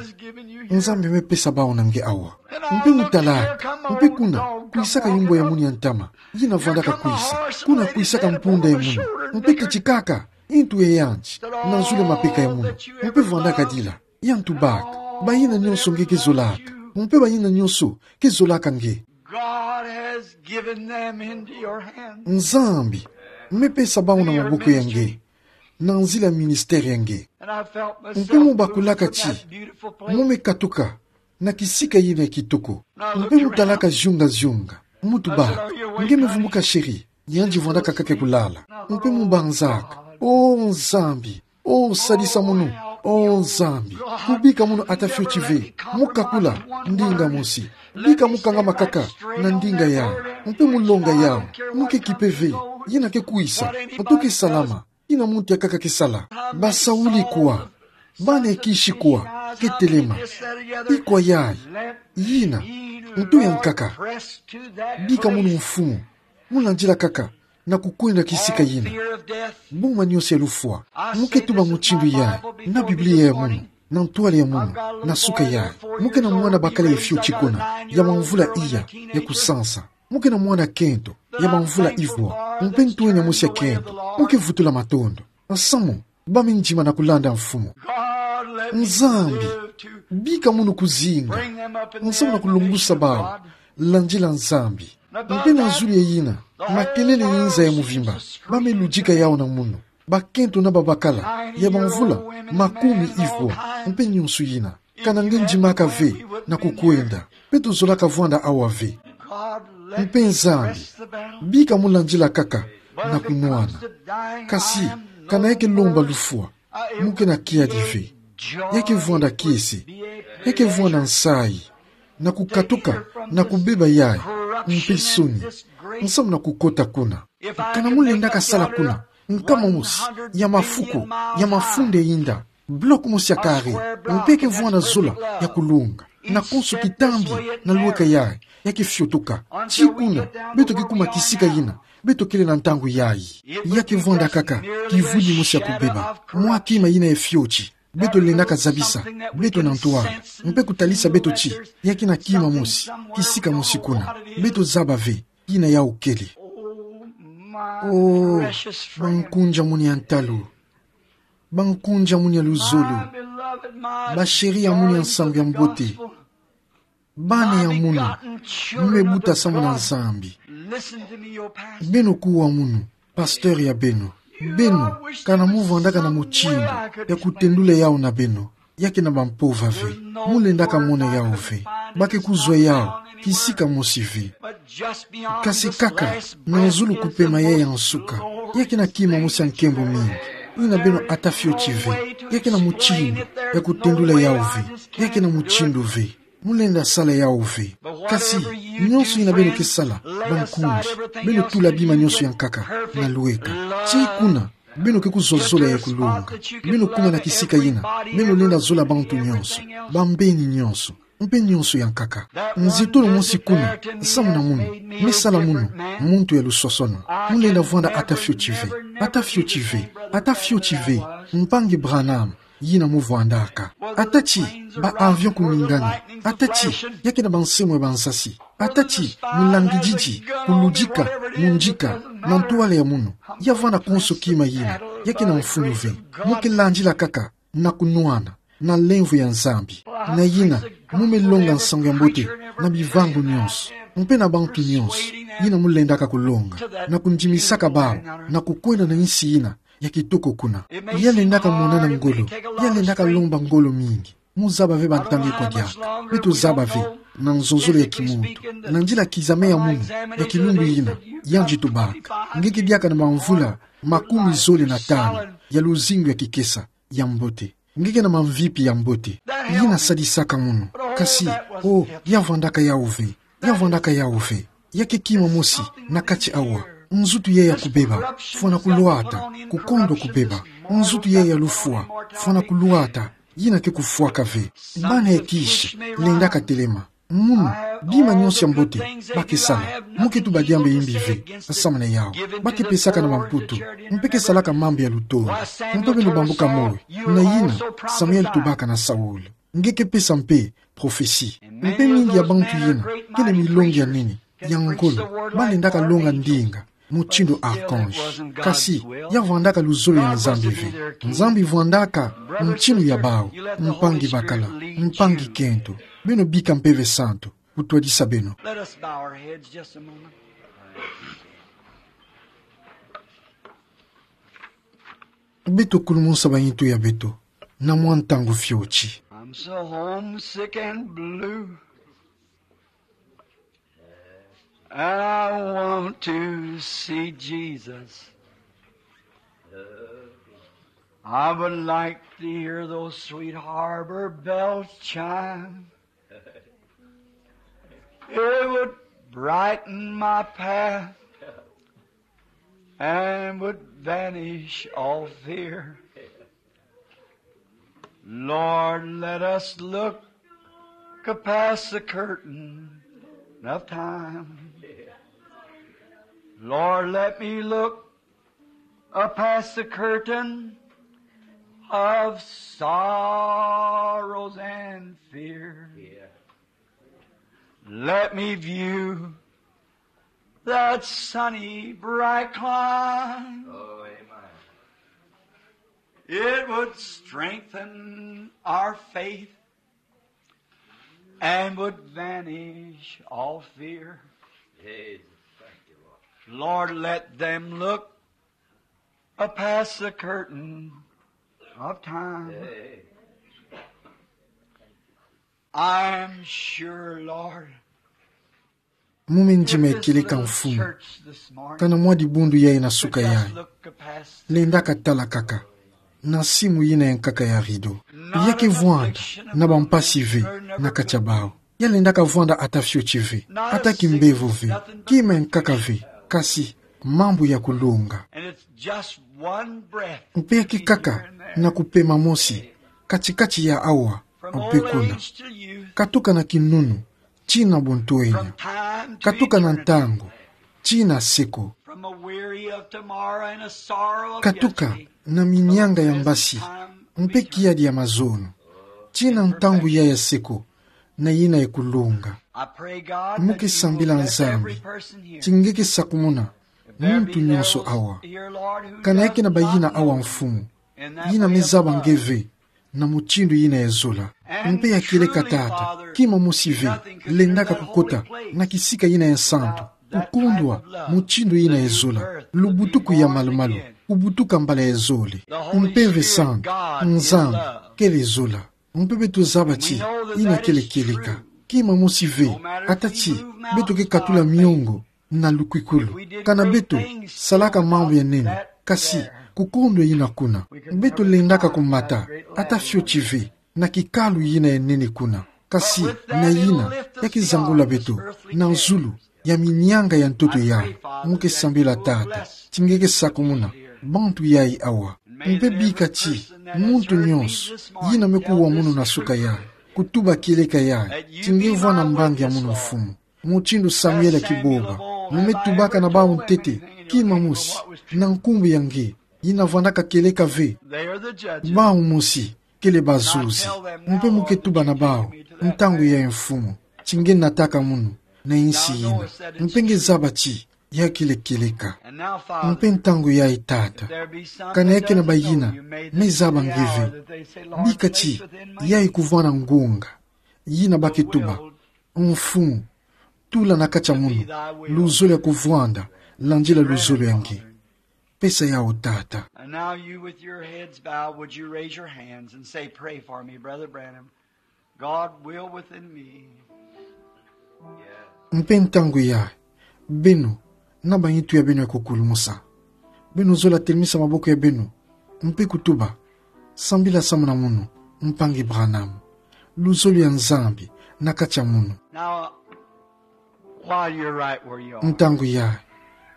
Nzambi me pesa bawu na nge awa. Mpe mutalaka, mpe kuna kwisaka yumbu ya munu ya ntama, yina vwandaka kwisa. Kuna kwisaka mpunda ya munu, mpe ketikaka ntu ya yandi na zulu ya mapeka ya munu, mpe vwandaka dila. Yandi tubaka: Bayina nyonso nge ke zolaka, mpe bayina nyonso ke zolaka nge, God has given them into your hands. Nzambi me pesa bawu na maboko ya nge, na nzila ya ministère ya nge. And I felt myself moved from that beautiful place. Mpe mubakulaka ti mu me katuka na kisika yina ya kitoko. Mpe mutalaka zionga-zionga, mutu baka: Nge me vumbuka, chéri? Yandi vwandaka kaka kulala. Mpe mubanzaka: O Nzambi, o sadisa munu, o Nzambi, kubika munu ata fioti ve, mu kakula ndinga mosi. Bika mu kangama kaka na ndinga yawu, mpe mu longa yawu, mu ke kipe ve, yina ke kwisa, nto ke salama, yina muntu ya nkaka ke sala. Basauli kwa, bana ya kisi kwa ke telema. Ikwa yayi, yina ntu ya nkaka. Bika munu mfumu, mu landila kaka na kukwenda kisika yina. Boma nyonso ya lufwa. Mu ke tuba mutindu yayi na Biblia ya munu, na ntwala ya munu, na suka yayi. Mu ke na mwana bakala ya fioti kuna, ya mamvula iya, ya kusansa. Mu ke na mwana kento, ya mamvula ivwa, mpe ntwenya mosi ya kento. Mu ke vutula matondo. Nsamu ba me ndima na kulanda mfumu. Nzambi, bika munu kuzinga, nsamu na kulongusa bawu, landila Nzambi. Mpe na zulu ya yina, makelele ya inza ya muvimba, ba me ludika yawu na munu. Bakento na babakala, ya bamvula makumi ivwa, mpe nyonso yina. Kana nge ndimaka ve na kukwenda, beto zolaka vwanda awa ve. Mpe Nzambi, bika mu landila kaka na kunwana. Kasi, kana ya ke lomba lufwa, mu ke na kiadi ve. Ya ke vwanda kiese, ya ke vwanda nsayi, na kukatuka na kubeba yayi, mpe nsoni, nsamu na kukota kuna. Kana mu lendaka sala kuna nkama mosi ya mafuku, ya mafunda ya inda, bloc mosi ya carré, mpe ke vwanda zola ya kulonga, na konso kitambi na lweka yayi, ya ke fiotoka. Tii kuna beto ke kuma kisika yina beto kele na ntangu yayi. Ya ke vwanda kaka kivwidi mosi ya kubeba mwa kima yina ya fioti beto lendaka zabisa beto na ntwala, mpe kutalisa beto ti ya ke na kima mosi, kisika mosi kuna. Beto zaba ve yina yawu kele. O, bankunzi ya munu ya ntalu, bankunzi ya munu ya luzolo, ba chéri ya munu ya nsangu ya mbote, bana ya munu mu me buta samu na Nzambi. Beno kuwa munu, pasteur ya beno. Beno, kana mu vwandaka na mutindu ya kutendula yawu na beno, ya ke na bampova ve. Mu lendaka mona yawu ve. Ba ke kuzwa yawu kisika mosi ve. Kasi kaka na zulu kupema yayi ya nsuka, ya ke na kima mosi ya nkembo mingi, yina beno ata fioti ve. Ya ke na mutindu ya kutendula yawu ve. Ya ke na mutindu ve. Mu lenda sala yawu ve. Kasi, nyonso yina beno ke sala, bankunzi, beno tula bima nyonso ya nkaka na lweka. Tii kuna beno ke kuzwa zola ya kulonga. Beno kuma na kisika yina beno lenda zola bantu nyonso, bambeni nyonso, mpe nyonso ya nkaka. Nzitulu mosi kuna, samu na munu, me sala munu muntu ya lusosono. Mu lenda vwanda ata fioti ve, ata fioti ve, ata fioti ve, mpangi Branham, yina mu vwandaka. Ata ti ba avion kuningani. Ata ti ya ke na bansemo ya bansasi. Ata ti mu langididi, kuludika, mundika, na ntwala ya munu. Ya vwanda konso kima yina, ya ke na mfunu ve. Mu ke landila kaka na kunwana, na lemvo ya Nzambi. Na yina, mu me longa nsangu ya mbote na bivangu nyonso, mpe na bantu nyonso yina mu lendaka kulonga, na kundimisaka bawu na kukwenda na insi yina ya kitoko kuna. Ya lendaka monana ngolo, ya lendaka lomba ngolo mingi. Mu zaba ve bantangu kwa diaka. Beto zaba ve, na nzonzolo ya kimuntu, na nzila kizame ya munu ya kilumbu yina, yandi tubaka: Nge ke diaka na bamvula makumi zole na tanu ya luzingu ya kikesa ya mbote. Nge ke na mamvipi ya mbote yina sadisaka munu. Kasi, o, ya vwandaka yawu ve. Ya vwandaka yawu ve. Ya ke kima mosi na kati awa. Nzutu yayi ya kubeba, fwana kulwata, kukondwa kubeba. Nzutu yayi ya lufwa, fwana kulwata, yina ke kufwaka ve. Bana ya kishi, lendaka telema. Munu, bima nyonso ya mbote ba ke sala, mu ke tuba diambu ya imbi ve nsamu na yawu. Ba ke pesaka na bamputu, mpe ke salaka mambu ya lutolo. Mpe beno bambuka moyo na yina Samuel tubaka na Saul. Nge ke pesa mpe profesi. Mpe mingi ya bantu yina kele milongi ya nene ya ngolo, ba lendaka longa ndinga mutindu archange. Kasi, ya vwandaka luzolo ya Nzambi ve. Nzambi vwandaka mutindu ya bawu, mpangi bakala, mpangi kento. Beno bika mpe ve santu, kutwadisa beno. Let us bow our heads just a moment. Beto kulumusa baintu ya beto na mwa ntangu fioti. I'm so homesick and blue. And I want to see Jesus. I would like to hear those sweet harbor bells chime. It would brighten my path and would vanish all fear. Lord, let us look past the curtain of time. Lord, let me look past the curtain of sorrows and fear. Let me view that sunny, bright clime. Oh, amen. It would strengthen our faith and would vanish all fear. Yes, thank you, Lord. Lord, let them look past the curtain of time. Yes. I'm sure, Lord, mu me ndima ya kieleka, Mfumu, kana mwa dibundu yayi na suka yayi lendaka tala kaka na simu yina ya nkaka ya rideau. Ya ke vwanda na bampasi ve na kati ya bawu. Ya lendaka vwanda ata fioti ve, ata kimbevo ve, kima ya nkaka ve, kasi mambu ya kulonga. Mpe ya ke kaka na kupema mosi kati-kati ya awa mpe kuna. Katuka na kinunu tii na buntwenya. Katuka na ntangu tii na seko. Katuka na minyanga ya mbasi mpe kiadi ya mazono tii na ntangu yayi ya seko na yina ya kulonga. Mu ke sambila Nzambi ti nge ke sakumuna muntu nyonso awa. Kana ya ke na bayina awa, Mfumu, yina me zaba nge ve na mutindu yina ya zola. Mpe ya kieleka, Tata, kima mosi ve lendaka kukota na kisika yina ya nsantu, kukundwa mutindu yina ya zola, lubutuku ya malu-malu, kubutuka mbala ya zole. Mpe ve santu, Nzambi kele zola. Mpe beto zaba ti yina kele kieleka. Kima mosi ve, ata ti beto ke katula miongo na lukwikulu, kana beto salaka mambu ya nene, kasi kukondwa yina kuna. Beto lendaka kumata ata fioti ve na kikalu yina ya nene kuna, kasi na yina ya ke zangula beto na zulu ya minyanga ya ntoto yayi. Mu ke sambila, Tata, ti nge ke sakumuna bantu yayi awa. Mpe bika ti muntu nyonso yina me kuwa munu na suka yayi, kutuba kieleka yayi, ti nge vwa na mbangi ya munu, Mfumu, mutindu Samuel ya Kiboba, mu me tubaka na bawu ntete, kima mosi, na nkumbu ya nge, yina vwandaka kieleka ve. Bawu mosi kele bazuzi. Mpe mu ke tuba na bawu ntangu yayi, Mfumu, ti nge nataka munu na insi yina. Mpe nge zaba ti ya kele kieleka. Mpe ntangu yayi, Tata, kana ya ke na bayina me zaba nge ve, bika ti yayi kuvwa na ngunga yina ba ke tuba: Mfumu, tula na kati ya munu luzolo ya kuvwanda landila luzolo ya nge. Pesa yawu, Tata. And now you, with your heads bowed, would you raise your hands and say, "Pray for me, Brother Branham. God will within me." Mpe ntangu yayi, beno, na baintu ya beno ya kukulumusa, Beno zola telimisa maboko ya beno, mpe kutuba: Sambila samu na mono, mpangi Branham. Luzolo ya Nzambi na kati ya mono. Now, while you're right where you are, Ntangu yayi,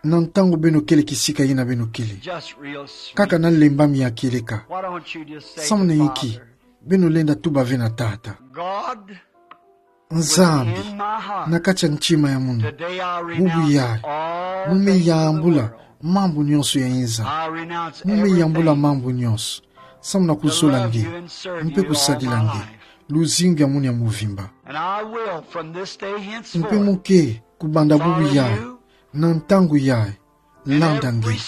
na ntangu beno kele kisika yina beno kele, just real sweet, kaka na lembami ya kieleka, why don't you just say, samu na inki, Father, beno lenda tuba ve na Tata: God, Nzambi, within my heart, na kati ya ntima ya mono, today I renounce, bubu yayi, all things of the world. Mu me yambula mambu nyonso ya inza. I renounce everything. Mu me yambula mambu nyonso, samu na kuzola nge, mpe kusadila nge luzingu ya mono ya mvimba. And I will, from this day henceforth, mpe muke, kubanda bubu yayi, follow you, na ntangu yayi, landa nge,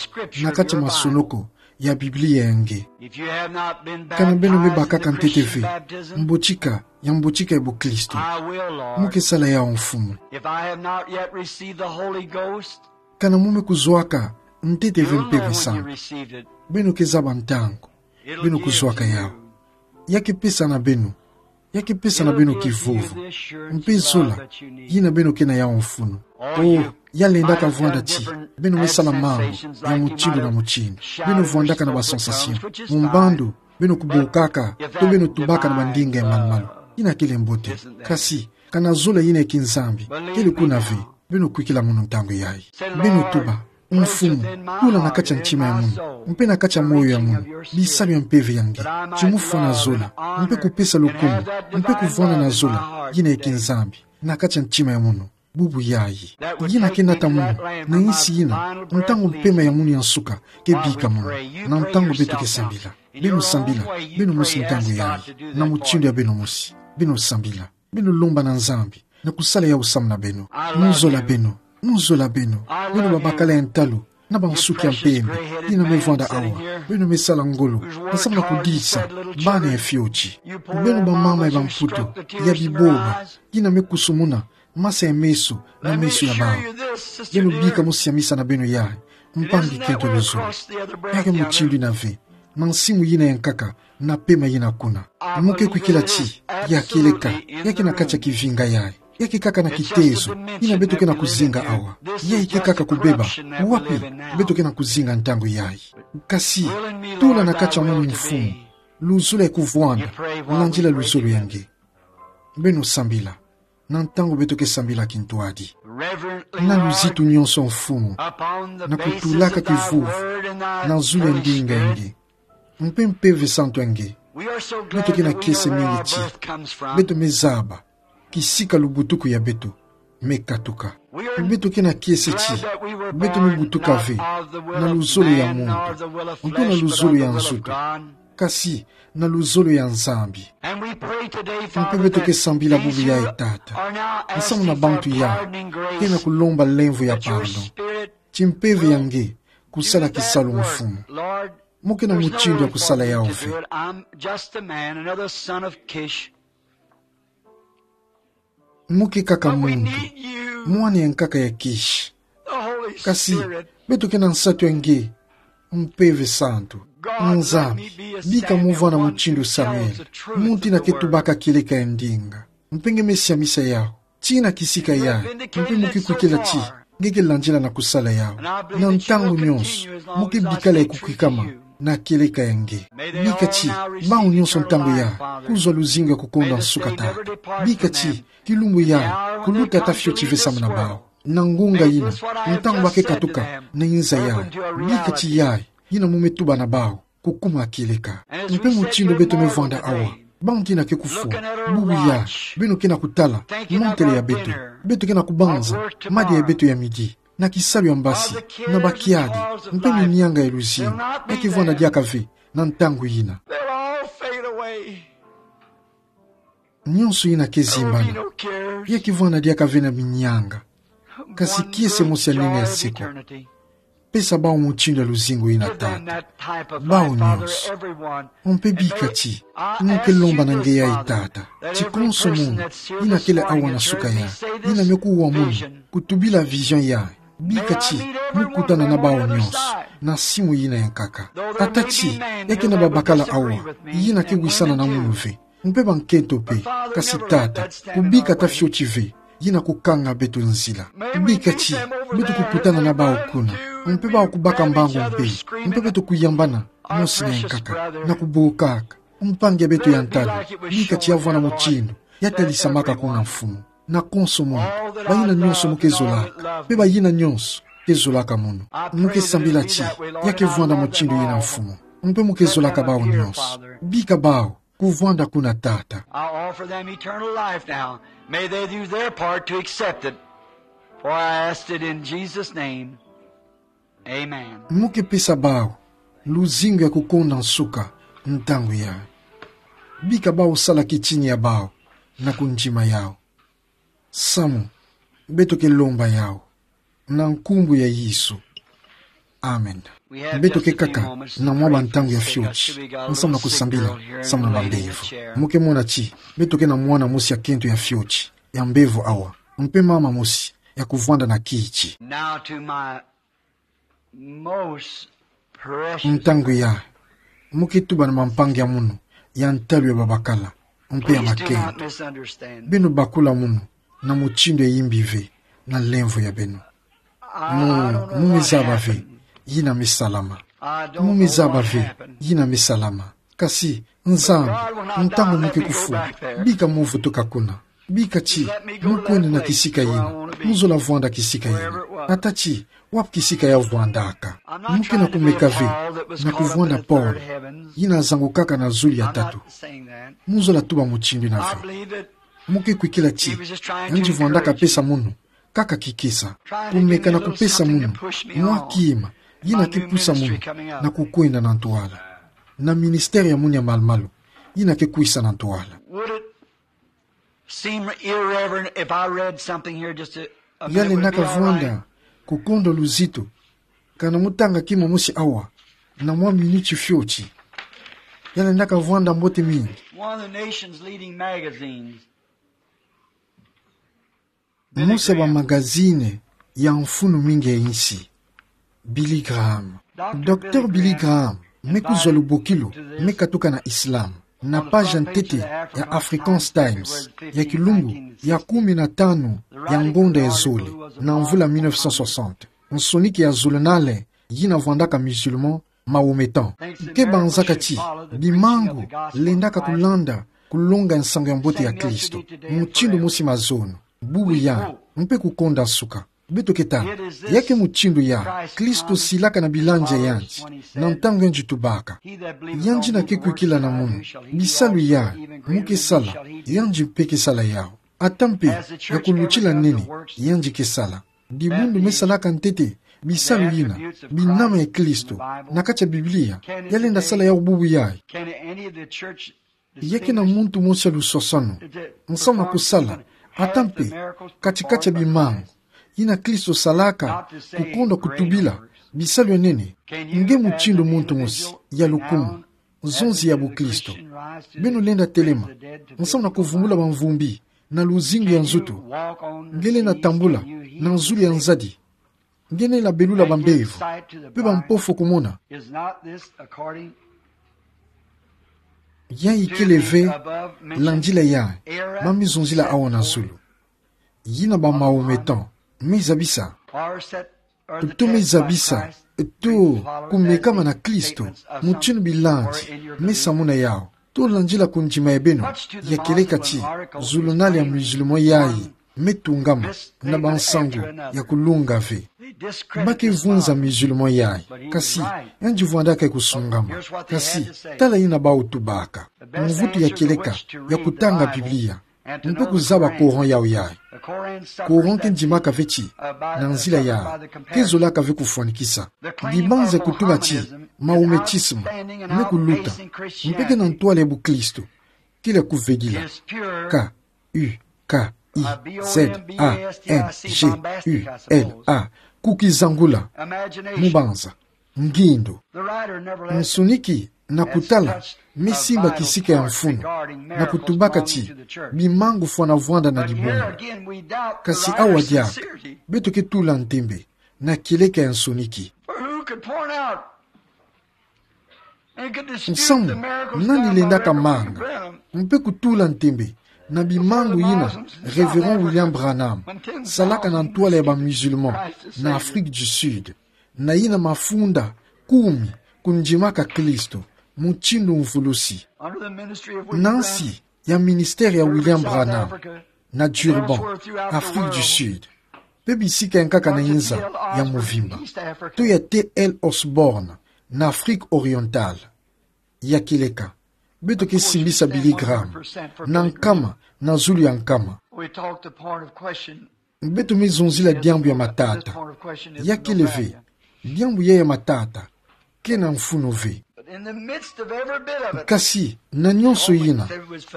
na kati ya masonoko ya Biblia ya nge. If you have not been baptized in the Christian faith, kana beno me bakaka ntete ve mbotika ya mbotika ya boklisto, I will, Lord, muke sala yawu, Mfumu. If I have not yet received the Holy Ghost, kana mu me kuzwaka ntete ve Mpeve Santu, you'll know when you received it. Beno ke zaba ntangu beno kuzwaka yawu. Ya ke pesa na beno, ya ke pesa na beno kivuvu mpe zola yina beno ke na yawu mfunu. Oh, ya lendaka vwanda ti beno me sala mambu ya mutindu na mutindu. Beno vwandaka na ba sensation, mumbandu beno kubokaka, to beno tubaka na bandinga ya malumalu. Yina kele mbote. Kasi, kana zola yina ya kinzambi kele kuna ve, beno kwikila mono ntangu yayi. Beno tuba: Mfumu, tula na kati ya ntima ya mono mpe na kati ya moyo ya mono bisalu ya mpeve ya nge, ti mo fwana zola, mpe kupesa lukumu, mpe kuvwanda na zola yina ya kinzambi na kati ya ntima ya mono bubu yayi. Yina ke nata mono na insi yina, ntangu mpema ya mono ya nsuka ke bika mono, na ntangu beto ke sambila. Beno sambila beno mosi ntangu yayi, na mutindu ya beno mosi. Beno sambila, beno lomba na Nzambi na kusala yawu samu na beno. Mo zola beno, mo zola beno, beno babakala ya ntalu na bansuki ya mpembe yina me vwanda awa, beno me sala ngolo na samu na kudisa bana ya fioti. Beno bamama ya bamputu ya biboba yina me kusumuna masa ya meso na meso ya bawu. Beno bika mosi ya misa na beno yayi, mpangi kento luzolo. Ya ke mutindu yina ve, na nsimu yina ya nkaka na pema yina kuna. Mo ke kwikila ti ya kieleka, ya ke na kati ya kivinga yayi, ya ke kaka na kitezo yina beto ke na kuzinga awa. Yayi ke kaka kubeba wapi beto ke na kuzinga ntangu yayi. Kasi, tula na kati ya mono, Mfumu, luzolo ya kuvwanda landila luzolo ya nge. Beno sambila na ntangu beto ke sambila kintwadi. Na luzitu nyonso, Mfumu, na kutulaka kivuvu na zulu ya ndinga ya nge mpe Mpeve Santu ya nge. Beto ke na kiese mingi ti beto me zaba kisika lubutuku ya beto me katuka. Beto ke na kiese ti beto me butuka ve na luzolo ya muntu, mpe na luzolo ya nzutu, kasi na luzolo ya Nzambi. Mpe beto ke sambila bubu yayi, Tata, na samu na bantu yayi ke na kulomba lemvo ya pardon, ti Mpeve ya nge kusala kisalu, Mfumu. Mo ke na mutindu ya kusala yawu ve. Mo ke kaka muntu, mwana ya nkaka ya Kishi. Kasi beto ke na nsatu ya nge, Mpeve Santu. Nzambi, bika mo vwanda mutindu Samuel, muntu yina ke tubaka kieleka ya ndinga. Mpe nge me siamisa yawu ti na kisika yayi, mpe mo ke kwikila ti nge ke landila na kusala yawu. Na ntangu nyonso mo ke bikala ya kukwikama na kieleka ya nge. Bika ti bawu nyonso ntangu yayi kuzwa luzingu ya kukonda nsuka, Tata. Bika ti kilumbu yayi kuluta ata fioti ve samu na bawu. Na ngunga yina, ntangu ba ke katuka na inza yayi, bika ti yayi yina mo me tuba na bawu kukuma kieleka. Mpe mutindu beto me vwanda awa, bantu yina ke kufwa, bubu yayi beno ke na kutala montele ya beto, beto ke na kubanza madia ya beto ya midi na kisalu ya mbasi, na bakiadi, mpe minianga ya luzingu, ya ke vwanda diaka ve na ntangu yina. Nyonso yina ke zimbana, ya ke vwanda diaka ve na minianga. Kasi kiese mosi ya nene ya seko. Pesa bawu mutindu ya luzingu yina, Tata. Bawu nyonso. Mpe bika ti, mo ke lomba na nge yayi, Tata, ti konso muntu yina kele awa na suka yayi, yina me kuwa mono kutubila vision yayi, bika ti mo kutana na bawu nyonso na nsimu yina ya nkaka. Ata ti ya ke na babakala awa yina ke wisana na mono ve, mpe bankento mpe, kasi, Tata, kubika ata fioti ve yina kukanga beto nzila. Bika ti beto kukutana na bawu kuna. Mpe bawu kubaka mbangu mpe, mpe beto kuyambana, mosi na yankaka, na kubokaka. Mpangi ya beto ya ntalu, bika ti yavwanda mutindu yatalisamaka kuna Mfumu. Na konso munu, bayina nyonso mu kezolaka, mpe bayina nyonso kezolaka munu. Mu kesambila ti ya kevwanda mutindu yina, Mfumu. Mpe mu kezolaka bawu nyonso. Bika bawu kuvwanda kuna, Tata. I offer them eternal life now. May they do their part to accept it. For I asked it in Jesus' name. Amen. Mu kepesa bawu luzingu ya kukonda nsuka ntangu yayi. Bika bawu sala kitini ya bawu na kundima yawu. Samu, beto kelomba yawu na nkumbu ya Yesu. Amen. Beto kekaka na mwa bantangu ya fioti, nsamu na kusambila samu na bambevo. Mu kemona ti beto ke na mwana mosi ya kento ya fioti ya mbevo awa, mpe mama mosi ya kuvwanda na kiti. Now to my most precious. Ntangu yayi, mu ketuba na bampangi ya munu ya ntalu ya babakala mpe ya makento. Please do not misunderstand. Beno bakula munu na mutindu ya yimbi ve na lemvo ya beno. Mu, mu mezaba ve yina mesalama. Mu mezaba ve yina mesalama. Kasi Nzambi, ntangu mu kekufula, bika mu vutuka kuna. Bika ti mu kwenda na kisika yina mu zola vwanda kisika yina. Ata ti wapi kisika yavwandaka. Mu ke na kumeka ve na kuvwanda pole yina zangukaka na zulu ya tatu. Mu zola tuba mutindu yina ve. Mu kekwikila ti yandi vwandaka pesa munu kaka kikesa. Kumeka na kupesa munu mwa kima yina kepusa munu na kukwenda na ntwala, na ministère ya munu ya malu-malu yina kekwisa na ntwala. Would it seem irreverent if I read something here just a, a minute? Would it be all right? Yalendaka vwanda kukondo luzito, kana mu tanga kima mosi awa na mwa miniti fioti? Yalendaka vwanda mbote mingi. One of the nation's leading magazines. Mosi ya bamagazine ya mfunu mingi ya insi, Billy Graham. Docteur Billy Graham me kuzwa lubokilu, me katuka na Islam, na page ya ntete ya Afrikaans Times ya kilumbu ya kumi na tanu ya ngonda ya zole, na mvula mille neuf cent soixante. Nsoniki ya zulunale yina vwandaka musulman Mahometan. Ke banzaka ti bimangu lendaka kulanda kulonga nsangu ya mbote ya Kristo mutindu mosi mazono, bubu yandi, mpe kukonda nsuka. Beto ketala, ya ke mutindu ya Kristo silaka na bilanzi ya yandi, na ntangu yandi tubaka: Yandi yina kekwikila na munu bisalu yayi mu kesala, yandi mpe kesala yawu. Ata mpe ya kulutila nene, yandi kesala. Dibundu me salaka ntete bisalu yina, binama ya Kristo na kati ya Biblia, yalenda sala yawu bubu yayi. Ya ke na muntu mosi ya lusosanu nsamu na kusala, ata mpe kati-kati ya bimangu yina Kristo salaka, kukonda kutubila bisalu ya nene? Nge mutindu muntu mosi ya lukumu, nzonzi ya bukristo, beno lenda telema nsamu na kuvumbula bamvumbi na luzingu ya nzutu? Nge lenda tambula na nzulu ya nzadi? Nge lenda belula bambevo mpe bampofu kumona? Yayi kele ve landila yayi ba mizonzila awa na zulu, yina ba Mahometan me zabisa? To me zabisa to kumekama na Kristo mutindu bilanzi me samuna yawu, to landila kundima ya beno ya kieleka ti zulunale ya musulman yayi me tungama na bansangu ya kulunga ve? Ba ke vunza musulman yayi, kasi yandi vwandaka ya kusungama. Kasi tala yina bawu tubaka: Mvutu ya kieleka ya kutanga Biblia mpe kuzaba Coran yawu yayi. Coran ke ndimaka ve ti, na nzila yayi, ke zolaka ve kufwanikisa. Bibanza ya kutuba ti Mahometisme me kuluta mpe ke na ntwala ya bukristo, kele ya kuvedila. K U K I Z A N G U L A. Kukizangula. Mubanza, ngindo. Nsoniki na kutala me simba kisika ya mfunu na kutubaka ti bimangu fwana vwanda na dibundu. Kasi awa diaka, beto ke tula ntembe na kieleka ya nsoniki. Nsamu, nani lendaka manga mpe kutula ntembe na bimangu yina Révérend William Branham salaka na ntwala ya ba musulman na Afrique du Sud, na yina mafunda kumi kundimaka Kristo, mutindu mvulusi. Nansi ya ministère ya William Branham, na Durban, Afrique du Sud, mpe bisika yankaka na inza ya mvimba, to ya T L Osborn, na Afrique orientale. Ya kieleka, beto ke simbisa Billy Graham na nkama na zulu ya nkama. Beto me zonzila diambu ya matata. Ya kele ve, diambu ya ya matata ke na mfunu ve. Kasi na nyonso yina,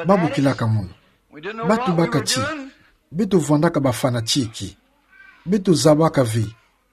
babokilaka munu. Batubaka ti beto vwandaka ba fanatique. Beto zabaka ve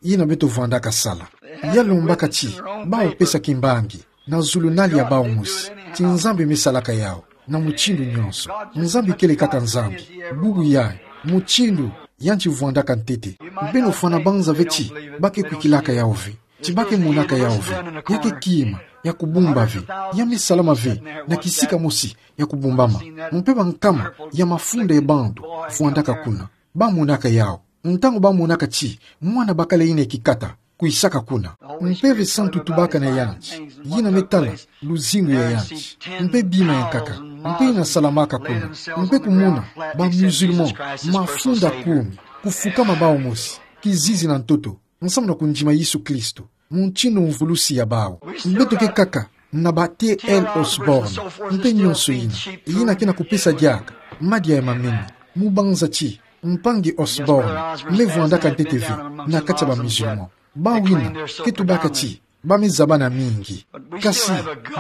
yina beto vwandaka sala. Ya lombaka ti bawu pesa kimbangi na zulunali ya bawu mosi ti Nzambi me salaka yawu na mutindu nyonso. Nzambi kele kaka Nzambi. Bubu yayi, mutindu yandi vwandaka ntete. Beno fwana banza ve ti ba ke kwikilaka yawu ve, ti ba ke monaka yawu ve. Ya ke kima ya kubumba ve. Ya me salama ve na kisika mosi ya kubumbama. Mpe bankama ya mafunda ya bantu vwandaka kuna. Ba monaka yawu. Ntangu ba monaka ti mwana bakala yina ya kikata kwisaka kuna, Mpeve Santu tubaka na yandi, yina me tala luzingu ya yandi, mpe bima yankaka, mpe yina salamaka kuna, mpe kumona ba musulman mafunda kumi kufukama bawu mosi, kizizi na ntoto, nsamu na kundima Yesu Kristo mutindu mvulusi ya bawu. Beto ke kaka na ba T L Osborn, mpe nyonso yina, yina ke na kupesa diaka madia ya mamene. Mu banza ti mpangi Osborn me vwandaka ntete ve na kati ya ba musulman. Bawu yina ke tubaka ti ba me zabana mingi. Kasi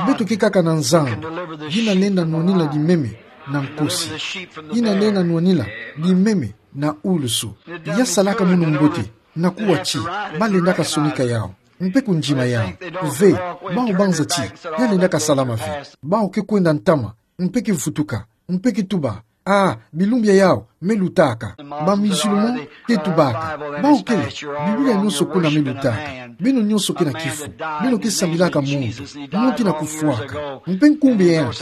beto ke kaka na Nzambi yina lenda nwanina bimeme na nkosi, yina lenda nwanina bimeme na ulusu. Ya salaka munu mbote na kuwa ti ba lendaka sonika yawu mpe kundima yawu ve. Bawu banza ti ya lendaka salama ve. Bawu ke kwenda ntama, mpe ke vutuka, mpe ke tuba: Ah, bilumbu ya yawu me lutaka. Ba musulman ke tubaka: Bawu kele, Biblia nyonso kuna me lutaka. Beno nyonso ke na kifu. Beno ke sambilaka muntu, muntu yina kufwaka. Mpe nkumbu ya yandi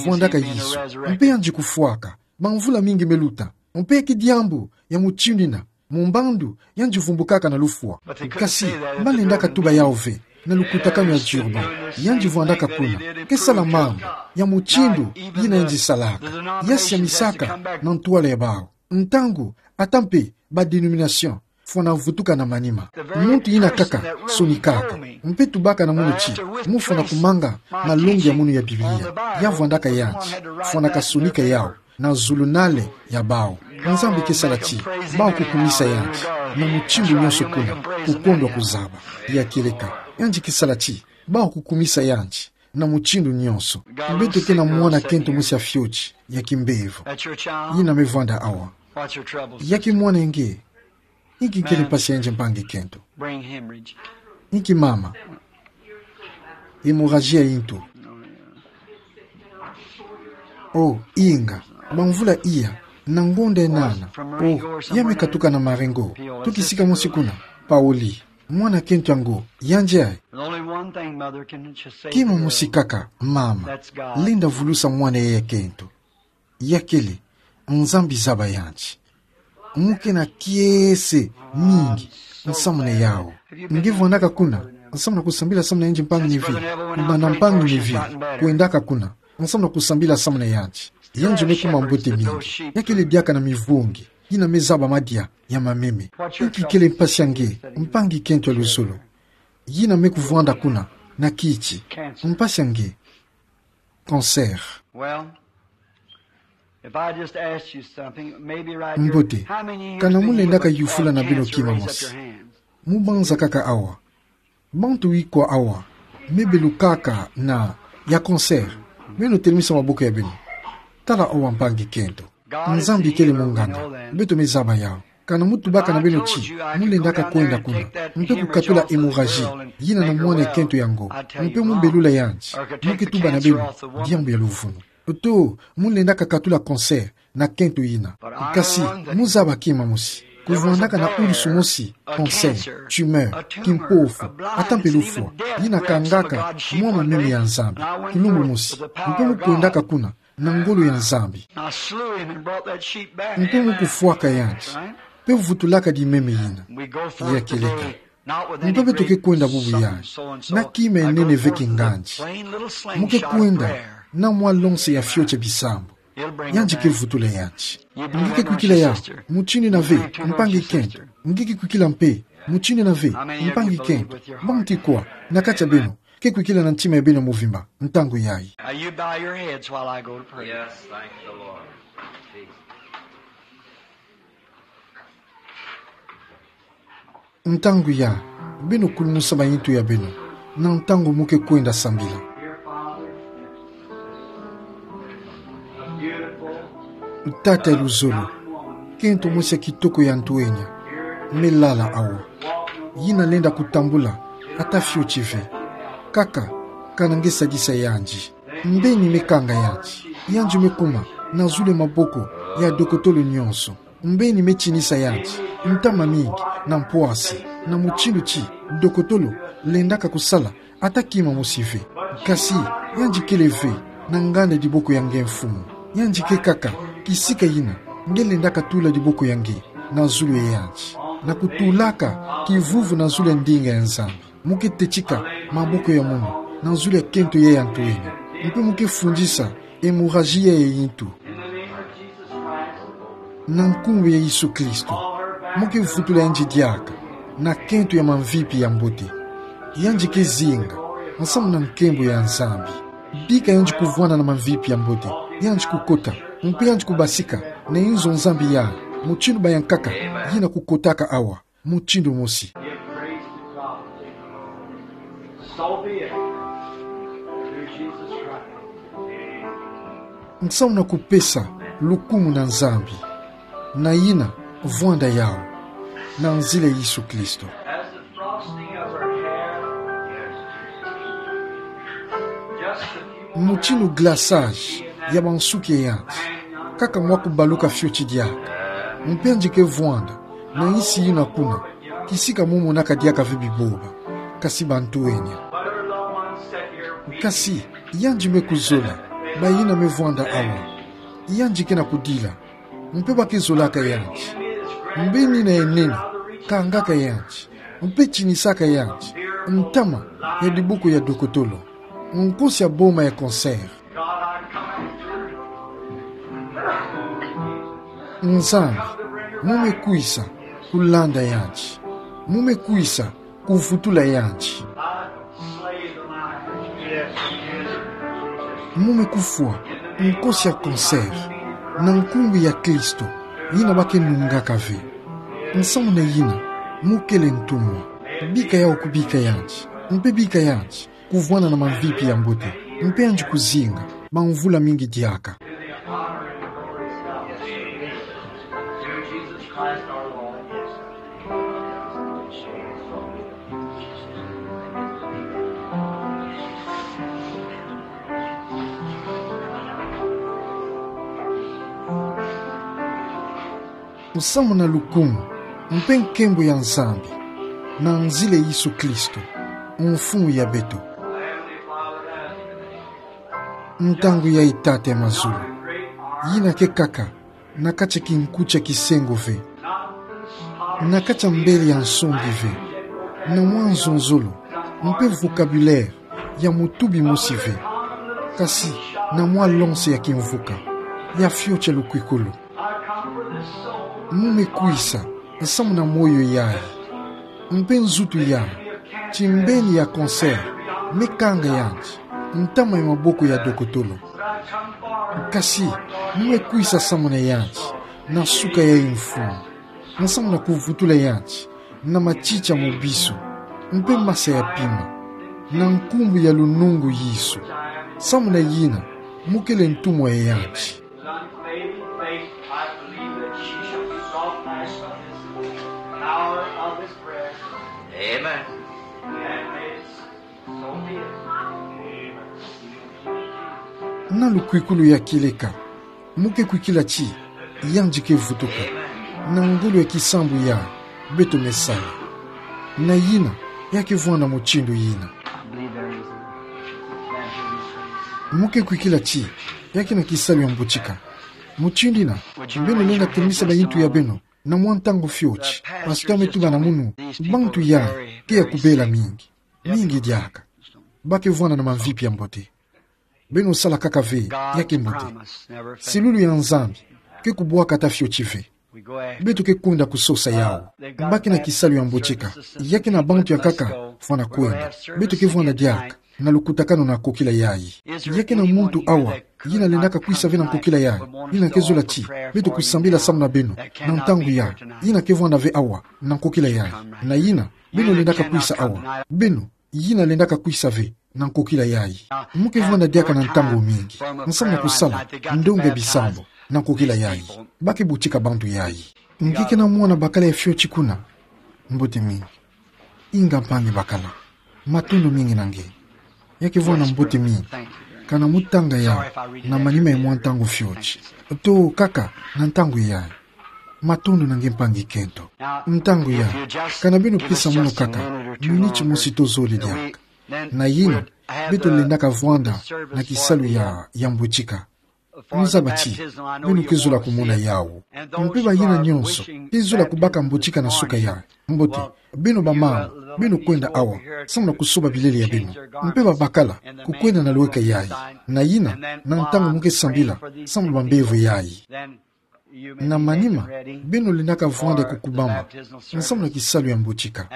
vwandaka Yesu, mpe yandi kufwaka ba mvula mingi me luta. Mpe ke diambu ya mutindu yina, mu mbandu yandi vumbukaka na lufwa. Kasi ba lendaka tuba yawu ve na lukutakanu ya Durban. Yandi vwandaka kuna, ke sala mambu ya mutindu yina yandi salaka. Ya siamisaka na ntwala ya bawu. Ntangu ata mpe ba dénomination fwana vutuka na manima, muntu yina kaka sonikaka mpe tubaka na munu ti mu fwana kumanga malongi ya munu ya Biblia, ya vwandaka yandi fwanaka sonika yawu na zulunale ya bawu. Nzambi ke sala ti bawu kukumisa yandi na mutindu nyonso kuna, kukondwa kuzaba. Ya kieleka, yandi ke sala ti bawu kukumisa yandi na mutindu nyonso. Beto ke na mwana kento mosi ya fioti ya kimbevo yina me vwanda awa. Ya ki mwana nge? Inki kele mpasi ya yandi, mpangi kento? Inki mama? Hémorragie ya ntu. Oh, inga, ba mvula iya, na ngonda ya nana. Oh, ya me katuka na Marengo, to kisika mosi kuna. Paoli, mwana kento yango, yandi ayi? Kima mosi kaka, mama, lenda vulusa mwana ya kento. Ya kele, Nzambi zaba yandi. Mu ke na kiese mingi nsamu na yawu. Nge vwandaka kuna nsamu na kusambila samu na yandi, mpangi Neville? Kubanda mpangi Neville kwendaka kuna nsamu na kusambila samu na yandi, yandi me kuma mbote mingi. Ya kele diaka na mivungi yina me zaba madia ya mameme. Inki kele mpasi ya nge, mpangi kento ya luzolo, yina me kuvwanda kuna na kiti? Mpasi ya nge, cancer. Mbote, kana mu lendaka yufula na beno kima mosi? Mu banza kaka awa. Bantu ikwa awa me belukaka na ya cancer? Beno telemisa maboko ya beno. Tala awa, mpangi kento. Nzambi kele munganga, beto me zaba yawu. Kana mu tubaka na beno ti mu lendaka kwenda kuna, mpe kukatula hémorragie yina na mwana ya kento yango, mpe mu belula yandi, mu ke tuba na beno diambu ya luvunu. To mu lendaka katula cancer na kento yina. Kasi mu zaba kima mosi: kuvwandaka na ulusu mosi cancer, tumeur, kimpofu, ata mpe lufwa, yina kangaka mwa mameme ya Nzambi kilumbu mosi, mpe mu kwendaka kuna na ngolo ya Nzambi, mpe mu kufwaka yandi, mpe vutulaka dimeme yina. Ya kieleka, Mpe beto ke kwenda bubu yayi na kima enene ve kingandi. Mo ke kwenda na mwa lonse ya fiotia bisambu. Yandi ke vutula yandi. Nge ke kwikila yawu, mutindu ina ve, mpangi kento. Nge ke kwikila mpe, mutindu ina ve, mpangi kento. Mbanti kwa, na katia beno, ke kwikila na ntima ya beno muvimba, ntangu yayi. Now you bow your heads while I go to pray. Yes, thank the Lord. Ntangu yayi, beno kulumusa mayintu ya beno, na ntangu mo ke kwenda sambila. Tata ya luzolo, kento mosi ya kitoko ya ntuenia, me lala awa. Yina lenda kutambula, ata fioti ve. Kaka, kana nge sadisa yandi. Mbeni me kanga yandi. Yandi me kuma, na zulu ya maboko ya dokotolo nyonso. Mbeni me tinisa yandi, ntama mingi, na mpwasi, na mutindu ti dokotolo lendaka kusala, ata kima mosi ve. Kasi, yandi kele ve, na nganda diboko ya nge Mfumu. Yandi ke kaka, kisika yina, nge lendaka tula diboko ya nge na zulu ya yandi, na kutulaka kivuvu na zulu ya ndinga ya Nzambi. Mo ke tetika maboko ya mono na zulu ya kento yayi ya ntuenia. Mpe mo ke fundisa hemorragie ya yintu. Na nkumbu ya Yesu Kristo, mo ke vutula yandi diaka na kento ya mamvipi ya mbote. Yandi ke zinga, nsamu na nkembo ya Nzambi. Bika yandi kuvwanda na mamvipi ya mbote, yandi kukota, mpe yandi kubasika na inzo Nzambi yayi, mutindu bayankaka, yina kukotaka awa mutindu mosi. Give praise to God. So be it. Through Jesus Christ. Nsamu na kupesa lukumu na Nzambi. Na yina, vwanda yawu, na nzila Yesu Kristo. As the frosting of her hair, just a few more mutindu glaçage ya bansuki ya yandi. Kaka mwa kubaluka fioti diaka. Mpe yandi ke vwanda na insi yina kuna, kisika mo monaka diaka ve biboba, kasi bantuenia. Kasi, yandi me kuzola bayina me vwanda awa. Yandi ke na kudila, mpe ba ke zolaka yandi. Mbeni na enene kangaka yandi, mpe tinisaka yandi ntama ya diboko ya dokotolo, nkosi ya boma ya cancer. Nzambi, mo me kwisa kulanda yandi. Mo me kwisa kuvutula yandi. Mo me kufwa nkosi ya cancer na nkumbu ya Kristo, yina ba ke nungaka ve. Nsamu na yina, mo kele ntumwa. Bika yawu kubika yandi, mpe bika yandi kuvwanda na mamvipi ya mbote, mpe yandi kuzinga bamvula mingi diaka. Nsamu na lukumu mpe nkembo ya Nzambi, na nzila Yesu Kristo, Mfumu ya beto. Ntangu yayi, Tata ya mazulu, yina ke kaka na kati ya kinku tia kisengo ve, na kati ya mbele ya nsongi ve, na mwa nzonzolo mpe vocabulaire ya mutubi mosi ve, kasi na mwa lonse ya kimvuka, ya fioti ya lukwikulu. Mo me kwisa nsamu na moyo yayi, mpe nzutu yayi, ti mbeni ya cancer me kanga yandi ntama ya maboko ya dokotolo. Kasi mo me kwisa nsamu na yandi na suka yayi, Mfumu, nsamu na kuvutula yandi na matiti ya mubisu, mpe masa ya pima, na nkumbu ya lunungu Yesu. Nsamu na yina, mo kele ntumwa ya yandi. Amen. Na lukwikulu ya kieleka, mo ke kwikila ti yandi ke vutuka na ngolo ya kisambu ya beto me sala. Na yina, ya ke vwanda mutindu yina. Mo ke kwikila ti ya ke na kisalu ya mbutika. Mutindu yina, beno lenda telemisa bayintu ya beno na mwa ntangu fioti. Pasteur me tuba na munu, bantu yayi ke ya kubela mingi, mingi diaka. Ba ke vwanda na mamvipi ya mbote. Beno sala kaka ve, ya ke mbote. Silulu ya Nzambi ke kubwakata fioti ve. Beto ke kwenda kusosa yawu. Ba ke na kisalu ya mboteka. Ya ke na bantu yankaka fwana kwenda. Beto ke vwanda diaka na lukutakanu na kokila yayi. Ya ke na muntu awa yina lendaka kwisa ve na nkokila yayi, yina ke zola ti beto kusambila samu na beno na ntangu yayi. Yina ke vwanda ve awa na nkokila yayi. Na yina, beno lendaka kwisa awa. Beno yina lendaka kwisa ve na nkokila yayi. Mu ke vwanda diaka na ntangu mingi nsamu na kusala ndonga bisambu na nkokila yayi. Ba ke botika bantu yayi. Nge ke na mwana bakala ya fioti kuna? Mbote mingi. Inga mpangi bakala. Matondo mingi na nge. Ya ke vwanda mbote mingi kana mu tanga yawu na manima ya mwa ntangu fioti. To kaka na ntangu yayi. Matondo na nge mpangi kento. Ntangu yayi, kana beno pesa munu kaka miniti mosi to zole diaka. Na yina, beto lendaka vwanda na kisalu ya, ya mboteka. Mu zaba ti beno ke zola kumona yawu. Mpe bayina nyonso ke zola kubaka mboteka na suka yayi. Mbote, beno bamama, beno kwenda awa samu na kusoba bilele ya beno. Mpe babakala, kukwenda na lweka yayi. Na yina, na ntangu mu ke sambila samu na bambevo yayi. Na manima, beno lendaka vwanda kukubama nsamu na kisalu ya mboteka.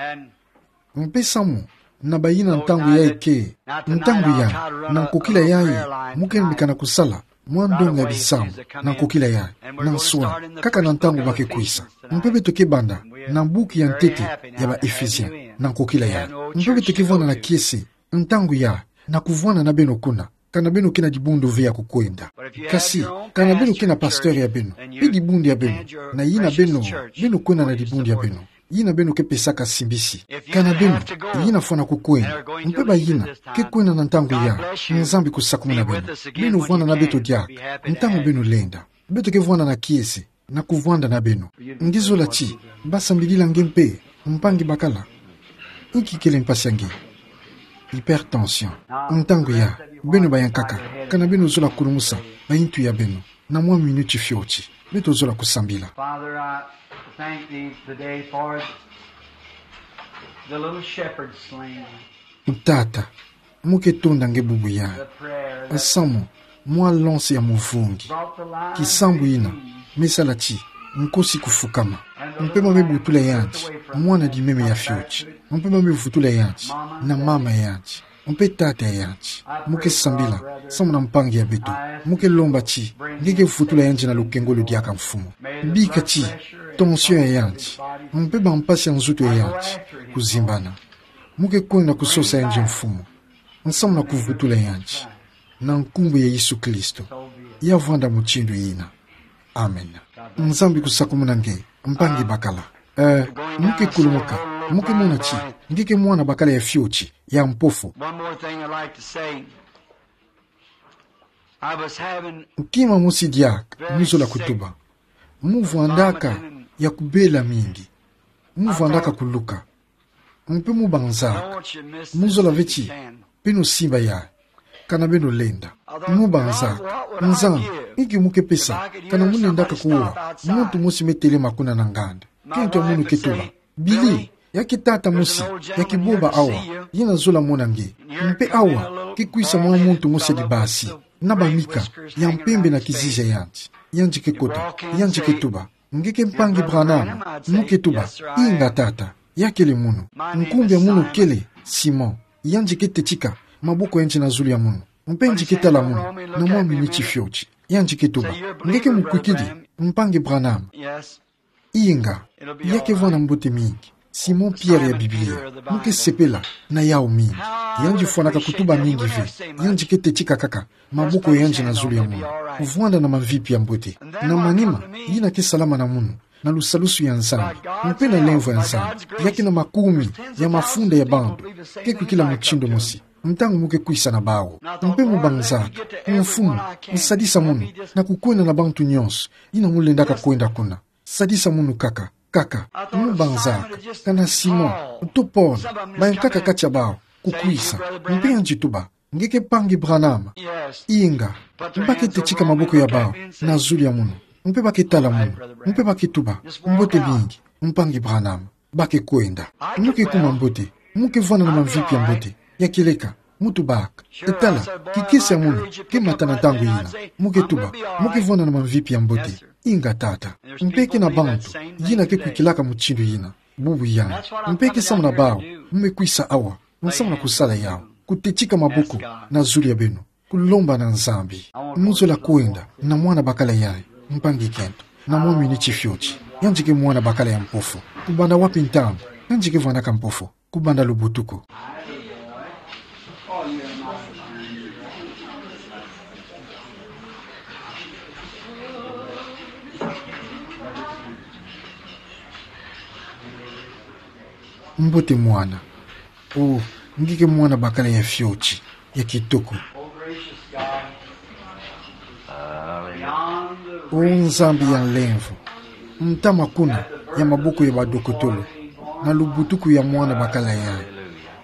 Mpe samu na bayina ntangu yayi ke, ntangu yayi, na nkokila yayi, mu ke mbika na kusala mwa ndonga bisambu na nkokila yayi, na nswa, kaka na ntangu ba ke kwisa. Mpe beto ke banda na buku ya ntete ya ba Ephésiens na nkokila yayi. Mpe beto ke vwanda na kiese ntangu yayi na kuvwanda na beno kuna, kana beno ke na dibundu ve ya kukwenda. Kasi, kana beno ke na pasteur ya beno, mpe dibundu ya beno, na yina beno, beno kwenda na dibundu ya beno, yina beno ke pesaka simbisi. Kana beno, yina fwana kukwenda, mpe bayina ke kwenda na ntangu yayi, Nzambi kusakumuna beno. Beno vwanda na beto diaka ntangu beno lenda. Beto ke vwanda na kiese na kuvwanda na beno. Nge zola ti ba sambilila nge mpe, mpangi bakala? Inki kele mpasi ya nge? Hypertension. Ntangu yayi, beno bayankaka, kana beno zola kulumusa bayintu ya beno na mwa miniti fioti, beto zola kusambila. Father, I thank thee today for the little shepherd slain. Tata, mu ke tonda nge bubu yayi nsamu mwa lonse ya muvungi, kisambu yina me sala ti nkosi kufukama. Mpe ma me butula yandi mwana dimeme ya fioti. Mpe ma me vutula yandi na mama yandi, mpe tata yandi. Mu ke sambila samu na mpangi ya beto. Mu ke lomba ti nge ke vutula yandi na lukengolo diaka, Mfumu. Bika ti tension ya yandi mpe bampasi ya nzutu ya yandi kuzimbana. Mu ke kwenda kusosa yandi, Mfumu, nsamu na kuvutula yandi. Na nkumbu ya Yesu Kristo, ya vwanda mutindu yina. Amen. Nzambi kusakumuna nge, mpangi bakala. Eh, mu ke kulumuka, mu ke mona ti nge ke mwana bakala ya fioti, ya mpofu. One more thing I'd like to say. I was having Kima mosi diaka mu zola kutuba. Mu vwandaka ya kubela mingi. Mu vwandaka kuluka. Mpe mu banzaka, mu zola ve ti beno simba yayi, kana beno lenda. Mu banzaka, Nzambi, inki mu ke pesa, kana mu lendaka kuwa muntu mosi me telema kuna na nganda? Kento ya munu ke tuba: Billy, ya ke tata mosi ya kibomba awa, yina zola mona nge. Mpe awa ke kwisa mwa muntu mosi ya dibasi, na bamika ya mpembe na kizizi ya yandi. Yandi ke kota, yandi ke tuba: Nge ke mpangi Branham? Mu ke tuba: Inga, tata. Ya kele munu. Nkumbu ya munu kele Simon. Yandi ke tetika maboko ya yandi na zulu ya munu, mpe yandi ke tala munu na mwa miniti fioti. Yandi ke tuba: Nge ke mukwikidi, mpangi Branham? Inga. Ya ke vwanda mbote mingi. Simon Pierre ya Biblia. Mu ke sepela na yawu mingi. Yandi fwanaka kutuba mingi ve. Yandi ke tetika kaka maboko ya yandi na zulu ya munu. Vwanda na mamvipi ya mbote. Na manima, yina ke salama na munu, na lusalusu ya Nzambi, mpe na lemvo ya Nzambi, ya ke na makumi ya mafunda ya bantu ke kwikila mutindu mosi ntangu mu ke kwisa na bawu. Mpe mu banzaka: Mfumu, nsadisa munu na kukwenda na bantu nyonso yina mu lendaka kwenda kuna. Sadisa munu kaka, kaka. Mu banzaka kana Simon to Paul, bayankaka kati ya bawu, kukwisa. Mpe yandi tuba: Nge ke mpangi Branham? Inga. Mpe ba ke tetika maboko ya bawu na zulu ya munu, mpe ba ke tala munu, mpe ba ke tuba: Mbote mingi, mpangi Branham. Ba ke kwenda. Mu ke kuma mbote. Mu ke vwanda na mamvipi ya mbote. Ya kieleka, mu tubaka. Etala, kikese ya muna ke mata na ntangu yina. Mu ke tuba, mu ke vwanda na mamvipi ya mbote. Inga tata. Mpe ke na bantu yina ke kwikilaka mutindu yina. Bubu yanga. Mpe ke samu na bawu mu me kwisa awa, nsamu na kusala yawu, kutetika maboko na zulu ya beno, kulomba na Nzambi. Mu zola kwenda na mwana bakala yayi, mpangi kento, na mwa miniti fioti. Yandi ke mwana bakala ya mpofo. Kubanda wapi ntangu? Yandi ke vwandaka mpofo kubanda lubutuku. Mbote mwana. O, nge ke mwana bakala ya fioti, ya kitoko. O Nzambi ya nlemvo, ntama kuna ya maboko ya badokotolo, na lubutuku ya mwana bakala yayi,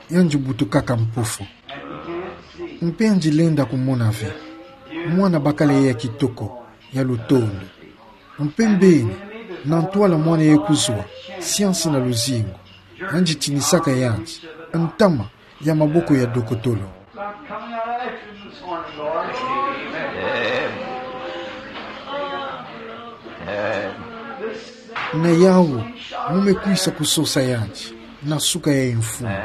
yandi butukaka mpofo. Mpe yandi lenda kumona ve. Mwana bakala yayi ya kitoko, ya lutondo. Mpe mbeni, na ntwala mwana yayi kuzwa, siansi na luzingu, yandi tinisaka yandi, ntama ya maboko ya dokotolo. Na yawu, mu me kwisa kusosa yandi, na suka yayi mfumu,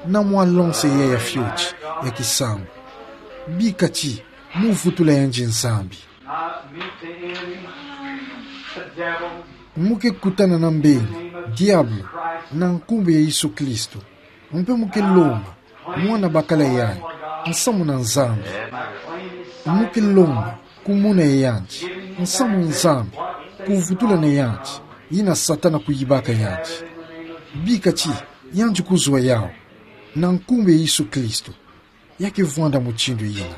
na mwa lonse yayi ya fioti, ya kisambu. Bika ti, mu vutula yandi Nzambi. Mu ke kutana na mbeni, diabulu, na nkumbu ya Yesu Kristo. Mpe mu ke lomba, mwana bakala yayi, nsamu na Nzambi. Mu ke lomba, kumona yandi, nsamu Nzambi, kuvutula na yandi, yina Satana kuyibaka yandi. Bika ti, yandi kuzwa yawu, na nkumbu ya Yesu Kristo. Ya ke vwanda mutindu yina.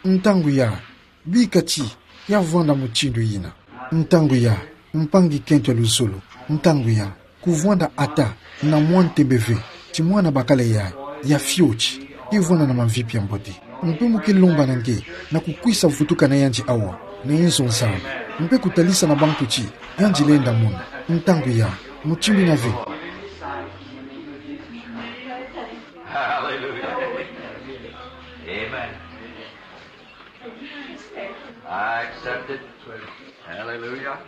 Ntangu yayi, bika ti, ya vwanda mutindu yina. Ntangu yayi, mpangi kento ya luzolo, ntangu yayi, kuvwanda ata na mwa ntembe ve, ti mwana bakala yayi, ya fioti, ke vwanda na mamvipi ya mbote. Mpe mu ke lomba na nge, na kukwisa vutuka na yandi awa, na inzo Nzambi. Mpe kutalisa na bantu ti, yandi lenda mona, ntangu yayi, mutindu yina ve. Hallelujah. Amen. I accept it. Hallelujah.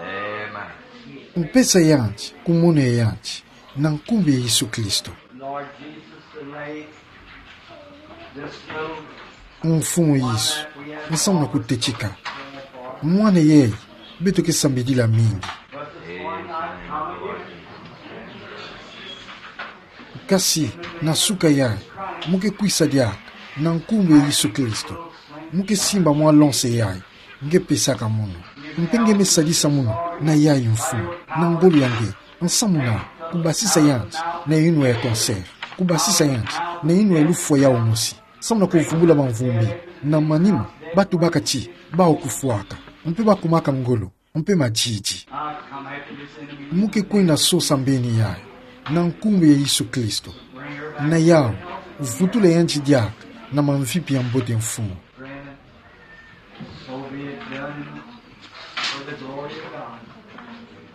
Amen. Mpesa yandi, kumona yandi, na nkumbu ya Yesu Kristo. Lord Jesus, the name Mfumu Yesu, nsamu na kutetika. Mwana yayi, beto ke sambidila mingi. Kasi, na suka yayi, mu ke kwisa diaka, na nkumbu ya Yesu Kristo. Mu ke simba mwa lonse yayi, nge pesaka munu. Mpe nge me sadisa munu, na yayi mfumu, na ngolo ya nge, nsamu na, kubasisa yandi, na yinwa ya cancer, kubasisa yandi, na yinwa ya lufwa yawu mosi. Samu na kuvumbula bamvumbi, na manima, batubaka ti, bawu kufwaka, mpe bakumaka ngolo, mpe madidi. Mu ke kwenda sosa mbeni yayi, na nkumbu ya Yesu Kristo. Na yawu, vutula yandi diaka, na mamvipi ya mbote mfumu.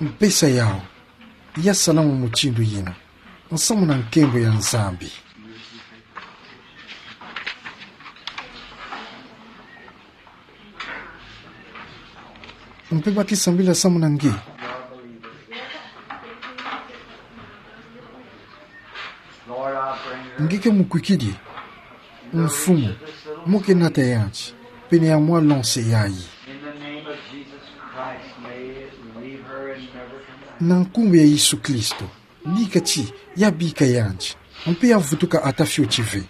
Mpesa yawu, ya salama mutindu yina, nsamu na nkembo ya Nzambi. Mpe ba ke sambila samu na nge. Nge ke mukwikidi. Mfumu, mu ke nata yandi pene ya mwa lonse yayi. Na nkumbu ya Yesu Kristo, bika ti ya bika yandi, mpe ya vutuka ata fioti ve.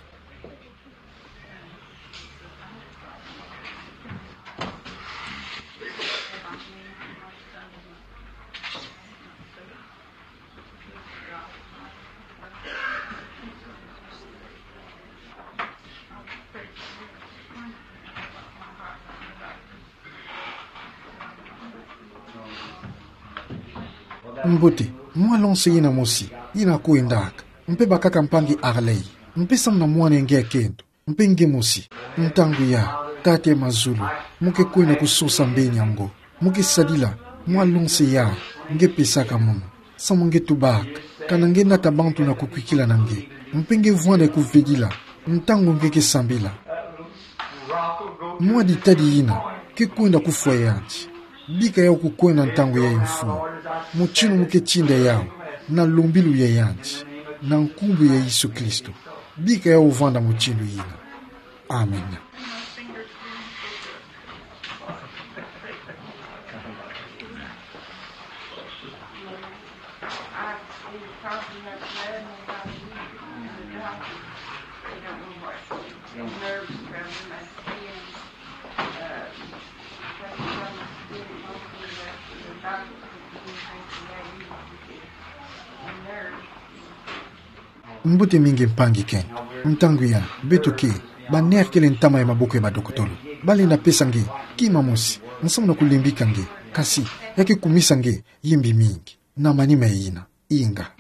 Mbote, mwa lonse yina mosi, yina kwendaka. Mpe bakaka mpangi Harley. Mpe samu na mwana ya nge ya kento. Mpe nge mosi. Ntangu yayi, Tata ya mazulu, mu ke kwenda kusosa mbeni yango. Mo ke sadila mwa lonse ya nge pesaka mono, samu nge tubaka, kana nge nata bantu na kukwikila na nge, mpe nge vwanda kuvedila ntangu nge ke sambila. Mwa ditadi ina ke kwenda kufwa yanti. Bika yau kukwenda ntangu ya Mfumu. Mutindu mo ke tinda yau, na lombilu ya yanti, na nkumbu ya Yesu Kristo. Bika yau vwanda mutindu ina. Amen. Mbote mingi mpangi kento. Ntangu ya, beto ke, ba nerkele ntama ya maboko ya badokotolo. Balenda pesa nge kima mosi, nsamu na kulembika nge, kasi ya ke kumisa nge yimbi mingi. Na manima ina, inga.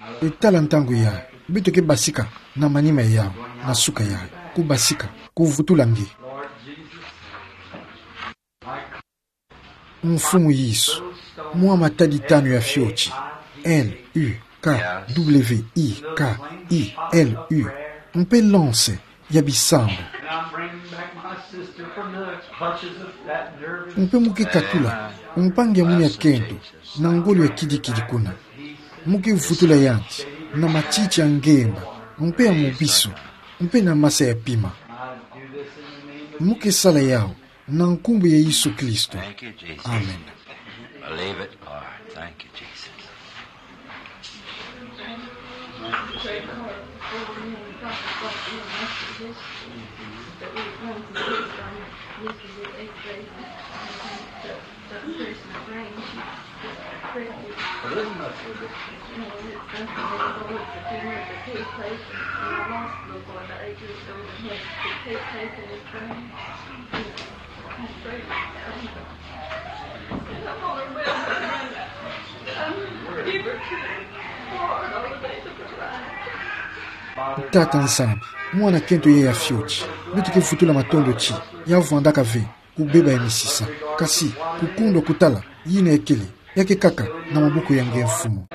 Tala ntangu ya, beto ke basika na manima yau, na suka ya, kubasika, kuvutula nge. Mfumu Yesu, mwa matadi tanu ya fioti, L U K W I K I L U, mpe lonse ya bisambu. Mpe mo ke katula mpangi ya mwini ya kento na ngolo ya kidikidi kuna. Mo ke vutula yanti na matiti ya ngemba, mpe ya mubisu, mpe na masa ya pima. Mo ke sala yau na nkumbu ya Yesu Kristo. Thank you, Jesus. Amen. Believe it, Lord. Thank you, Jesus. Tata Nzambi, mwana kento ya ya fioti, beto ke vutula matondo ti ya vwandaka ve kubeba ya misisa, kasi kukundwa kutala yina ya kele, ya ke kaka na maboko ya nge Mfumu.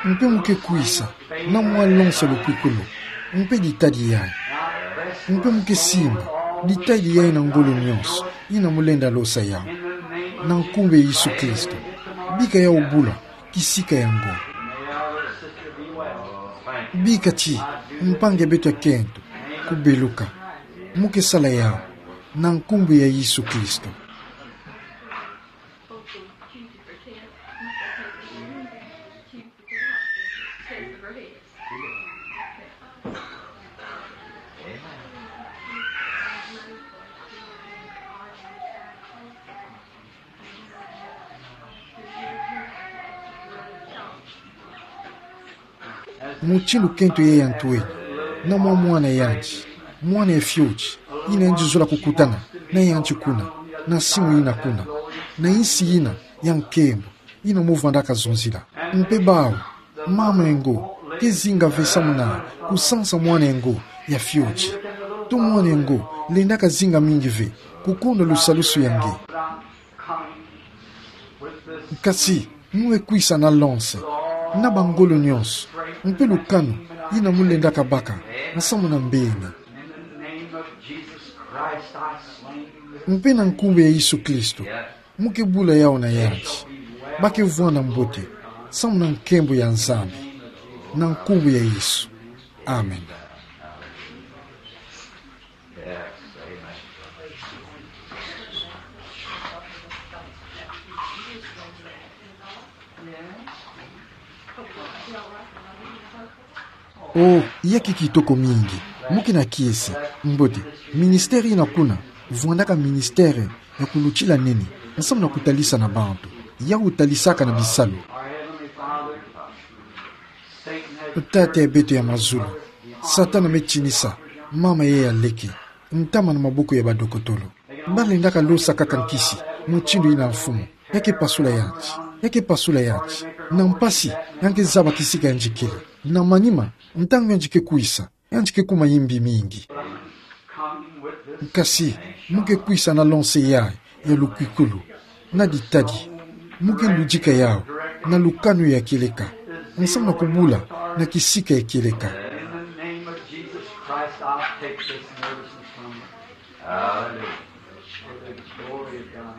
Mpe mo ke kwisa na mwa lonse lukwikulu, mpe ditadi yayi. Mpe mo ke simba ditadi yayi na ngolo nyonso ina mo lenda losa yau. Na nkumbu ya Yesu Kristo, bika yau bula kisika ya ngo. Bika ti mpangi ya beto ya kento kubeluka. Mo ke sala yau na nkumbu ya Yesu Kristo. Mutindu kento ya ya ntweni, na mwa mwana yanti, mwana ya fioti, ina yandi zola kukutana na yanti kuna, na simu ina kuna, na insi ina ya nkembo, ina mo vwandaka zonzila. Mpe bawu, mama ya ngo ke zinga ve samu na kusansa mwana ya ngo ya fioti. To mwana ya ngo lendaka zinga mingi ve kukundwa lusalusu ya nge. Kasi mo ke kwisa na lonse, na bangolo nyonso, mpe lukanu ina mo lendaka baka nsamu na mbeni. Mpe na nkumbu ya Yesu Kristo, mo ke bula yau na yanti, ba ke vwanda mbote samu na nkembo ya Nzambi. Na nkumbu ya Yesu. Amen. Oh, ya ke kitoko mingi. Mo ke na kiese. Mbote, ministère ina kuna vwandaka ministère ya kulutila nene nsamu na kutalisa na bantu. Yau talisaka na bisalu. Tata ya beto ya mazulu, Satana me tinisa mama ya ya leke, ntama na maboko ya badokotolo. Ba lendaka losa kaka nkisi mutindu ina, Mfumu. Ya ke pasula yanti, ya ke pasula yanti. Na mpasi ya ke zaba kisika yandi kele. Na manima, ntangu yandi ke kwisa, yandi ke kuma yimbi mingi. Kasi mo ke kwisa na lonse yayi ya lukwikulu. na ditadi. Mu ke ludika yawu na lukanu ya kieleka, nsamu na kubula na kisika ya kieleka. In the name of Jesus Christ, I'll take this medicine from you. Hallelujah. For the glory of God.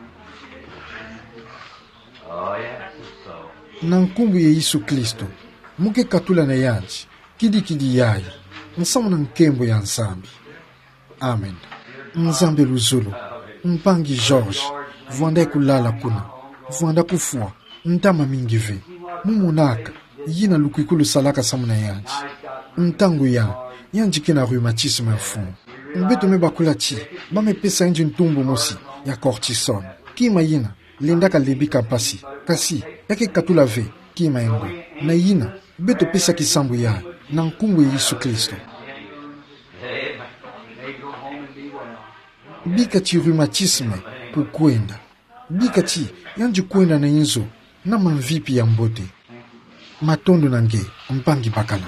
Oh, yes, it's so. Na nkumbu ya Yesu Kristo, mu ke katula na yandi, kidikidi yayi, nsamu na nkembo ya Nzambi. Amen. Nzambi luzolo, mpangi George, vwanda kulala kuna, vwanda kufwa, ntama mingi ve. Mu monaka yina lukwikulu salaka samu na yandi. Ntangu ya, yandi ke na rhumatisme, mfumu. Beto me bakula ti ba me pesa yandi ntumbu mosi ya cortisone. Kima yina lendaka lembika mpasi, kasi ya ke katula ve kima engo. Na yina, beto pesa kisambu yayi na nkumbu ya Yesu Kristo. Bika ti rhumatisme kukwenda. Bika ti yandi kwenda na inzo na mamvipi ya mbote. Matondo na nge, mpangi bakala.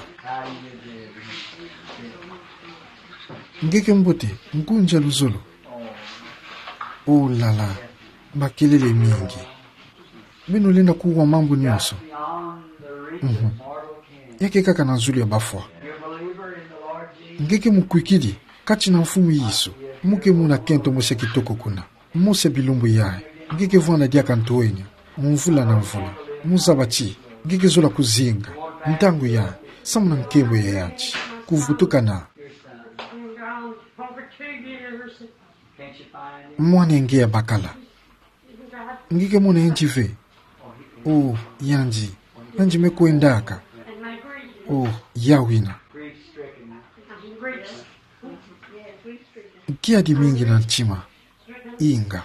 Nge ke mbote, ngunza luzolo. Oh là là, makelele mingi. Beno lenda kuwa mambu nyonso. Mhm. Ya ke kaka na zulu ya bafwa. Nge ke mukwikidi kati na Mfumu Yesu, mu ke mona kento mosi ya kitoko kuna. Mosi ya bilumbu yayi, nge ke vwanda diaka ntoenia, mvula na mvula. Mu zaba ti nge ke zola kuzinga ntangu yayi samu na nkembo ya yandi. Kuvutukana. Mwana ya nge ya bakala, nge ke mona yandi ve? Oh, yandi, yandi me kwendaka. Oh, ya wina. Kiadi mingi na ntima. Inga.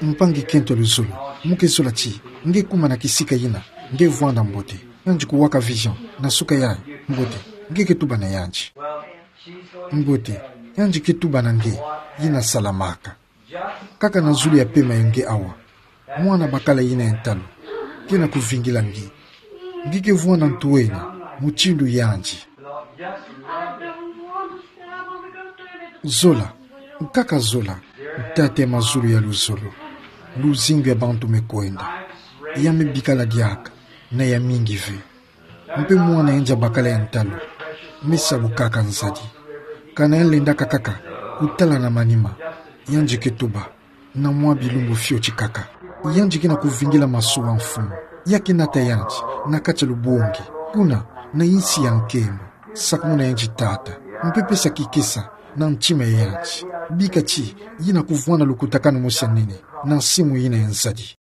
Mpangi kento luzolo, mu ke zola ti nge kuma na kisika yina nge vwanda mbote. Yandi kuwaka vision na suka yayi mbote. Nge ke tuba na yandi. Mbote, yandi ke tuba na nge, yina salamaka. Kaka na zulu ya pema ya nge awa, mwana bakala yina ya ntalu ke na kuvingila nge. Nge ke vwanda ntoenia mutindu yandi. Zola, nkaka zola, Tata ya mazulu ya luzolo. Luzingu ya bantu me kwenda, ya me bikala diaka na ya mingi ve. Mpe mwana yandi ya bakala ya ntalu me sabukaka nzadi. Kana ya lendaka kaka kutala na manima, yandi ke tuba na mwa bilumbu fioti kaka. Yandi ke na kuvingila masuwa, Mfumu. Ya ke nata yandi na kati ya lubongi kuna na insi ya nkembo. Sakumuna yandi, Tata, mpe pesa kikesa na ntima ya yandi. Bika ti yina kuvwanda lukutakanu mosi ya nene na nsimu yina ya nzadi.